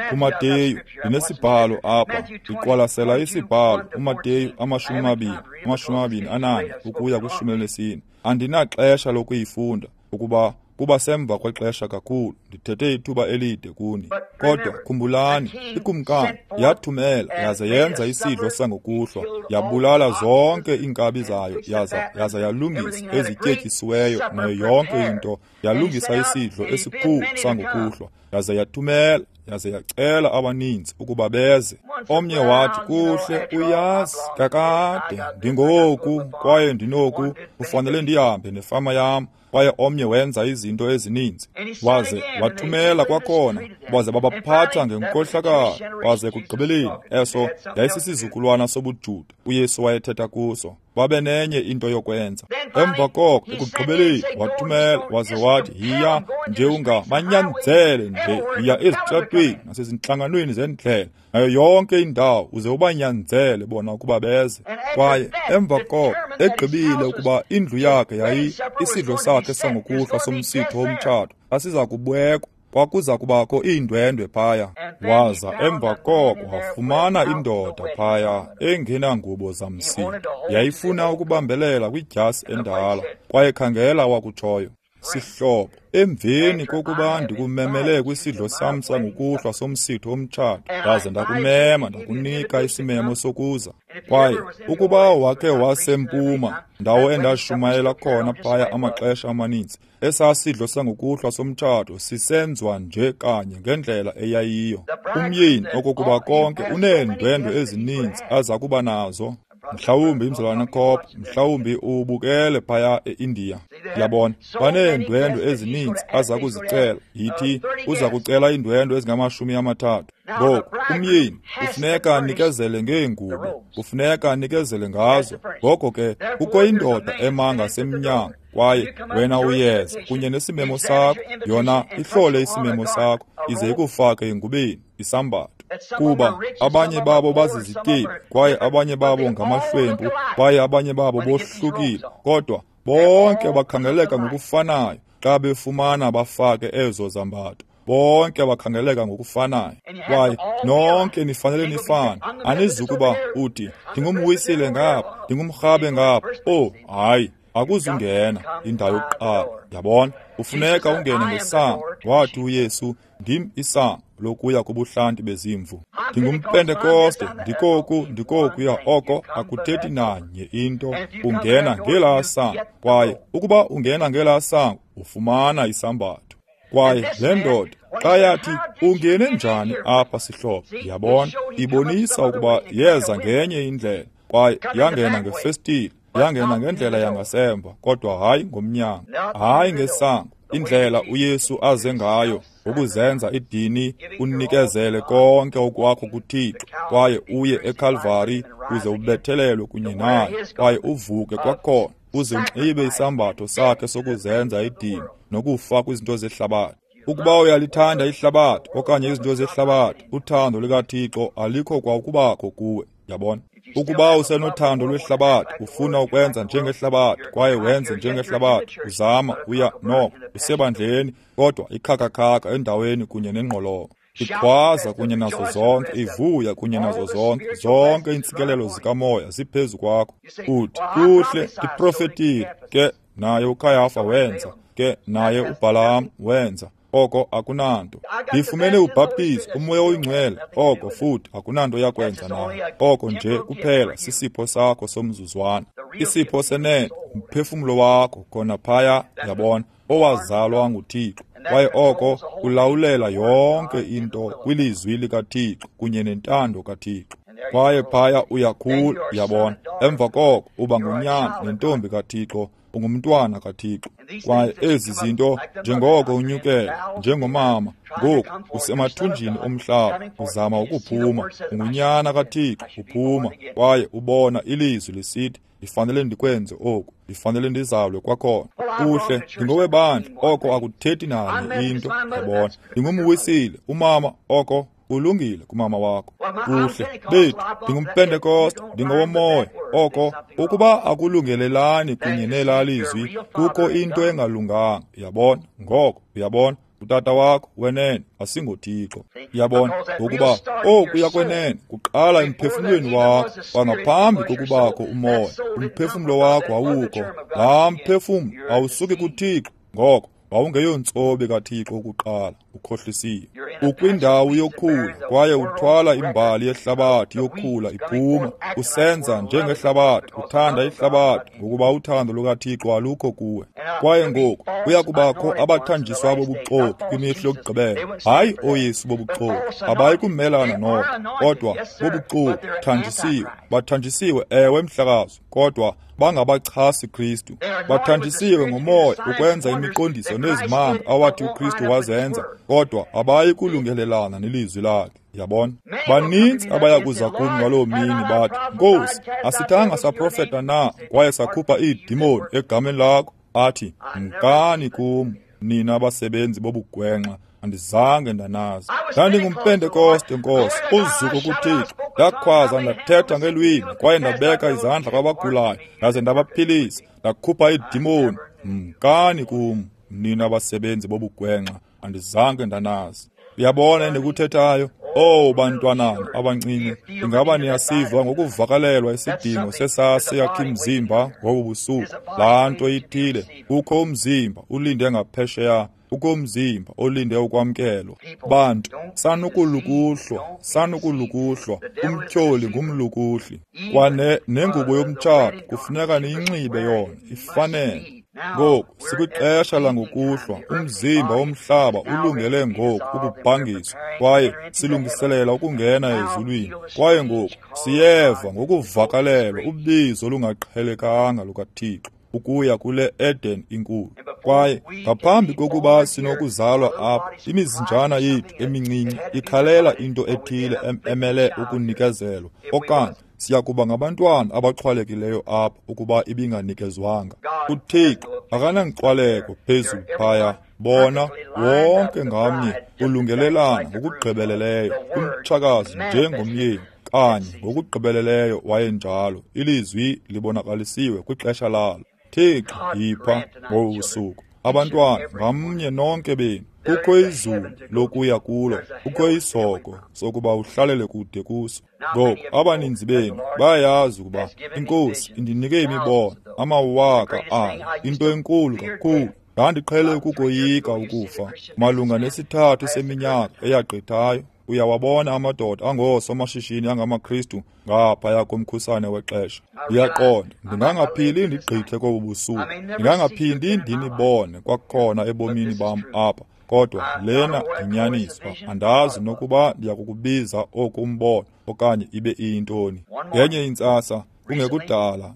S1: KuMateyu ndinesibhalo apha, ndiqwalasela isibhalo uMateyu amashumi amabini, amashumi amabini anane ukuya kwishumi elinesine. Andinaxesha lokuyifunda ukuba kuba semva kwexesha kakhulu, ndithethe ithuba elide kuni. Kodwa khumbulani, ikumkani yathumela yaza yenza isidlo sangokuhlwa, yabulala zonke iinkabi zayo, yaza yaza yalungisa ezityetyisiweyo nayo yonke into, yalungisa isidlo esikhulu sangokuhlwa, yaza yathumela, yaze yacela abaninzi ukuba beze. Omnye wathi, kuhle, uyazi kakade ndingoku kwaye ndinoku, kufanele ndihambe nefama yam. Kwaye omnye wenza izinto ezininzi, waze wathumela kwakhona, baze babaphatha ngenkohlakalo. Waze ekugqibeleni, eso yayisisizukulwana sobuJuda uYesu wayethetha kuso, babe nenye into yokwenza. Emva koko ekugqibeleni wathumela, waze wathi, yiya nje ungabanyanzele nje, yiya ezitratweni nasezintlanganweni zendlela nayo yonke indawo, uze ubanyanzele bona ukuba beze. Kwaye emva koko egqibile ukuba indlu yakhe yayi isidlo sakhe sangokuhlwa somsitho womtshato asiza kubekwa, kwakuza kubakho iindwendwe phaya. Waza emva koko wafumana indoda phaya engenangubo zamsitho, yayifuna ukubambelela kwidyasi endala. Kwaye khangela wakutshoyo, sihlobo, emveni kokuba ndikumemele kwisidlo sam sangokuhlwa somsitho womtshato, ndaze ndakumema ndakunika isimemo sokuza. Kwaye ukuba wakhe wasempuma, ndawo endashumayela khona phaya amaxesha amaninzi, esaa sidlo sangokuhlwa somtshato sisenzwa nje kanye ngendlela eyayiyo. Umyeni okokuba konke uneendwendwe ezininzi aza kuba nazo. Mhlawumbi imzalwana Cop, mhlawumbi ubukele phaya eIndiya. Yabona, baneendwendwe ezininzi aza kuzicela. Yithi uza kucela iindwendwe ezingamashumi amathathu. Ngoku umyeni kufuneka anikezele ngeengubo, kufuneka anikezele ngazo. Ngoko ke kukho indoda ema ngasemnyango, kwaye wena uyeza kunye nesimemo sakho. Yona ihlole isimemo sakho ize ikufake engubeni isambatho. Kuba abanye babo bazizityebi, kwaye abanye babo ngamahlwempu, kwaye abanye babo bohlukile, kodwa bonke bakhangeleka ngokufanayo xa befumana bafake ezo zambatho. Bonke bakhangeleka ngokufanayo, kwaye nonke nifanele nifane. Anizukuba uthi ndingumwisile ngapha, ndingumrhabe ngapha. Oh hayi, akuzungena indawo yokuqala. Yabona, ufuneka ungene ngesango. Wathi uYesu, ndim isango lokuya kubuhlanti bezimvu. NdingumPentekoste, ndikoku, ndikokuya. Oko akuthethi nanye into. Ungena ngelaa sango, kwaye ukuba ungena ngelaa sango ufumana isambatho. Kwaye le ndoda xa yathi, ungene njani apha sihlobo? Yabona, ibonisa ukuba yeza ngenye indlela. Kwaye yangena ngefestile, yangena ngendlela yangasemva, kodwa hayi ngomnyango, hayi ngesango. Indlela uYesu aze ngayo ngokuzenza idini, unikezele konke okwakho kuThixo, kwaye uye eKalvari uze ubethelelwe kunye naye, kwaye uvuke kwakhona, uze unxibe isambatho sakhe sokuzenza idini nokufa kwizinto zehlabathi. Ukuba uyalithanda ihlabathi okanye izinto zehlabathi, uthando lukaThixo alikho kwa ukubakho kuwe. Yabona? Ukuba usenothando lwehlabathi, ufuna ukwenza njengehlabathi kwaye wenze njengehlabathi, uzama uya noko usebandleni, kodwa ikhakakhaka endaweni kunye nengqolowa, ikhwaza kunye nazo zonke, ivuya kunye nazo zonke, zonke iintsikelelo zikamoya ziphezu kwakho. Uthi, kuhle, ndiprofetile. Ke naye uKayafa wenza, ke naye uBhalaam wenza. Oko akunanto. Ndifumene ubhaptizo, uMoya oyiNgcwele, oko futhi akunanto yakwenza nayo. Oko nje kuphela sisipho sakho somzuzwana, isipho senene, umphefumlo wakho khona phaya, yabona, owazalwa nguThixo. Kwaye oko kulawulela yonke into kwilizwi likaThixo kunye nentando kaThixo. Kwaye phaya uyakhula, yabona. Emva koko uba ngunyana nentombi kaThixo, ungumntwana kaThixo. Kwaye ezi zinto, njengoko unyukela njengomama ngoku usemathunjini omhlaba, uzama ukuphuma, ungunyana kaThixo, uphuma kwaye ubona ilizwi lisithi, ndifanele ndikwenze oku, ndifanele ndizalwe kwakhona. Kuhle, ndingowebandla, oko akuthethi nanye into, yabona. Ndingumwisile, umama, oko ulungile kumama wakho. Kuhle, bethu, ndingumpentekoste, ndingowomoya. Oko ukuba akulungelelani kunye nelaa lizwi, kukho into engalunganga, uyabona. Ngoko, uyabona, utata wakho wenene asingoThixo, uyabona, ngokuba okuya kwenene kuqala emphefumlweni wakho kwangaphambi kokubakho umoya. Umphefumlo wakho awukho, laa mphefumlo awusuki kuThixo. Ngoko wawungeyontsobi kaThixo ukuqala, ukhohlisiwe. Ukwindawo yokhula kwaye uthwala imbali yehlabathi yokhula iphuma, usenza njengehlabathi, uthanda ihlabathi, ngokuba uthando lukaThixo alukho kuwe. Kwaye ngoku kuya kubakho abathanjiswa bobuxoki kwimihla yokugqibela. Hayi ooYesu bobuxoki, abayi kumelana noko, kodwa bobuxoki, thanjisiwe. Bathanjisiwe, ewe mhlakazo, kodwa bangabachasi Kristu. Bathanjisiwe ngomoya ukwenza imiqondiso nezimanga awathi uKristu wazenza, kodwa abayi kulungelelana nelizwi lakhe. Yabona? Baninzi abaya kuza kum ngaloo mini bathi, Nkosi, asithanga saprofeta na kwaye sakhupha iidimoni egameni lakho? Athi, mkani kum, nina abasebenzi bobugwenxa, andizange ndanazi. Ndandingumpentekoste, Nkosi, uzuko kuThixo. Ndakhwaza, ndathetha ngelwimi, kwaye ndabeka izandla kwabagulayo, ndaze ndabaphilisa, ndakhupha iidimoni. Mkani kum, nina abasebenzi bobugwenxa, andizange ndanazi. Uyabona endikuthethayo? Oh, bantwanana abancinci, ingaba niyasiva ngokuvakalelwa isidingo sesaseyakhe imzimba ngobu busuku. Laa nto ithile, kukho umzimba ulinde ngaphesheya, kukho umzimba olinde ukwamkelwa. Bantu, sanukulukuhlwa, sanukulukuhlwa, umtyholi ngumlukuhli. Kwane nengubo yomtshato kufuneka niyinxibe yona, ifanele. Ngoku sikwixesha langokuhlwa, umzimba womhlaba ulungele ngoku ukubhangiswa, kwaye silungiselela ukungena ezulwini. Kwaye ngoku siyeva ngokuvakalelwa ubizo olungaqhelekanga lukaThixo ukuya kule Eden inkulu. Kwaye ngaphambi kokuba sinokuzalwa apha, imizinjana yethu emincinci ikhalela into ethile emele ukunikezelwa, okanye siya kuba ngabantwana abaxhwalekileyo apha ukuba ibinganikezwanga. UThixo akananxwaleko phezulu phaya. Bona wonke ngamnye ulungelelana ngokugqibeleleyo, umtshakazi njengomyeni kanye ngokugqibeleleyo wayenjalo. Ilizwi libonakalisiwe kwixesha lalo. Thixo, yipha ngobu busuku abantwana ngamnye nonke benu. Kukho izulu lokuya kulo, kukho isoko sokuba uhlalele kude kuso. Ngoku abaninzi benu bayayazi ukuba iNkosi indinike imibono amawaka ayo, into enkulu kakhulu. Ndandiqhele ukukoyika ukufa. Malunga nesithathu seminyaka eyagqithayo, uyawabona amadoda angoosomashishini angamaKristu ngaphaya komkhusane wexesha. Ndiyaqonda, ndingangaphili ndigqithe kobu busuku, ndingangaphindi ndinibone kwakhona ebomini bam apha. Kodwa lena yinyaniso, andazi nokuba ndiyakukubiza oku umbono okanye ibe iyintoni. Ngenye intsasa Kungekudala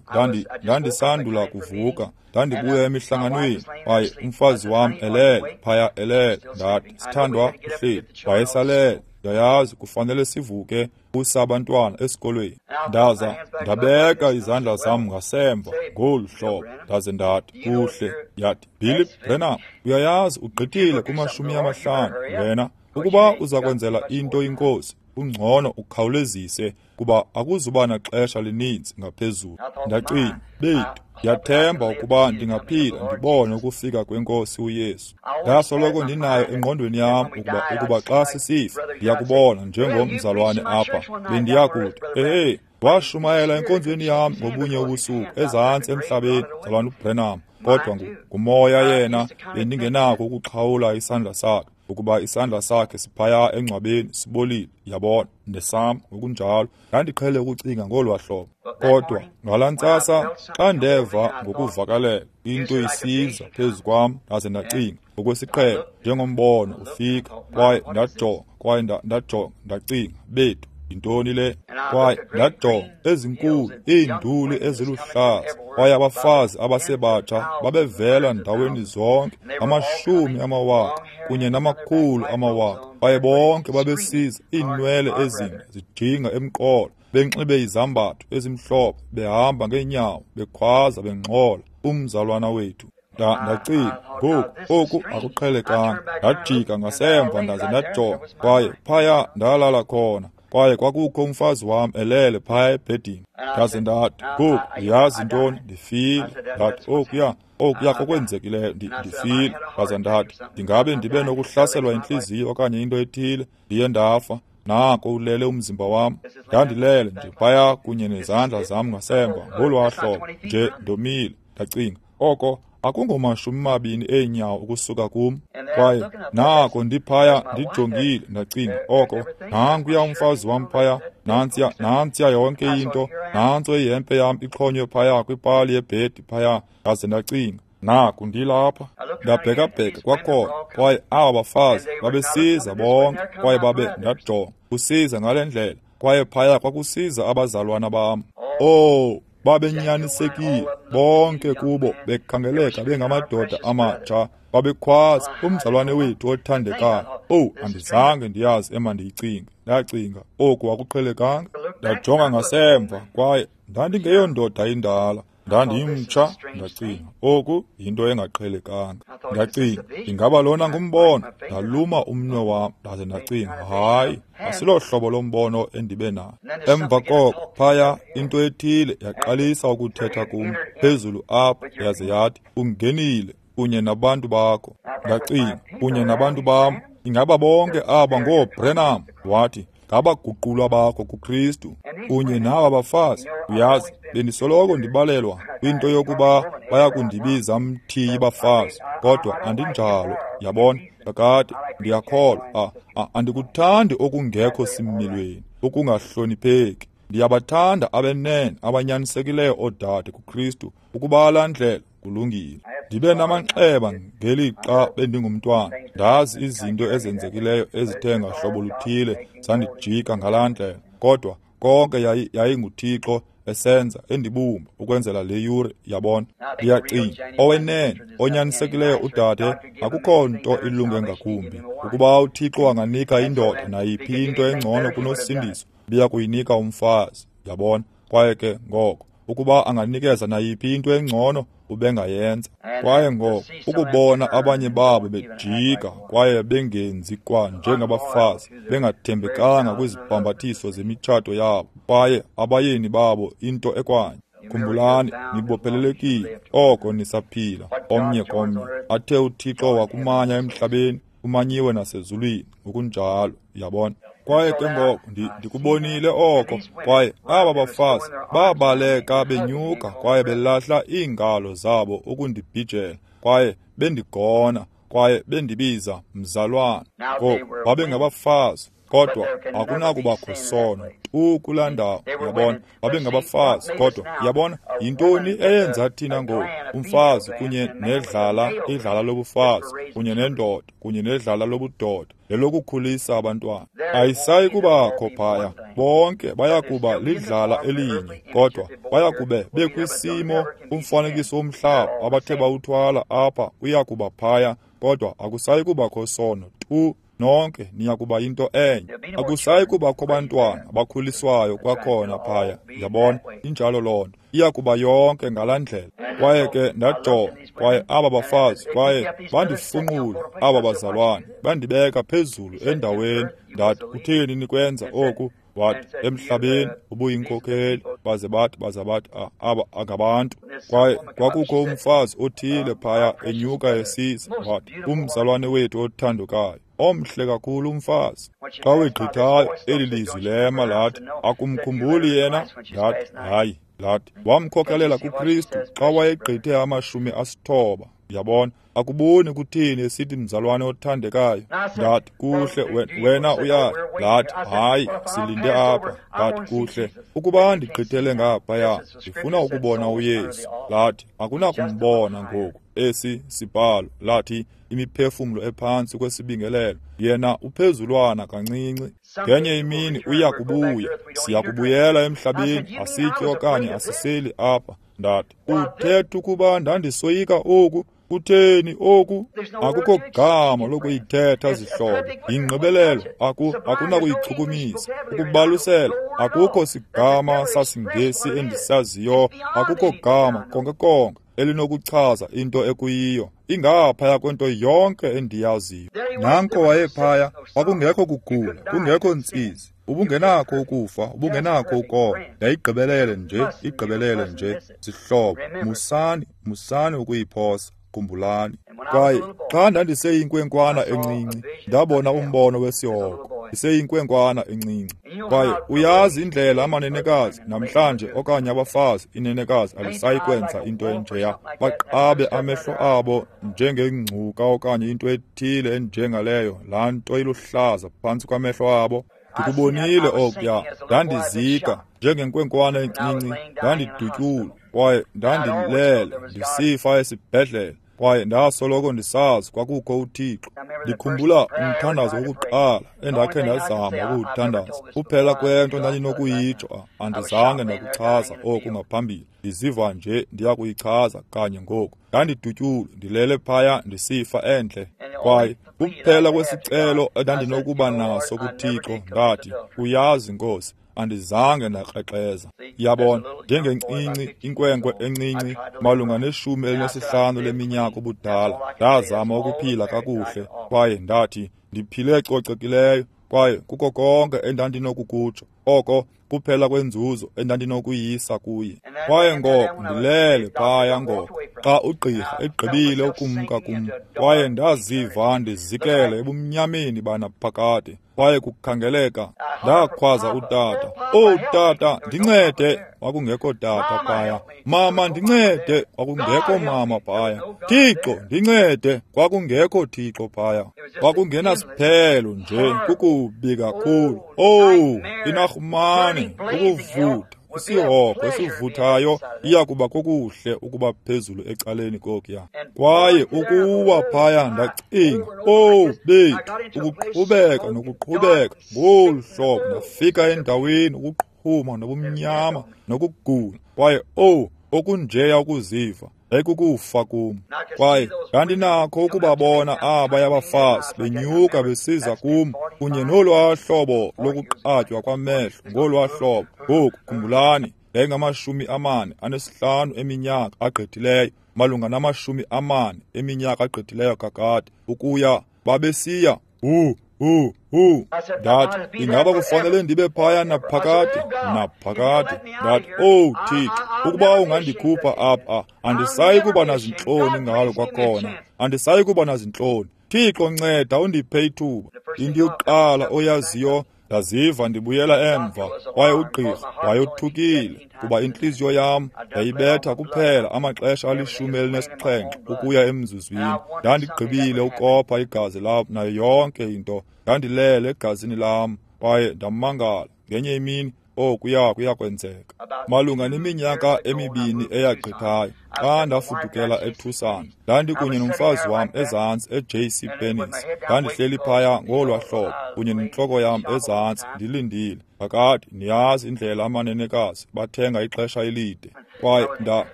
S1: ndandisandula kuvuka, ndandibuya emihlanganweni, kwaye umfazi wam elele phaya elele. Ndathi, sithandwa, uhleli. Wayesalele. Ndiyayazi kufanele sivuke usa abantwana esikolweni. Ndaza ndabeka izandla zam ngasemva ngolu hlobo, ndaze ndathi, kuhle. Yathi, Billy Branham, uyayazi ugqithile kumashumi amahlanu wena. Ukuba uza kwenzela into inkosi, ungcono ukhawulezise kuba akuzuba naxesha lininzi ngaphezulu. Ndacinga, bethu, ndiyathemba ukuba ndingaphila ndibone ukufika kwenkosi uYesu. Ndasoloko ndinayo engqondweni yam ukuba ukuba xa sisifa ndiyakubona njengomzalwane apha, bendiyakuthi, ehe, washumayela enkonzweni yam ngobunye ubusuku ezantsi emhlabeni, mzalwane uBranham, kodwa ngumoya yena bendingenako ukuxhawula isandla sakhe, ukuba isandla sakhe siphaya engcwabeni sibolile, yabona, nesam ngokunjalo. Ndandiqhele ukucinga ngolwa hlobo. Kodwa ngalaa ntsasa xa ndeva ngokuvakalela into isiza phezu kwam, ndaze ndacinga ngokwesiqhelo njengombono ufika, kwaye ndajonga, kwaye ndajonga, ndacinga, bethu, yintoni le? Kwaye ndajonga ezinkulu iinduli eziluhlaza, kwaye abafazi abasebatsha babevela ndaweni zonke, amashumi amawaka kunye namakhulu amawaka, kwaye bonke babesiza, iinwele ezinde zijinga emqolo, benxibe izambatho ezimhlophe, behamba ngeenyawo, bekhwaza, bengxola, umzalwana wethu. Ndacinga, ngoku oku akuqhelekanga. Ndajika ngasemva ndaze ndajonga, kwaye phaya ndalala khona, kwaye kwakukho umfazi wam elele phaya ebhedini. Ndaze ndathi, ngoku uyazi ntoni, ndifile. Ndathi, okuya okuya kokwenzekileyo, ndifile. Ndaze ndathi, ndingabe ndibe nokuhlaselwa intliziyo okanye into ethile, ndiye ndafa. Nako ulele umzimba wam. Ndandilele nje phaya kunye nezandla zam ngasemva ngolwaa hlobo nje, ndomile. Ndacinga, oko akungomashumi mabini eenyawo ukusuka kum. Kwaye nako ndiphaya ndijongile, ndacinga, oko nankuya umfazi wam phaya, nantsiya nantsiya yonke into, nantso ihempe yam ixhonywe phaya kwipali yebhedi phaya. Ndaze ndacinga, naku ndilapha. Ndabhekabheka kwakhona, kwaye aba bafazi babesiza bonke, kwaye babe ndajonga kusiza ngale ndlela, kwaye phaya kwakusiza abazalwana bam. Oh, babenyanisekile bonke kubo, bekhangeleka bengamadoda amatsha, babekhwaza, umzalwane wethu othandekayo. Oh, andizange ndiyazi emandiyicinge. Ndacinga, oku akuqhelekanga. Ndajonga ngasemva, kwaye ndandingeyondoda indala, ndandimtsha. Ndacinga, oku yinto engaqhelekanga. Ndacinga, ingaba lona ngumbono? Ndaluma umnwe wam, ndaze ndacinga, hayi, asilo hlobo lombono endibe nayo. Emva koko phaya into ethile yaqalisa ukuthetha kum phezulu apha, yaze yathi, ungenile kunye nabantu bakho. Ndacinga, kunye nabantu bam? Ingaba bonke aba ngooBranham? Wathi, ngabaguqulwa bakho kuKristu kunye naba bafazi. Uyazi, bendisoloko ndibalelwa kwinto yokuba bayakundibiza mthiyi bafazi, kodwa andinjalo, yabona. Kakade ndiyakholwa, andikuthandi okungekho similweni, okungahlonipheki. Ndiyabathanda abenene abanyanisekileyo oodade kuKristu, ukuba laa ndlela kulungile. Ndibe namanxeba ngelixa bendingumntwana, ndazi izinto ezenzekileyo ezithe ngahlobo luthile zandijika ngalaa ndlela, kodwa konke yayinguThixo esenza endibumba ukwenzela le yure, yabona. Ndiyacinga, owenene onyanisekileyo udade, akukho nto ilunge ngakumbi. Ukuba uThixo anganika indoda nayiphi into engcono kunosindiso, biya kuyinika umfazi, yabona. Kwaye ke ngoko ukuba anganikeza nayiphi into engcono, ubengayenza. Kwaye ngoko ukubona abanye babo bejika kwaye bengenzi kwa njengabafazi, bengathembekanga kwizibhambathiso zemitshato yabo, kwaye abayeni babo into ekwanye. Khumbulani, nibophelelekile oko nisaphila omnye komnye. Athe uThixo wakumanya emhlabeni, kumanyiwe nasezulwini ngokunjalo, yabona. Kwaye ke ngoko ndikubonile oko, kwaye aba bafazi babaleka benyuka kwaye belahla iingalo zabo ukundibhijela, kwaye bendigona, kwaye bendibiza mzalwane. Ngoku babengabafazi, Kodwa akunakubakho sono tu kulaa ndawo, yabona. Babengabafazi, kodwa yabona, yintoni eyenza thina ngoku? Umfazi kunye nedlala, idlala lobufazi, kunye nendoda, kunye nedlala lobudoda, lelokukhulisa abantwana. Ayisayi kubakho phaya. Bonke bayakuba lidlala elinye, kodwa bayakube bekwisimo umfanekiso womhlaba abathe bawuthwala apha uyakuba phaya, kodwa akusayi kubakho sono tu. Nonke niyakuba into enye. Akusayi kubakho bantwana bakhuliswayo kwakhona phaya, yabona. Injalo loo nto. Iyakuba yonke ngalaa ndlela. Kwaye ke ndajonga, kwaye aba bafazi, kwaye bandifunqula aba bazalwane, bandibeka phezulu endaweni. Ndathi, kutheni nikwenza oku? Wathi, emhlabeni ubuyinkokheli. Baze bathi, baze bathi, aba angabantu. Kwaye kwakukho umfazi othile phaya enyuka esiza. Wathi, umzalwane wethu othandekayo, omhle kakhulu umfazi. Xa wegqithayo eli lizwi lema lathi, akumkhumbuli yena? Ndathi, hayi. Lathi, wamkhokelela kuKristu xa wayegqithe amashumi asithoba. Yabona, akuboni kuthini esithi mzalwane othandekayo? Ndathi, kuhle, wena uya. Lathi, hayi, silinde apha. Ndathi, kuhle, ukuba ndigqithele ngaphaya, ndifuna ukubona uYesu. Lathi, akunakumbona ngoku. Esi sibhalo lathi, imiphefumlo ephantsi kwesibingelelo, yena uphezulwana kancinci. Ngenye imini uya kubuya, siya kubuyela emhlabeni, asitye okanye asiseli apha. Ndathi, uthetha ukuba ndandisoyika oku? Kutheni oku? Akukho gama lokuyithetha, zihlobo. Yingqibelelo, aku akunakuyichukumisa. Ukubalusela, akukho sigama sasiNgesi endisaziyo, akukho gama konke konke elinokuchaza into ekuyiyo. Ingaphaya kwento yonke endiyaziyo. Nanko wayephaya, kwakungekho kugula, kungekho ntsizi. Ubungenakho ukufa, ubungenakho ukoma. Yayigqibelele nje, igqibelele nje. Zihlobo, musani, musani ukuyiphosa. Khumbulani. Kwaye xa ndandiseyinkwenkwana encinci, ndabona umbono wesihogo. Ndiseyinkwenkwana encinci. Kwaye uyazi indlela amanenekazi namhlanje okanye abafazi, inenekazi alisayi kwenza into enjeya. Baqabe amehlo abo njengengcuka okanye into ethile enjengaleyo, laa nto iluhlaza phantsi kwamehlo abo. Ndikubonile okuya. Ndandizika njengenkwenkwana encinci, ndandidutyulwa kwaye ndandilele ndisifa esibhedlele. Kwaye ndasoloko ndisazi kwakukho uThixo. Ndikhumbula umthandazo wokuqala endakhe ndazama ukuwuthandaza. Kuphela kwento ndandinokuyitsho, andizange ndakuchaza oku ngaphambili. Ndiziva nje ndiyakuyichaza kanye ngoku. Ndandidutyulwa, ndilele phaya ndisifa endle. Kwaye kuphela kwesicelo endandinokuba naso kuThixo, ndathi, uyazi Nkosi, andizange ndakrexeza. Yabona, njengencinci, inkwenkwe encinci, malunga neshumi elinesihlanu leminyaka ubudala, ndazama ukuphila kakuhle, kwaye ndathi, ndiphile cocekileyo, kwaye kuko konke endandinokukutsho, oko kuphela kwenzuzo endandinokuyisa kuye. Kwaye ngoko ndilele phaya ngoko, xa ugqirha egqibile ukumka kum, kwaye ndaziva ndizikele ebumnyameni banaphakade. Kwaye kukhangeleka, ndakhwaza utata, "Oh tata, ndincede!" Kwakungekho tata phaya. "Mama, ndincede!" Kwakungekho mama phaya. "Thixo, ndincede!" Kwakungekho Thixo phaya. Kwakungenasiphelo nje, kukubi kakhulu. Oh, inarhumane, ukuvutha, isihogo esivuthayo iyakuba kokuhle ukuba phezulu ecaleni kokuya. Kwaye ukuwa phaya ndacinga, oh bethu, ukuqhubeka nokuqhubeka ngolu hlobo, ndafika endaweni ukuqhuma nobumnyama nokugula. Kwaye oh, okunjeya ukuziva yayikukufa kum. Kwaye ndandinakho ukubabona abaya bafazi benyuka besiza kum kunye nolwaa hlobo lokuqatywa kwamehlo ngolwaa hlobo. Ngoku khumbulani, yayingamashumi amane anesihlanu eminyaka agqithileyo, malunga namashumi amane eminyaka agqithileyo kakade, ukuya babesiya hu hu hu. Ndathi, ingaba kufanele ndibe phaya naphakade? Naphakade. Ndathi, oh Thixo, ukuba ungandikhupha apha, andisayi kuba nazintloni ngalo kwakhona. Andisayi kuba nazintloni. Thixo, nceda undiphe ithuba. Into yokuqala oyaziyo, Ndaziva ndibuyela emva, kwaye ugqirha wayothukile kuba intliziyo yam yayibetha kuphela amaxesha alishumi elinesixhenxe ukuya emzuzwini. Ndandigqibile ukopha igazi lam nayo yonke into. Ndandilele egazini lam, kwaye ndamangala ngenye imini okuya kuyakwenzeka. Malunga neminyaka emibini eyagqithayo, xa ndafudukela eTucson, ndandikunye nomfazi wam ezantsi e-J C Penney's. Ndandihleli phaya ngolwa hlobo kunye nentloko yam ezantsi ndilindile. Kakade niyazi indlela amanenekazi bathenga ixesha elide. Kwaye nda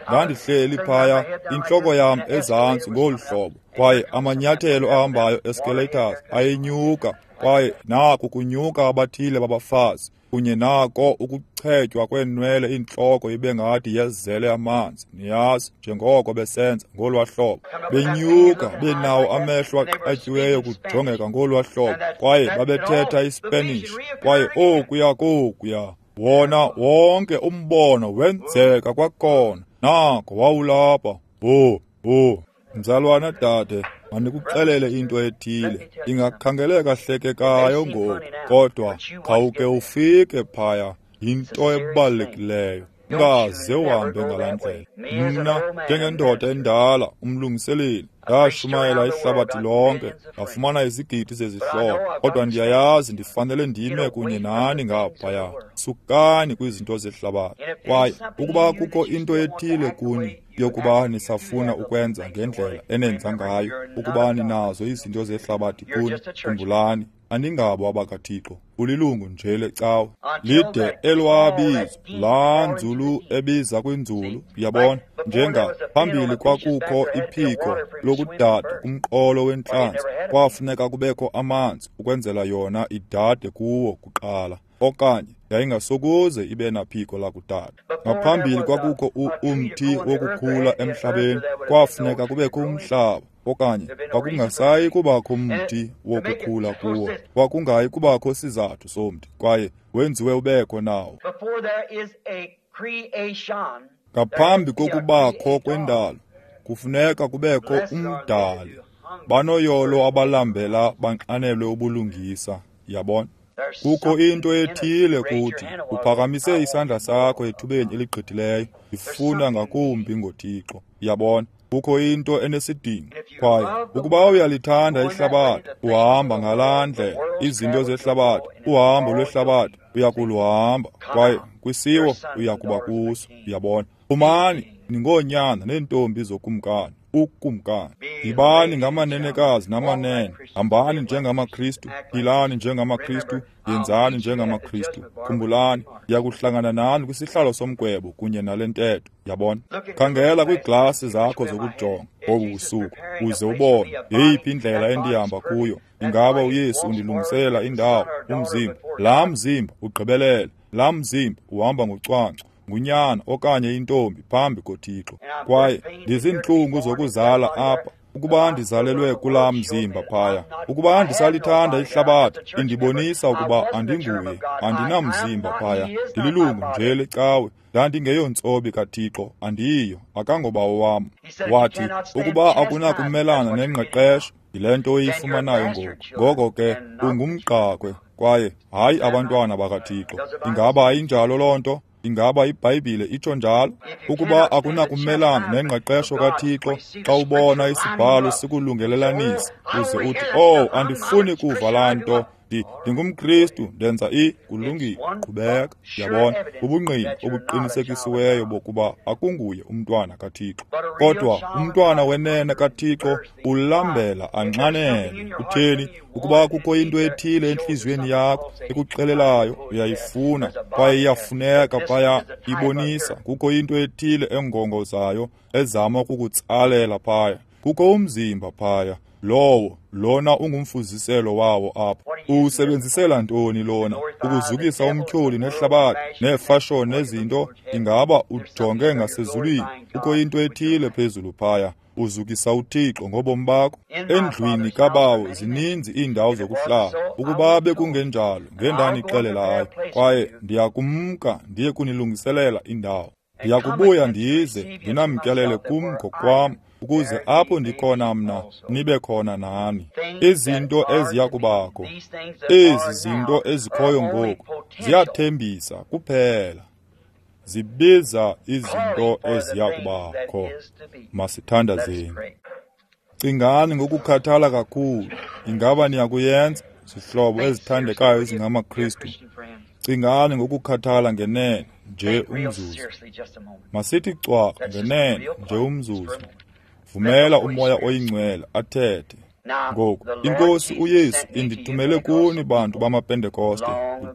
S1: ndandihleli phaya intloko yam ezantsi ngolu hlobo, kwaye amanyathelo ahambayo escalators ayenyuka, kwaye naku kunyuka abathile babafazi, kunye nako ukuchetywa kweenwele intloko ibe ngathi yezele amanzi, niyazi, njengoko besenza ngolwa hlobo. Benyuka benawo amehlo aqatyiweyo kujongeka ngolwa hlobo, kwaye babethetha iSpanish, kwaye okuya kokuya wona wonke umbono wenzeka kwakhona. Nako wawulapha. Ho ho, mzalwana dade, mandikuxelele into ethile. Ingakhangeleka hlekekayo ngoku, kodwa khawuke ufike phaya. Yinto ebalulekileyo. Ungaze uhambe ngalaa ndlela. Mna njengendoda endala, umlungiseleli, ndashumayela ihlabathi lonke, ndafumana izigidi zezihlobo, kodwa ndiyayazi ndifanele ndime kunye nani ngaphaya. Sukani kwizinto zehlabathi. Kwaye ukuba kukho into ethile kuni yokuba nisafuna ukwenza ngendlela enenza ngayo, ukuba ninazo izinto zehlabathi kuni, khumbulani, aningabo abakaThixo. Ulilungu nje lecawa. Lide elwabizo laa nzulu ebiza kwinzulu, uyabona, njenga phambili kwakukho iphiko lokudada kumqolo wentlanzi, kwafuneka kubekho amanzi ukwenzela yona idade kuwo kuqala, okanye yayingasokuze ibe naphiko lakudada. Ngaphambili kwakukho umthi wokukhula emhlabeni, kwafuneka kubekho umhlaba, okanye kwakungasayi kubakho umthi wokukhula kuwo, kwakungayi kubakho sizathu somthi, kwaye wenziwe ubekho nawo. Ngaphambi kokubakho kwendalo, kufuneka kubekho umdali. Banoyolo abalambela banxanelwe ubulungisa, yabona. Kukho into ethile kuthi, uphakamise isandla sakho ethubeni eligqithileyo, ifuna ngakumbi ngoThixo, yabona. Kukho into enesidingo. Kwaye ukuba uyalithanda ihlabathi, uhamba ngalaa ndlela. Izinto zehlabathi, uhambo lwehlabathi, uyakuluhamba, kwaye kwisiwo uyakuba kuso, uyabona. Phumani ningoonyana neentombi zokumkani, ukumkani. Yibani ngamanenekazi namanene, hambani njengamaKristu, philani njengamaKristu, yenzani njengamaKristu. Khumbulani, ndiyakuhlangana nani kwisihlalo somgwebo kunye nale ntetho, yabona. Khangela kwiiglasi zakho zokujonga ngobu busuku, uze ubone yeyiphi indlela endihamba kuyo. Ingaba uYesu undilungisela indawo, umzimba? Laa mzimba ugqibelele, laa mzimba uhamba ngocwangco, ngunyana okanye intombi phambi koThixo. Kwaye ndiziintlungu zokuzala apha, ukuba ndizalelwe kulaa mzimba phaya. Ukuba ndisalithanda ihlabathi, indibonisa ukuba andinguye, andinamzimba phaya. Ndililungu nje lecawe, ndandingeyontsobi kaThixo, andiyiyo, akangobawo wam. Wathi, ukuba akunakumelana nengqeqesho, yile nto oyifumanayo ngoku. Ngoko ke ungumgqakhwe, kwaye hayi abantwana bakaThixo. Ingaba ayinjalo loo nto? Ingaba iBhayibhile itsho njalo? Ukuba akunakumelana nengqeqesho kaThixo, xa ubona isibhalo sikulungelelanisa, uze uthi, oh, andifuni kuva laa nto, ndingumKristu, ndenza i, kulungile, qhubeka. Yabona, ubungqina obuqinisekisiweyo bokuba akunguye umntwana kaThixo. Kodwa umntwana wenene kaThixo ulambela anxanele. Utheni? Ukuba kukho into ethile entliziyweni yakho ekuxelelayo, uyayifuna, kwaye iyafuneka phaya, ibonisa kukho into ethile engongozayo ezama ukukutsalela phaya. Kukho umzimba phaya, lowo lona ungumfuziselo wawo apha. Uwusebenzisela ntoni lona? Ukuzukisa umtyholi nehlabathi neefashoni nezinto? Ingaba ujonge ngasezulwini? Kukho into ethile phezulu phaya. Uzukisa uThixo ngobomi bakho. Endlwini kaBawo zininzi iindawo zokuhlala. Ukuba bekungenjalo, ngendandixelelayo, kwaye ndiyakumka ndiye kunilungiselela indawo. Ndiyakubuya ndize ndinamkelele kum ngokwam, ukuze apho ndikhona mna nibe khona nani. Izinto eziya kubakho, ezi zinto ezikhoyo ngoku, ziyathembisa kuphela, zibiza izinto eziya kubakho. Masithandazeni. Cingani ngokukhathala kakhulu. Ingaba niyakuyenza, zihlobo ezithandekayo ezingamaKristu? Cingani ngokukhathala ngenene nje umzuzu. Masithi cwaka ngenene nje umzuzu. Vumela uMoya oyiNgcwele athethe. Ngoku, iNkosi uYesu indithumele kuni bantu bamaPentekoste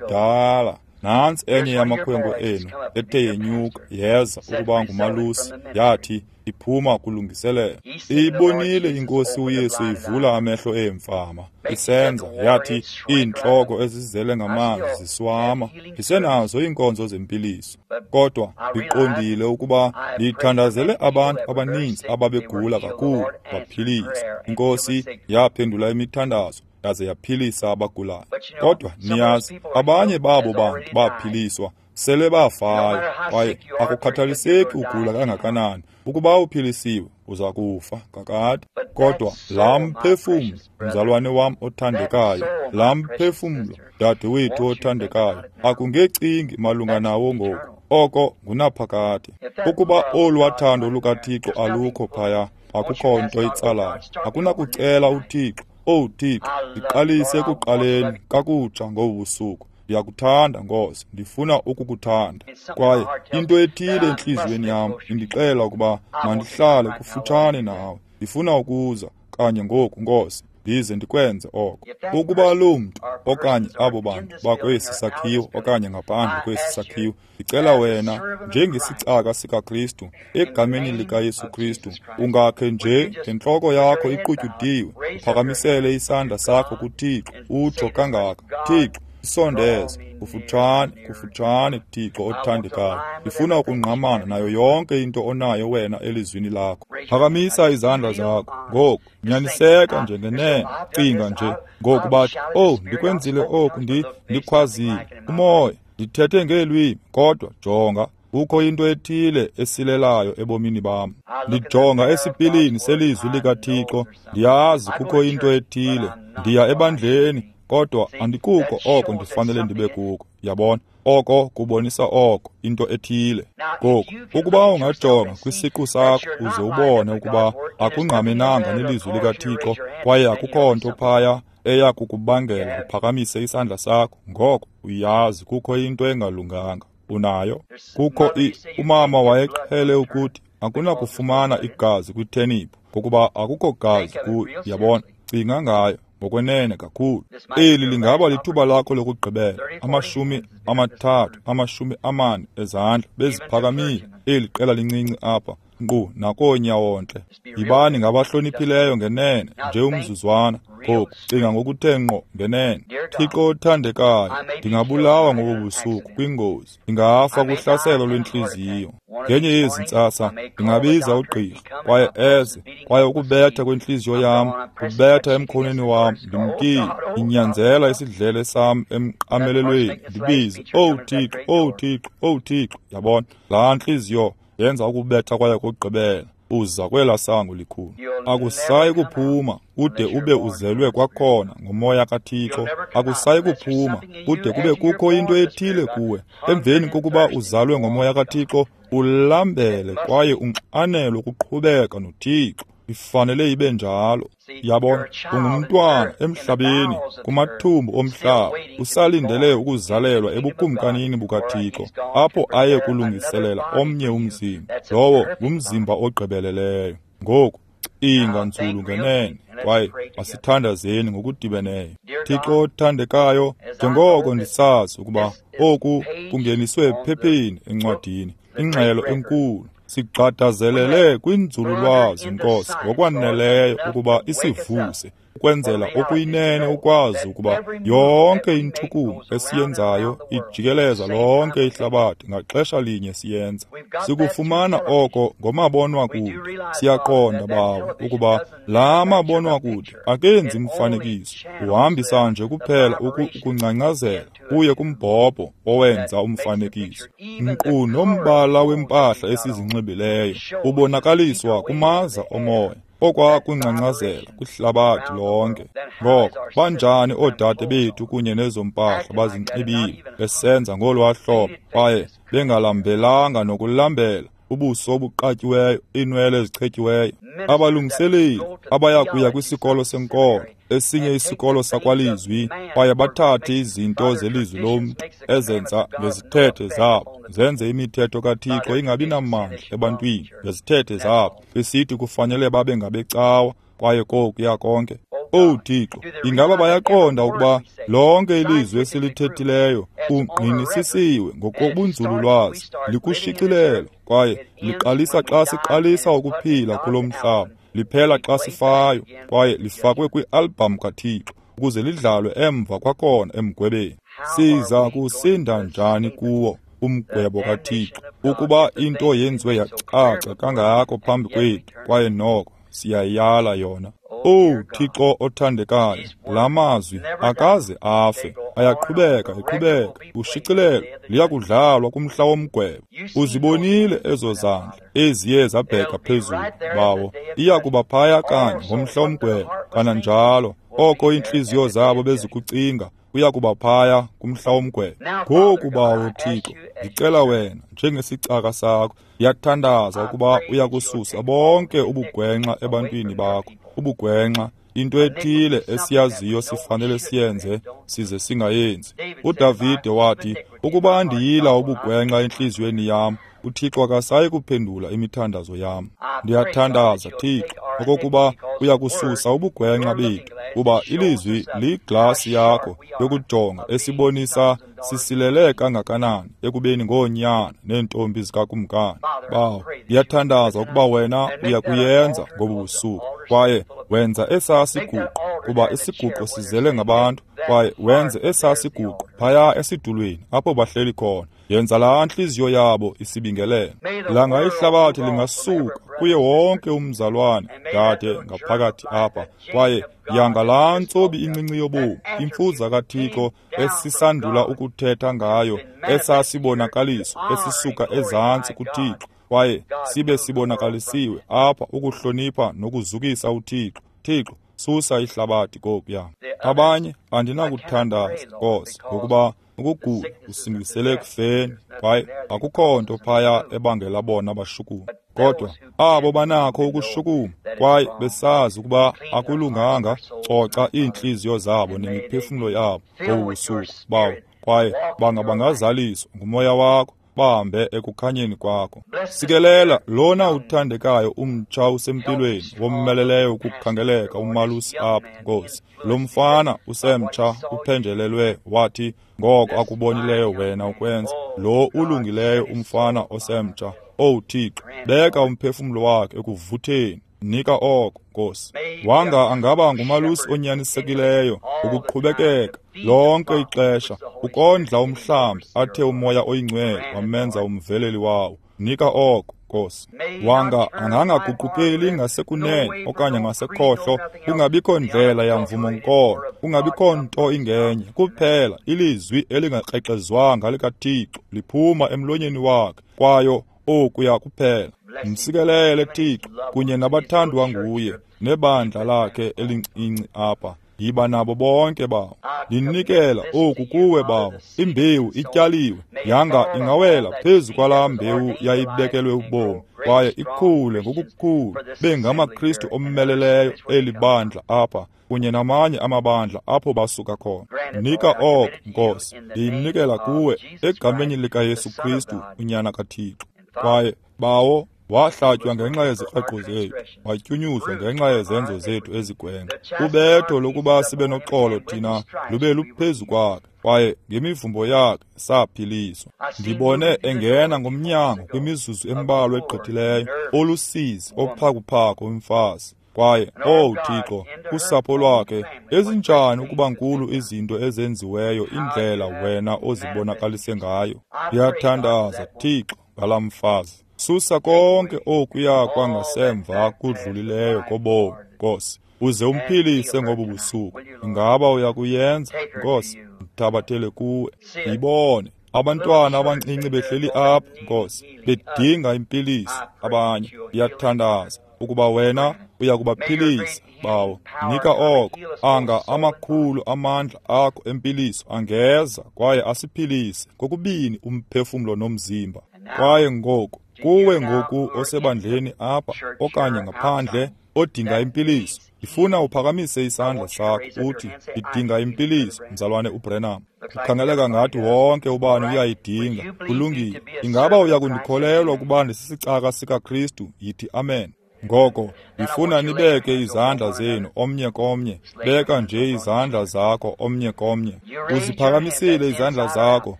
S1: kudala. Nantsi enye yamakhwenkwe enu ethe yenyuka yeza ukuba ngumalusi, yathi iphuma kulungiselela. Iyibonile iNkosi uYesu ivula amehlo eemfama, isenza, yathi iintloko ezizele ngamanzi ziswama. Ndisenazo iinkonzo zempiliso, kodwa ndiqondile ukuba ndithandazele abantu abaninzi ababegula kakhulu baphiliswa. INkosi yaphendula imithandazo yaze yaphilisa abagulayo. Kodwa niyazi, abanye babo bantu baphiliswa sele bafayo, kwaye akukhathaliseki ugula kangakanani, ukuba uphilisiwe uza kufa kakade. Kodwa laa mphefumlo, mzalwane wam othandekayo, laa mphefumlo, dadewethu othandekayo, akungecingi malunga nawo ngoku. Oko ngunaphakade. Ukuba olwathando lukaThixo alukho phaya, akukho nto itsalayo. Akunakucela uThixo, "Owu Thixo, ndiqalise ekuqaleni kakutsha ngobu busuku. Ndiyakuthanda, Nkosi, ndifuna ukukuthanda." Kwaye into ethile entliziyweni yam indixela ukuba mandihlale kufutshane nawe. Ndifuna ukuza kanye ngoku, Nkosi, ndize ndikwenze oko. Ukuba loo mntu okanye abo bantu bakwesi sakhiwo okanye ngaphandle kwesi sakhiwo, ndicela wena njengesicaka sikaKristu, egameni likaYesu Kristu, ungakhe nje ngentloko yakho iqutyudiwe, uphakamisele isandla sakho kuThixo, utsho kangaka, "Thixo, isondeze kufutshane, kufutshane, Thixo othandekayo. Ndifuna ukungqamana nayo yonke into onayo wena elizwini lakho." Phakamisa izandla zakho ngoku, nyaniseka nje ngenene. Cinga nje ngoku, bathi, "Oh, ndikwenzile oku, ndi ndikhwazile umoya, ndithethe ngeelwimi, kodwa jonga, kukho into ethile esilelayo ebomini bam. Ndijonga esipilini selizwi likaThixo, ndiyazi kukho into ethile. Ndiya ebandleni, kodwa andikuko oko ndifanele ndibe kuko." Yabona, oko kubonisa oko, into ethile. Ngoku, ukuba ungajonga kwisiqu sakho uze ubone ukuba akungqamenanga nelizwi likaThixo, kwaye akukho nto phaya eya kukubangela uphakamise isandla sakho, ngoko uyazi kukho into engalunganga. Unayo. Kukho i umama wayeqhele ukuthi akunakufumana igazi kwitheniphu ngokuba akukho gazi kuyo. Yabona, cinga ngayo ngokwenene kakhulu. Eli lingaba lithuba lakho lokugqibela. Amashumi amathathu, amashumi amane ezandla beziphakamile. Eli qela lincinci apha, nkqu nakoonyawontle. Yibani ngabahloniphileyo ngenene nje umzuzwana. Ngoku cinga ngokuthe ngqo ngenene. Thixo othandekayo, ndingabulawa ngobu busuku kwingozi. Ndingafa kuhlaselo lwentliziyo. Ngenye yezi ntsasa ndingabiza ugqirha, kwaye eze, kwaye ukubetha kwentliziyo yam kubetha emkhonweni wam, ndimkile, ndinyanzela isidlele sam emqamelelweni, ndibize, "Owu Thixo, owu Thixo, owu Thixo." Yabona, laa ntliziyo yenza ukubetha kwayo kokugqibela. Uza kwela sango likhulu. Akusayi kuphuma ude ube uzelwe kwakhona ngomoya kaThixo. Akusayi kuphuma kude kube kukho into ethile kuwe. Emveni kokuba uzalwe ngomoya kaThixo, ulambele kwaye unxanelwe ukuqhubeka noThixo. Ifanele ibe njalo. Yabona, ungumntwana emhlabeni, kumathumbu omhlaba, usalindele ukuzalelwa ebukumkanini bukaThixo, apho aye kulungiselela omnye umzimba. Lowo ngumzimba ogqibeleleyo. Ngoku, cinga nzulu ngenene, kwaye masithandazeni ngokudibeneyo. Thixo othandekayo, njengoko ndisazi ukuba oku kungeniswe ephepheni encwadini, ingxelo enkulu, sigxadazelele kwinzululwazi, Nkosi, ngokwaneleyo ukuba isivuse. ukwenzela okuyinene ukwazi ukuba yonke intshukumo esiyenzayo ijikeleza lonke ihlabathi ngaxesha linye siyenza. Sikufumana oko ngomabonwakude. Siyaqonda, Bawo, ukuba la mabonwakude akenzi mfanekiso, uhambisa nje kuphela ukungcangcazela kuye kumbhobho owenza umfanekiso. Nkqu nombala wempahla esizinxibileyo ubonakaliswa kumaza omoya okwakungcangcazela kwihlabathi lonke. Ngoko banjani oodade bethu kunye nezo mpahla bazinxibile besenza ngolwaa hlobo kwaye bengalambelanga nokulambela, ubuso obuqatyiweyo, iinwele ezichetyiweyo, abalungiseleli abaya kuya kwisikolo senkolo, esinye isikolo sakwalizwi, kwaye bathathe izinto zelizwi lomntu ezenza ngezithethe zabo, zenze imithetho kaThixo ingabi namandla ebantwini ngezithethe zabo, besithi kufanele babe ngabecawa kwaye kokuya konke. Owu Thixo, ingaba bayaqonda ukuba lonke ilizwi esilithethileyo kungqinisisiwe ngokobunzululwazi, likushicilelo, kwaye liqalisa xa siqalisa ukuphila kulo mhlaba, liphela xa sifayo, kwaye lifakwe kwi-album kaThixo ukuze lidlalwe emva kwakhona emgwebeni. Siza kusinda njani kuwo umgwebo kaThixo ukuba into yenziwe yacaca kangako phambi kwethu, kwaye noko siyayala yona? Owu Thixo othandekayo, la mazwi akaze afe, ayaqhubeka eqhubeka. Ushicilelo liyakudlalwa kumhla womgwebo. Uzibonile ezo zandla eziye zabheka phezulu, Bawo, iya kuba phaya kanye ngomhla womgwebo. Kananjalo oko iintliziyo zabo bezikucinga kuya kuba phaya kumhla womgwebo. Ngoku, Bawo Thixo, ndicela wena njengesicaka sakho, ndiyathandaza ukuba uya kususa bonke ubugwenxa ebantwini bakho. Ubugwenxa, into ethile esiyaziyo sifanele siyenze size singayenzi. UDavide wathi, ukuba ndiyila ubugwenxa entliziyweni yam, uThixo akasayi kuphendula imithandazo yam. Ndiyathandaza, Thixo, okokuba uya kususa ubugwenxa bethu, kuba ilizwi liyiglasi yakho yokujonga esibonisa sisilele kangakanani ekubeni ngoonyana neentombi zikakumkani. Bawo, ndiyathandaza ukuba wena uya kuyenza ngobu busuku, kwaye wenza esaa siguqo, kuba isiguqo sizele ngabantu, kwaye wenze esaa siguqo phaya esitulweni apho bahleli khona. Yenza laa ntliziyo yabo isibingelelo. Langa ihlabathi lingasuka kuye wonke umzalwane dade ngaphakathi apha, kwaye yanga laa ntsobi incinci yobomi, imfuza kaThixo esisandula ukuthetha ngayo, esasibonakaliso esisuka ezantsi kuThixo, kwaye sibe sibonakalisiwe apha ukuhlonipha nokuzukisa uThixo. Thixo, susa ihlabathi kokuya. Abanye andinakuthandaza, Nkosi, ngokuba ukugula kusingisele ekufeni, kwaye akukho nto phaya ebangela bona bashukume. Kodwa abo banakho ukushukuma kwaye besazi ukuba akulunganga, coca iintliziyo zabo nemiphefumlo yabo ngobu busuku, Bawo, kwaye banga bangazaliswa ngumoya wakho, bahambe ekukhanyeni kwakho. Sikelela lona uthandekayo umtsha usempilweni womeleleyo ukukhangeleka umalusi apha, Nkosi. Lo mfana usemtsha uphenjelelwe wathi ngoko akubonileyo wena ukwenza. Lo ulungileyo umfana osemtsha, Owu Thixo, beka umphefumlo wakhe ekuvutheni. Nika oko, Nkosi. Wanga angaba ngumalusi onyanisekileyo ukuqhubekeka lonke ixesha ukondla umhlambi athe umoya oyingcwele wamenza umveleli wawo. Nika oko, Nkosi. Wanga angangaguqukeli ngasekunene okanye ngasekhohlo, kungabikho ndlela yamvumo nkolo, kungabikho nto ingenye, kuphela ilizwi elingakrexezwanga likaThixo liphuma emlonyeni wakhe, kwayo okuya kuphela. Msikelele, Thixo, kunye nabathandwa nguye nebandla lakhe elincinci apha. Yiba nabo bonke, Bawo. Ndinikela oku kuwe, Bawo. Imbewu ityaliwe, yanga ingawela phezu kwalaa mbewu yayibekelwe ubomi, kwaye ikhule ngokukhulu bengamaKristu omeleleyo eli bandla apha kunye namanye amabandla apho basuka khona. Nika oko, Nkosi. Ndiyinikela kuwe egameni likaYesu Kristu, uNyana kaThixo. Kwaye, Bawo, wahlatywa ngenxa yezikreqo zethu, watyunyuzwa ngenxa yezenzo zethu ezigwenxa. Ubetho lokuba sibe noxolo thina lube luphezu kwakhe, kwaye ngemivumbo yakhe saphiliswa. Ndibone engena ngomnyango kwimizuzu embalwa egqithileyo, olusizi ophakuphaku umfazi. Kwaye, owu Thixo, kusapho lwakhe, ezinjani ukuba nkulu izinto ezenziweyo, indlela wena ozibonakalise ngayo. Ndiyathandaza, Thixo, ngalaa mfazi. Susa konke okuya kwangasemva kudlulileyo kobomi, Nkosi, uze umphilise ngobu busuku. Ingaba uyakuyenza, Nkosi? Mthabathele kuwe. Yibone abantwana abancinci behleli apha, Nkosi, bedinga impiliso. Abanye, ndiyathandaza ukuba wena uyakubaphilisa, Bawo. Nika oko, anga amakhulu amandla akho empiliso angeza kwaye asiphilise kokubini umphefumlo nomzimba. Kwaye ngoku, kuwe ngoku osebandleni apha okanye ngaphandle odinga impiliso, ndifuna uphakamise isandla sakho uthi, ndidinga impiliso, mzalwane uBranham. Kukhangeleka ngathi wonke ubani uyayidinga. Kulungile. Ingaba uyakundikholelwa ukuba ndisisicaka sikaKristu? Yithi amen. Ngoko, ndifuna nibeke izandla zenu omnye komnye. Beka nje izandla zakho omnye komnye. Uziphakamisile izandla zakho,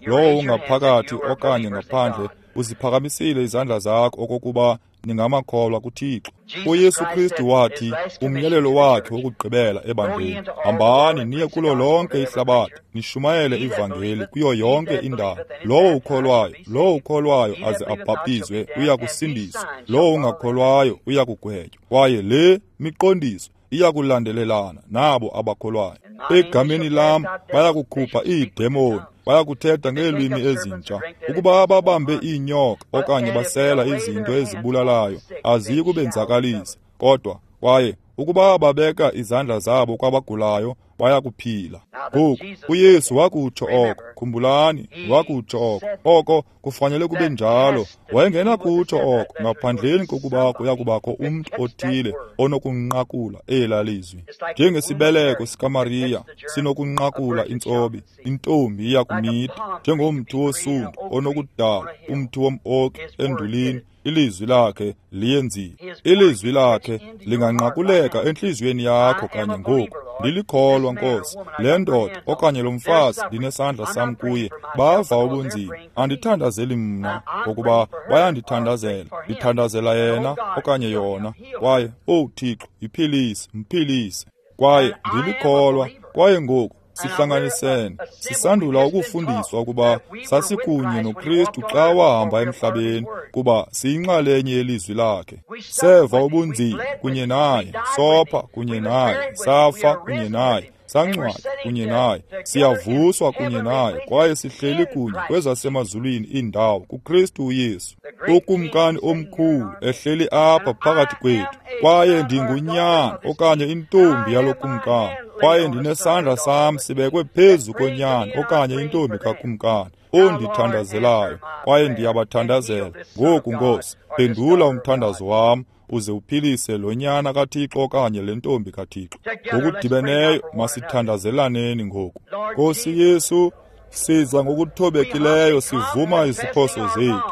S1: lowo ungaphakathi okanye ngaphandle, uziphakamisile izandla zakho okokuba ningamakholwa kuThixo. UYesu Kristu wathi, umyalelo wakhe wokugqibela ebandleni, hambani niye kulo lonke ihlabathi, nishumayele ivangeli kuyo yonke indawo. Lowo ukholwayo, lowo ukholwayo aze abhaptizwe uya kusindiswa, lowo ungakholwayo uya kugwetywa. Kwaye le miqondiso iya kulandelelana nabo abakholwayo. Egameni lam bayakukhupha iidemoni, bayakuthetha ngeelwimi ezintsha. Ukuba babambe iinyoka okanye basela izinto ezibulalayo, aziyi kubenzakalisa. Kodwa kwaye ukuba babeka izandla zabo kwabagulayo, bayakuphila. Ngoku uYesu wakutsho oko. Khumbulani, wakutsho oko. Oko kufanele kube njalo. Wayengenakutsho oko ngaphandleni kokuba kuyakubakho umntu othile onokunqakula elaa lizwi. Njengesibeleko sikaMariya sinokunqakula intsobi, intombi iyakumitha. Njengomthi wosundu onokudala umthi wom-oki endulini, ilizwi lakhe liyenzile. Ilizwi lakhe linganqakuleka entliziyweni yakho kanye ngoku. Ndilikholwa, Nkosi. Le ndoda okanye lo mfazi ndinesandla sam kuye, bava ubunzima. Andithandazeli mna, ngokuba bayandithandazela. Ndithandazela yena okanye yona. Kwaye, owu Thixo, yiphilise, mphilise. Kwaye ndilikholwa. Kwaye ngoku sihlanganisene, sisandula ukufundiswa ukuba sasikunye noKristu xa wahamba emhlabeni, kuba siyinxalenye yelizwi lakhe. Seva ubunzima kunye naye, sopha kunye naye, safa kunye naye, sangcwatywa kunye naye, siyavuswa kunye naye, kwaye sihleli kunye kwezasemazulwini iindawo kuKristu uYesu, uKumkani omkhulu ehleli apha phakathi kwethu. Kwaye ndingunyana okanye intombi yalo kumkani, kwaye ndinesandla sam sibekwe phezu konyana okanye intombi kakumkani ondithandazelayo, kwaye ndiyabathandazela. Ngoku, Nkosi, phendula umthandazo wam uze uphilise lo nyana kaThixo okanye le ntombi kaThixo. Ngokudibeneyo masithandazelaneni ngoku. Nkosi Yesu, siza ngokuthobekileyo sivuma iziphoso zethu.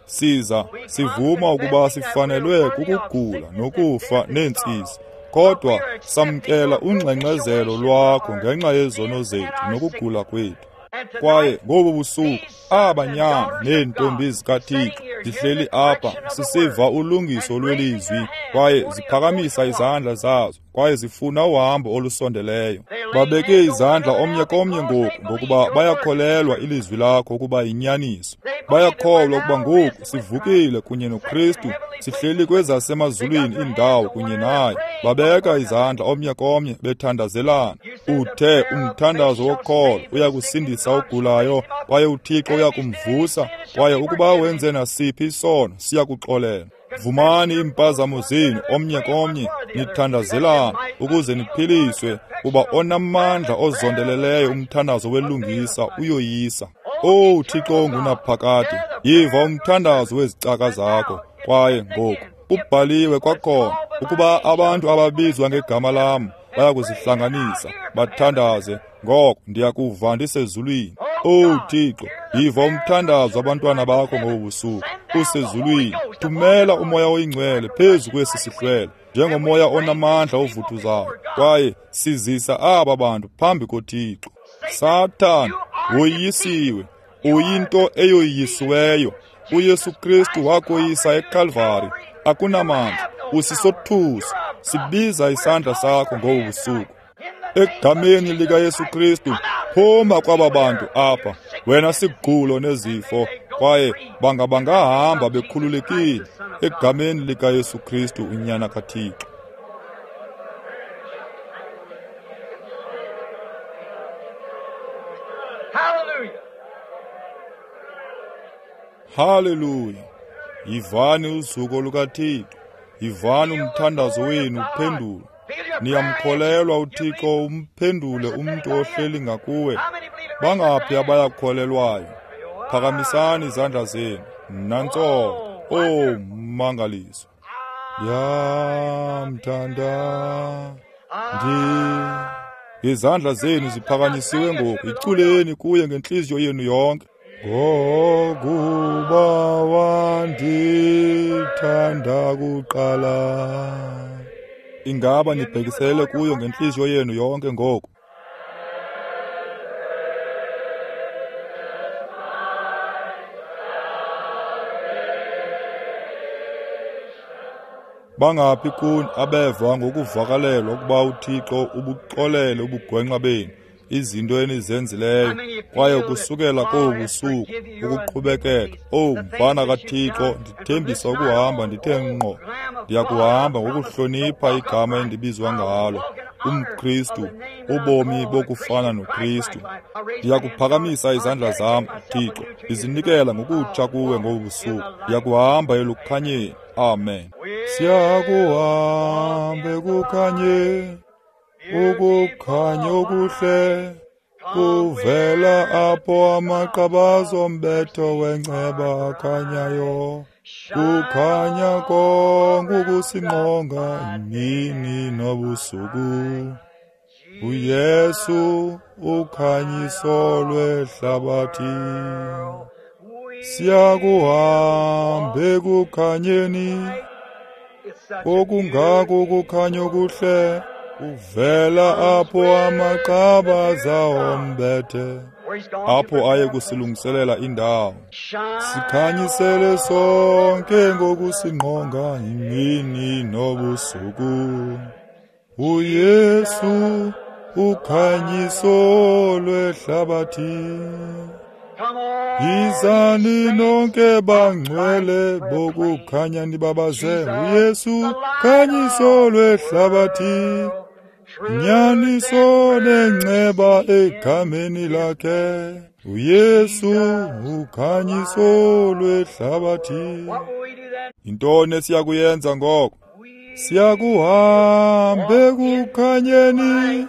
S1: Siza sivuma ukuba sifanelwe kukugula nokufa neentsizi, kodwa samkela ungxengxezelo lwakho ngenxa yezono zethu nokugula kwethu. Kwaye ngobu busuku aba nyana neentombi zikaThixo zihleli apha sisiva ulungiso lwelizwi, kwaye ziphakamisa izandla zazo, kwaye zifuna uhambo olusondeleyo. Babeke izandla omnye komnye ngoku, ngokuba bayakholelwa ilizwi lakho ukuba yinyaniso. Bayakholwa ukuba ngoku sivukile kunye noKristu, sihleli kwezasemazulwini iindawo kunye naye. Babeka izandla omnye komnye bethandazelana. Uthe umthandazo wokholo uyakusindisa ogulayo, kwaye uThixo uyakumvusa, kwaye ukuba wenze nasiphi isono siyakuxolela. Vumani iimpazamo zenu omnye komnye, nithandazelana ukuze niphiliswe, kuba onamandla ozondeleleyo umthandazo welungisa uyoyisa. Owu Thixo ongunaphakade, yiva umthandazo wezicaka zakho. Kwaye ngoku kubhaliwe kwakhona ukuba abantu ababizwa ngegama lam bayakuzihlanganisa bathandaze, ngoko ndiyakuva ndisezulwini. Owu Thixo, yiva umthandazo abantwana bakho ngobu busuku usezulwini. Thumela umoya oyingcwele phezu kwesi sihlwele njengomoya onamandla ovuthuzayo, kwaye sizisa aba bantu phambi koThixo. Sathana, woyisiwe, uyinto eyoyisiweyo. uYesu Kristu wakoyisa eKalvari. Akunamandla, usisothuso, Sibiza isandla sakho ngobu busuku. Egameni likaYesu Kristu, phuma kwaba bantu apha, wena sigulo nezifo, kwaye banga bangahamba bekhululekile egameni likaYesu Kristu unyana kaThixo.
S2: Hallelujah.
S1: Haleluya. Yivani uzuko lukaThixo. Yivani umthandazo wenu uphendulwe. Niyamkholelwa uThixo umphendule umntu ohleli ngakuwe. Bangaphi abayakholelwayo? Phakamisani izandla zenu. Nantso. Oh, mangaliso. Yamthanda ndi. Izandla zenu ziphakanyisiwe ngoku. Iculeni kuye ngenhliziyo yenu yonke. Ngokuba wandithanda kuqala. Ingaba nibhekisele kuyo ngenhliziyo yenu yonke ngoku? Bangaphi kuni abeva ngokuvakalelwa ukuba uThixo ubuxolele ubugwenxa benu, izinto enizenzileyo, kwaye kusukela kobu busuku ukuqhubekeka, oh mfana kaThixo, ndithembisa ukuhamba ndithe ngqo, ndiyakuhamba ngokuhlonipha igama endibizwa ngalo, umKristu, ubomi bokufana noKristu. Ndiyakuphakamisa izandla zam, Thixo, ndizinikela ngokutsha kuwe ngobu busuku, ndiyakuhamba elukhanyeni. Amen. Siyakuhamba ekukhanyeni, ukukhanya okuhle kuvela apho amaqabaza ombetho wenceba akhanyayo. Kukhanya konke ukusingqonga imini nobusuku. uYesu ukhanyiso lwehlabathi. Siyakuhamba ekukhanyeni, okungako ukukhanya okuhle uvela apho amaqabaza ombethe, apho aye kusilungiselela indawo. Sikhanyisele sonke ngokusingqonga imini nobusuku. uYesu ukhanyiso lwehlabathi. Yizani nonke bangcwele bokukhanya nibabaze uYesu khanyiso lwehlabathi. Nyaniso nenceba egameni lakhe. uYesu ukhanyiso lwehlabathi. Yintoni esiyakuyenza ngoko? Siyakuhamba ekukhanyeni,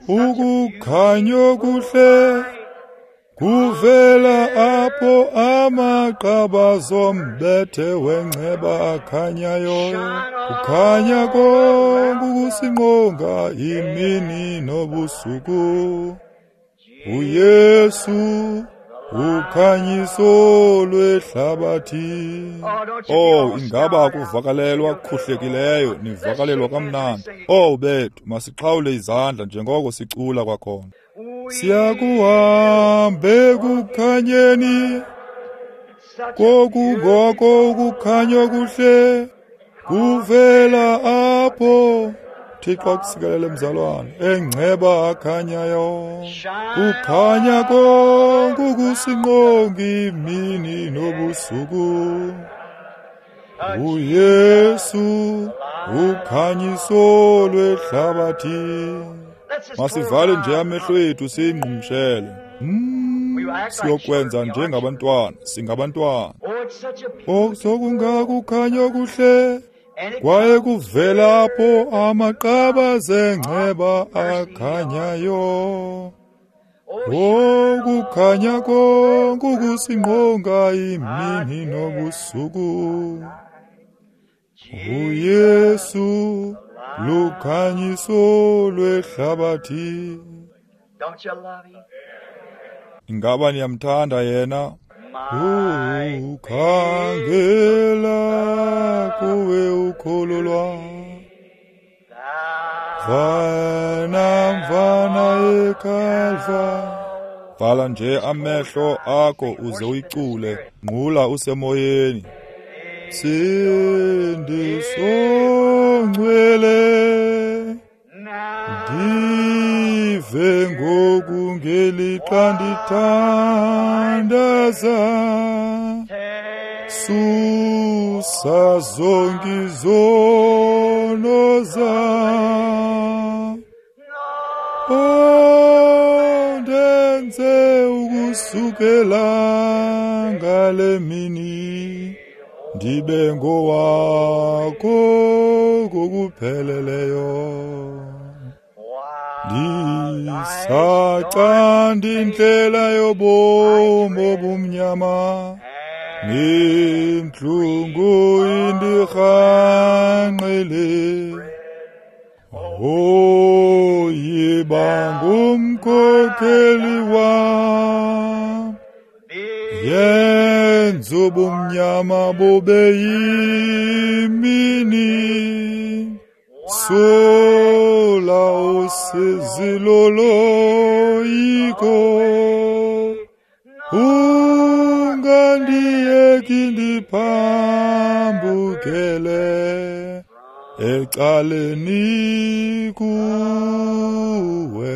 S1: ukukhanya okuhle kuvela apho amaqabaza ombethe wenceba akhanyayo. Kukhanya konke ukusingqonga imini nobusuku. uYesu ukhanyiso lwehlabathi. Oh, ingaba kuvakalelwa khuhlekileyo, nivakalelwa kamnandi. Oh bethu, masixhawule izandla njengoko sicula kwakhona. Siyakuhamba ekukhanyeni, kokungoko ukukhanya okuhle kuvela apho. Thixo akusikelele mzalwane, engceba akhanyayo. Kukhanya konke ukusingqonga imini nobusuku. uYesu ukhanyiso lwehlabathi. Masivale nje amehlo ethu siyingqumshele. Hmm, siyokwenza njengabantwana, singabantwana. Oh, sokungakukhanya okuhle kwaye kuvela apho amaqabaza engceba akhanyayo. Oh, kukhanya konke ukusingqonga imini nobusuku. uYesu lukhanyiso lwehlabathi. Ingaba niyamthanda yena? Ukhangela kuwe ukholo lwam, vana mvana eKalva. Vala nje amehlo akho uze uyicule, nqula usemoyeni. Msindiso ngcwele, ndive ngoku ngelixa ndithandaza, susa zonke izono zam, undenze ukusukela ngale mini ndibe ngowakho ngokupheleleyo. Ndisacanda indlela yobomi obumnyama, nentlungu indirhangqile. Oh, yiba ngumkhokheli wam, yenza ubumnyama bube yimini, sula usizi loloyiko, ungandiyeki ndiphambukele ecaleni kuwe.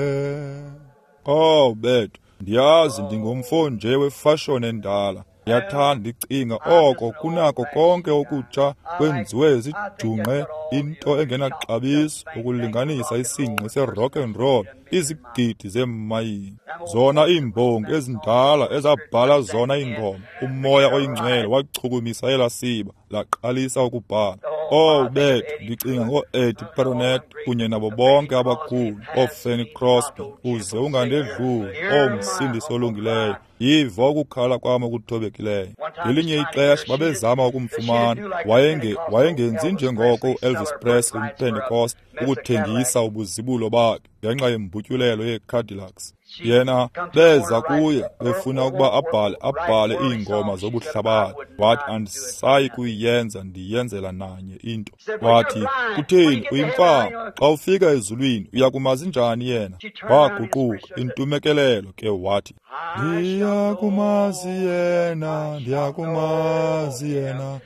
S1: Oh bethu, ndiyazi ndingumfo nje wefashoni endala. Ndiyathanda ndicinga oko kunako konke okutsha kwenziwe zijungqe into engenaxabiso ukulinganisa isingqi se-rock and roll izigidi zeemayini. Zona iimbongi ezindala ezabhala zona iingoma, umoya oyingcwele wachukumisa elaa siba laqalisa ukubhala. Oh bethu, ndicinga ngoo-Eddie Perronet kunye nabo bonke abakhulu, ooFanny Crosby, uze ungandedluli, oh Msindisi olungileyo, yiva ukukhala kwam okuthobekileyo. Ngelinye ixesha babezama ukumfumana, wayenge wayengenzi njengoko uElvis Presley umPentecost ukuthengisa ubuzibulo bakhe ngenxa yembutyulelo yeeCadillacs. Yena beza kuye befuna ukuba abhale abhale iingoma zobuhlabathi. Wathi, andisayi kuyenza, ndiyenzela nanye into. Wathi, kutheni, uyimfama, xa ufika ezulwini uyakumazi njani yena? Waguquka intumekelelo ke wathi, ndiyakumazi yena, ndiyakumazi yena,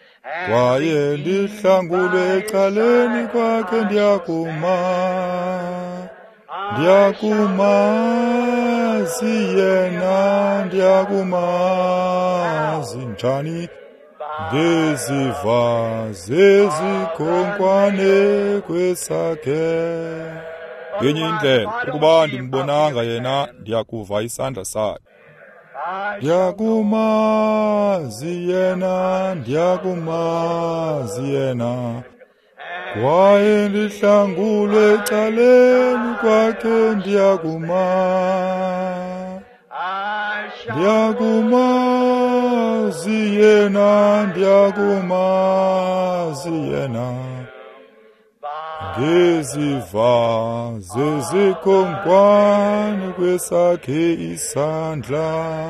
S1: kwaye ndihlangulwe ecaleni kwakhe, ndiyakuma, ndiyakumazi yena, ndiyakumazi njani, ngeziva zezikhonkwane kwesakhe. Ngenye indlela, ukuba ndimbonanga yena, ndiyakuva isandla sakhe. Ndiyakumazi yena, ndiyakumazi yena, kwaye ndihlangulwe ecaleni kwakhe, ndiyakuma, ndiyakumazi yena, ndiyakumazi yena, ngeziva zezikhonkwane kwesakhe isandla.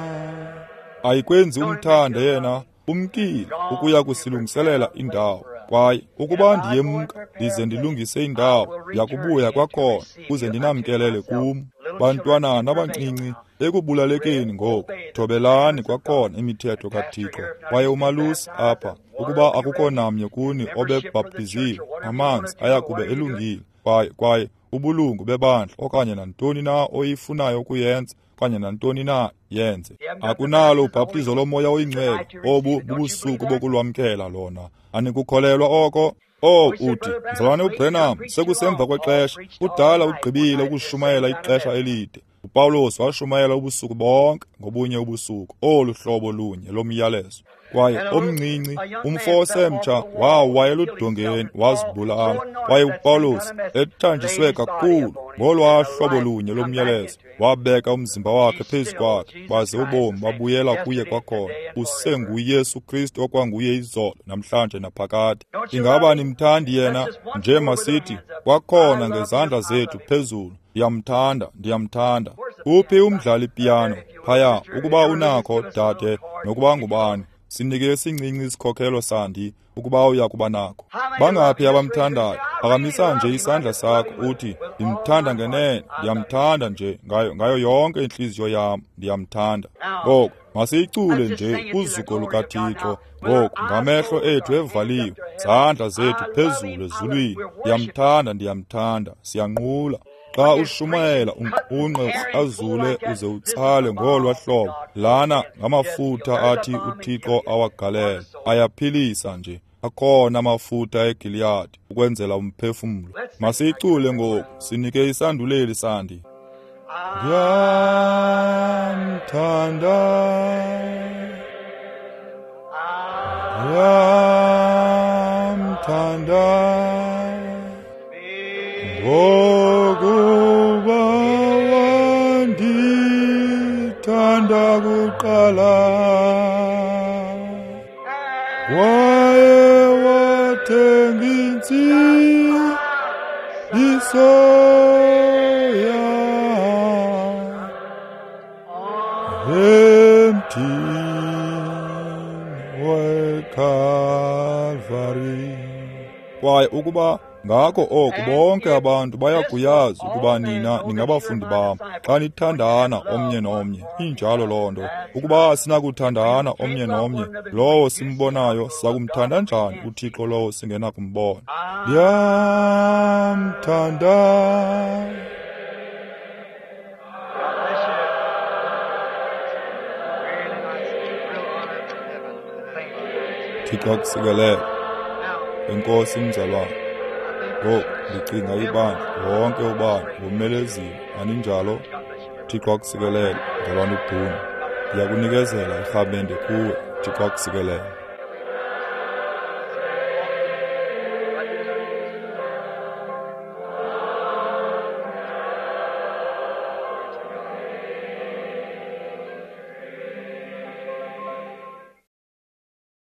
S1: Ayikwenzi umthande yena, umkile ukuya kusilungiselela indawo. Kwaye ukuba ndiyemka ndize ndilungise indawo, ndiyakubuya kwakhona ukuze ndinamkelele kum. Bantwanana abancinci, ekubulalekeni ngoku, thobelani kwakhona imithetho kaThixo. Kwaye umalusi apha, ukuba akukho namnye kuni obebhaptiziwe, amanzi ayakube elungile. Kwaye kwaye ubulungu bebandla okanye nantoni na oyifunayo ukuyenza, okanye nantoni na yenze. Akunalo ubhaptizo lomoya oyingcwele, obu bubusuku bokulwamkela lona. Anikukholelwa oko? Oh, uthi, mzalwane uBrenham, sekusemva kwexesha, kudala ugqibile ukushumayela ixesha elide. uPawulos washumayela ubusuku bonke ngobunye ubusuku, olu hlobo lunye lomyalezo. Kwaye omncinci umfo osemtsha wawa eludongeni wazibulala. Kwaye uPawulos ethanjiswe kakhulu ngolwaa hlobo lunye lomyalezo, wabeka umzimba wakhe phezu kwakhe, baze ubomi babuyela kuye kwakhona. UsenguYesu Kristu okwanguye izolo, namhlanje naphakade. Ingaba nimthandi yena? Nje masithi kwakhona ngezandla zethu phezulu, ndiyamthanda, ndiyamthanda. Uphi umdlali piyano phaya? Ukuba unakho, dade, nokuba ngubani, Sinike esincinci isikhokelo sandi ukuba uya kuba nako. Bangaphi abamthandayo? Phakamisa nje isandla sakho uthi, ndimthanda ngenene, ndiyamthanda nje ngayo ngayo yonke intliziyo yam, ndiyamthanda. Ngoku masiyicule nje kuzuko lukaThixo. Ngoku ngamehlo ethu evaliwe, zandla zethu phezulu ezulwini. Ndiyamthanda, ndiyamthanda, siyanqula. Xa ushumayela unqunqe ukrazule uze utsale ngolwa hlobo, lana ngamafutha athi uThixo awagalela, ayaphilisa nje. Akhona amafutha eGiliyadi ukwenzela umphefumlo. Masiyicule ngoku, sinike isanduleli sandi. Ndiyamthanda, ndiyamthanda, ngokuba wandithanda kuqala, waye wathenga insindiso yam emthini weKalvari. Kwaye ukuba ngako oku bonke abantu bayakuyazi ukuba nina ningabafundi bam xa nithandana omnye nomnye. Injalo loo nto. Ukuba sinakuthandana omnye nomnye, lowo simbonayo sakumthanda njani uThixo lowo singenakumbona? Ndiyamthanda. Thixo akusikelele. Enkosi mzalwane. Ngoku ndicinga ibandla wonke ubani womelezile, aninjalo? Thixo akusikelele, mzalwane uBhunu. Ndiyakunikezela irhamente kuwe. Thixo akusikelele.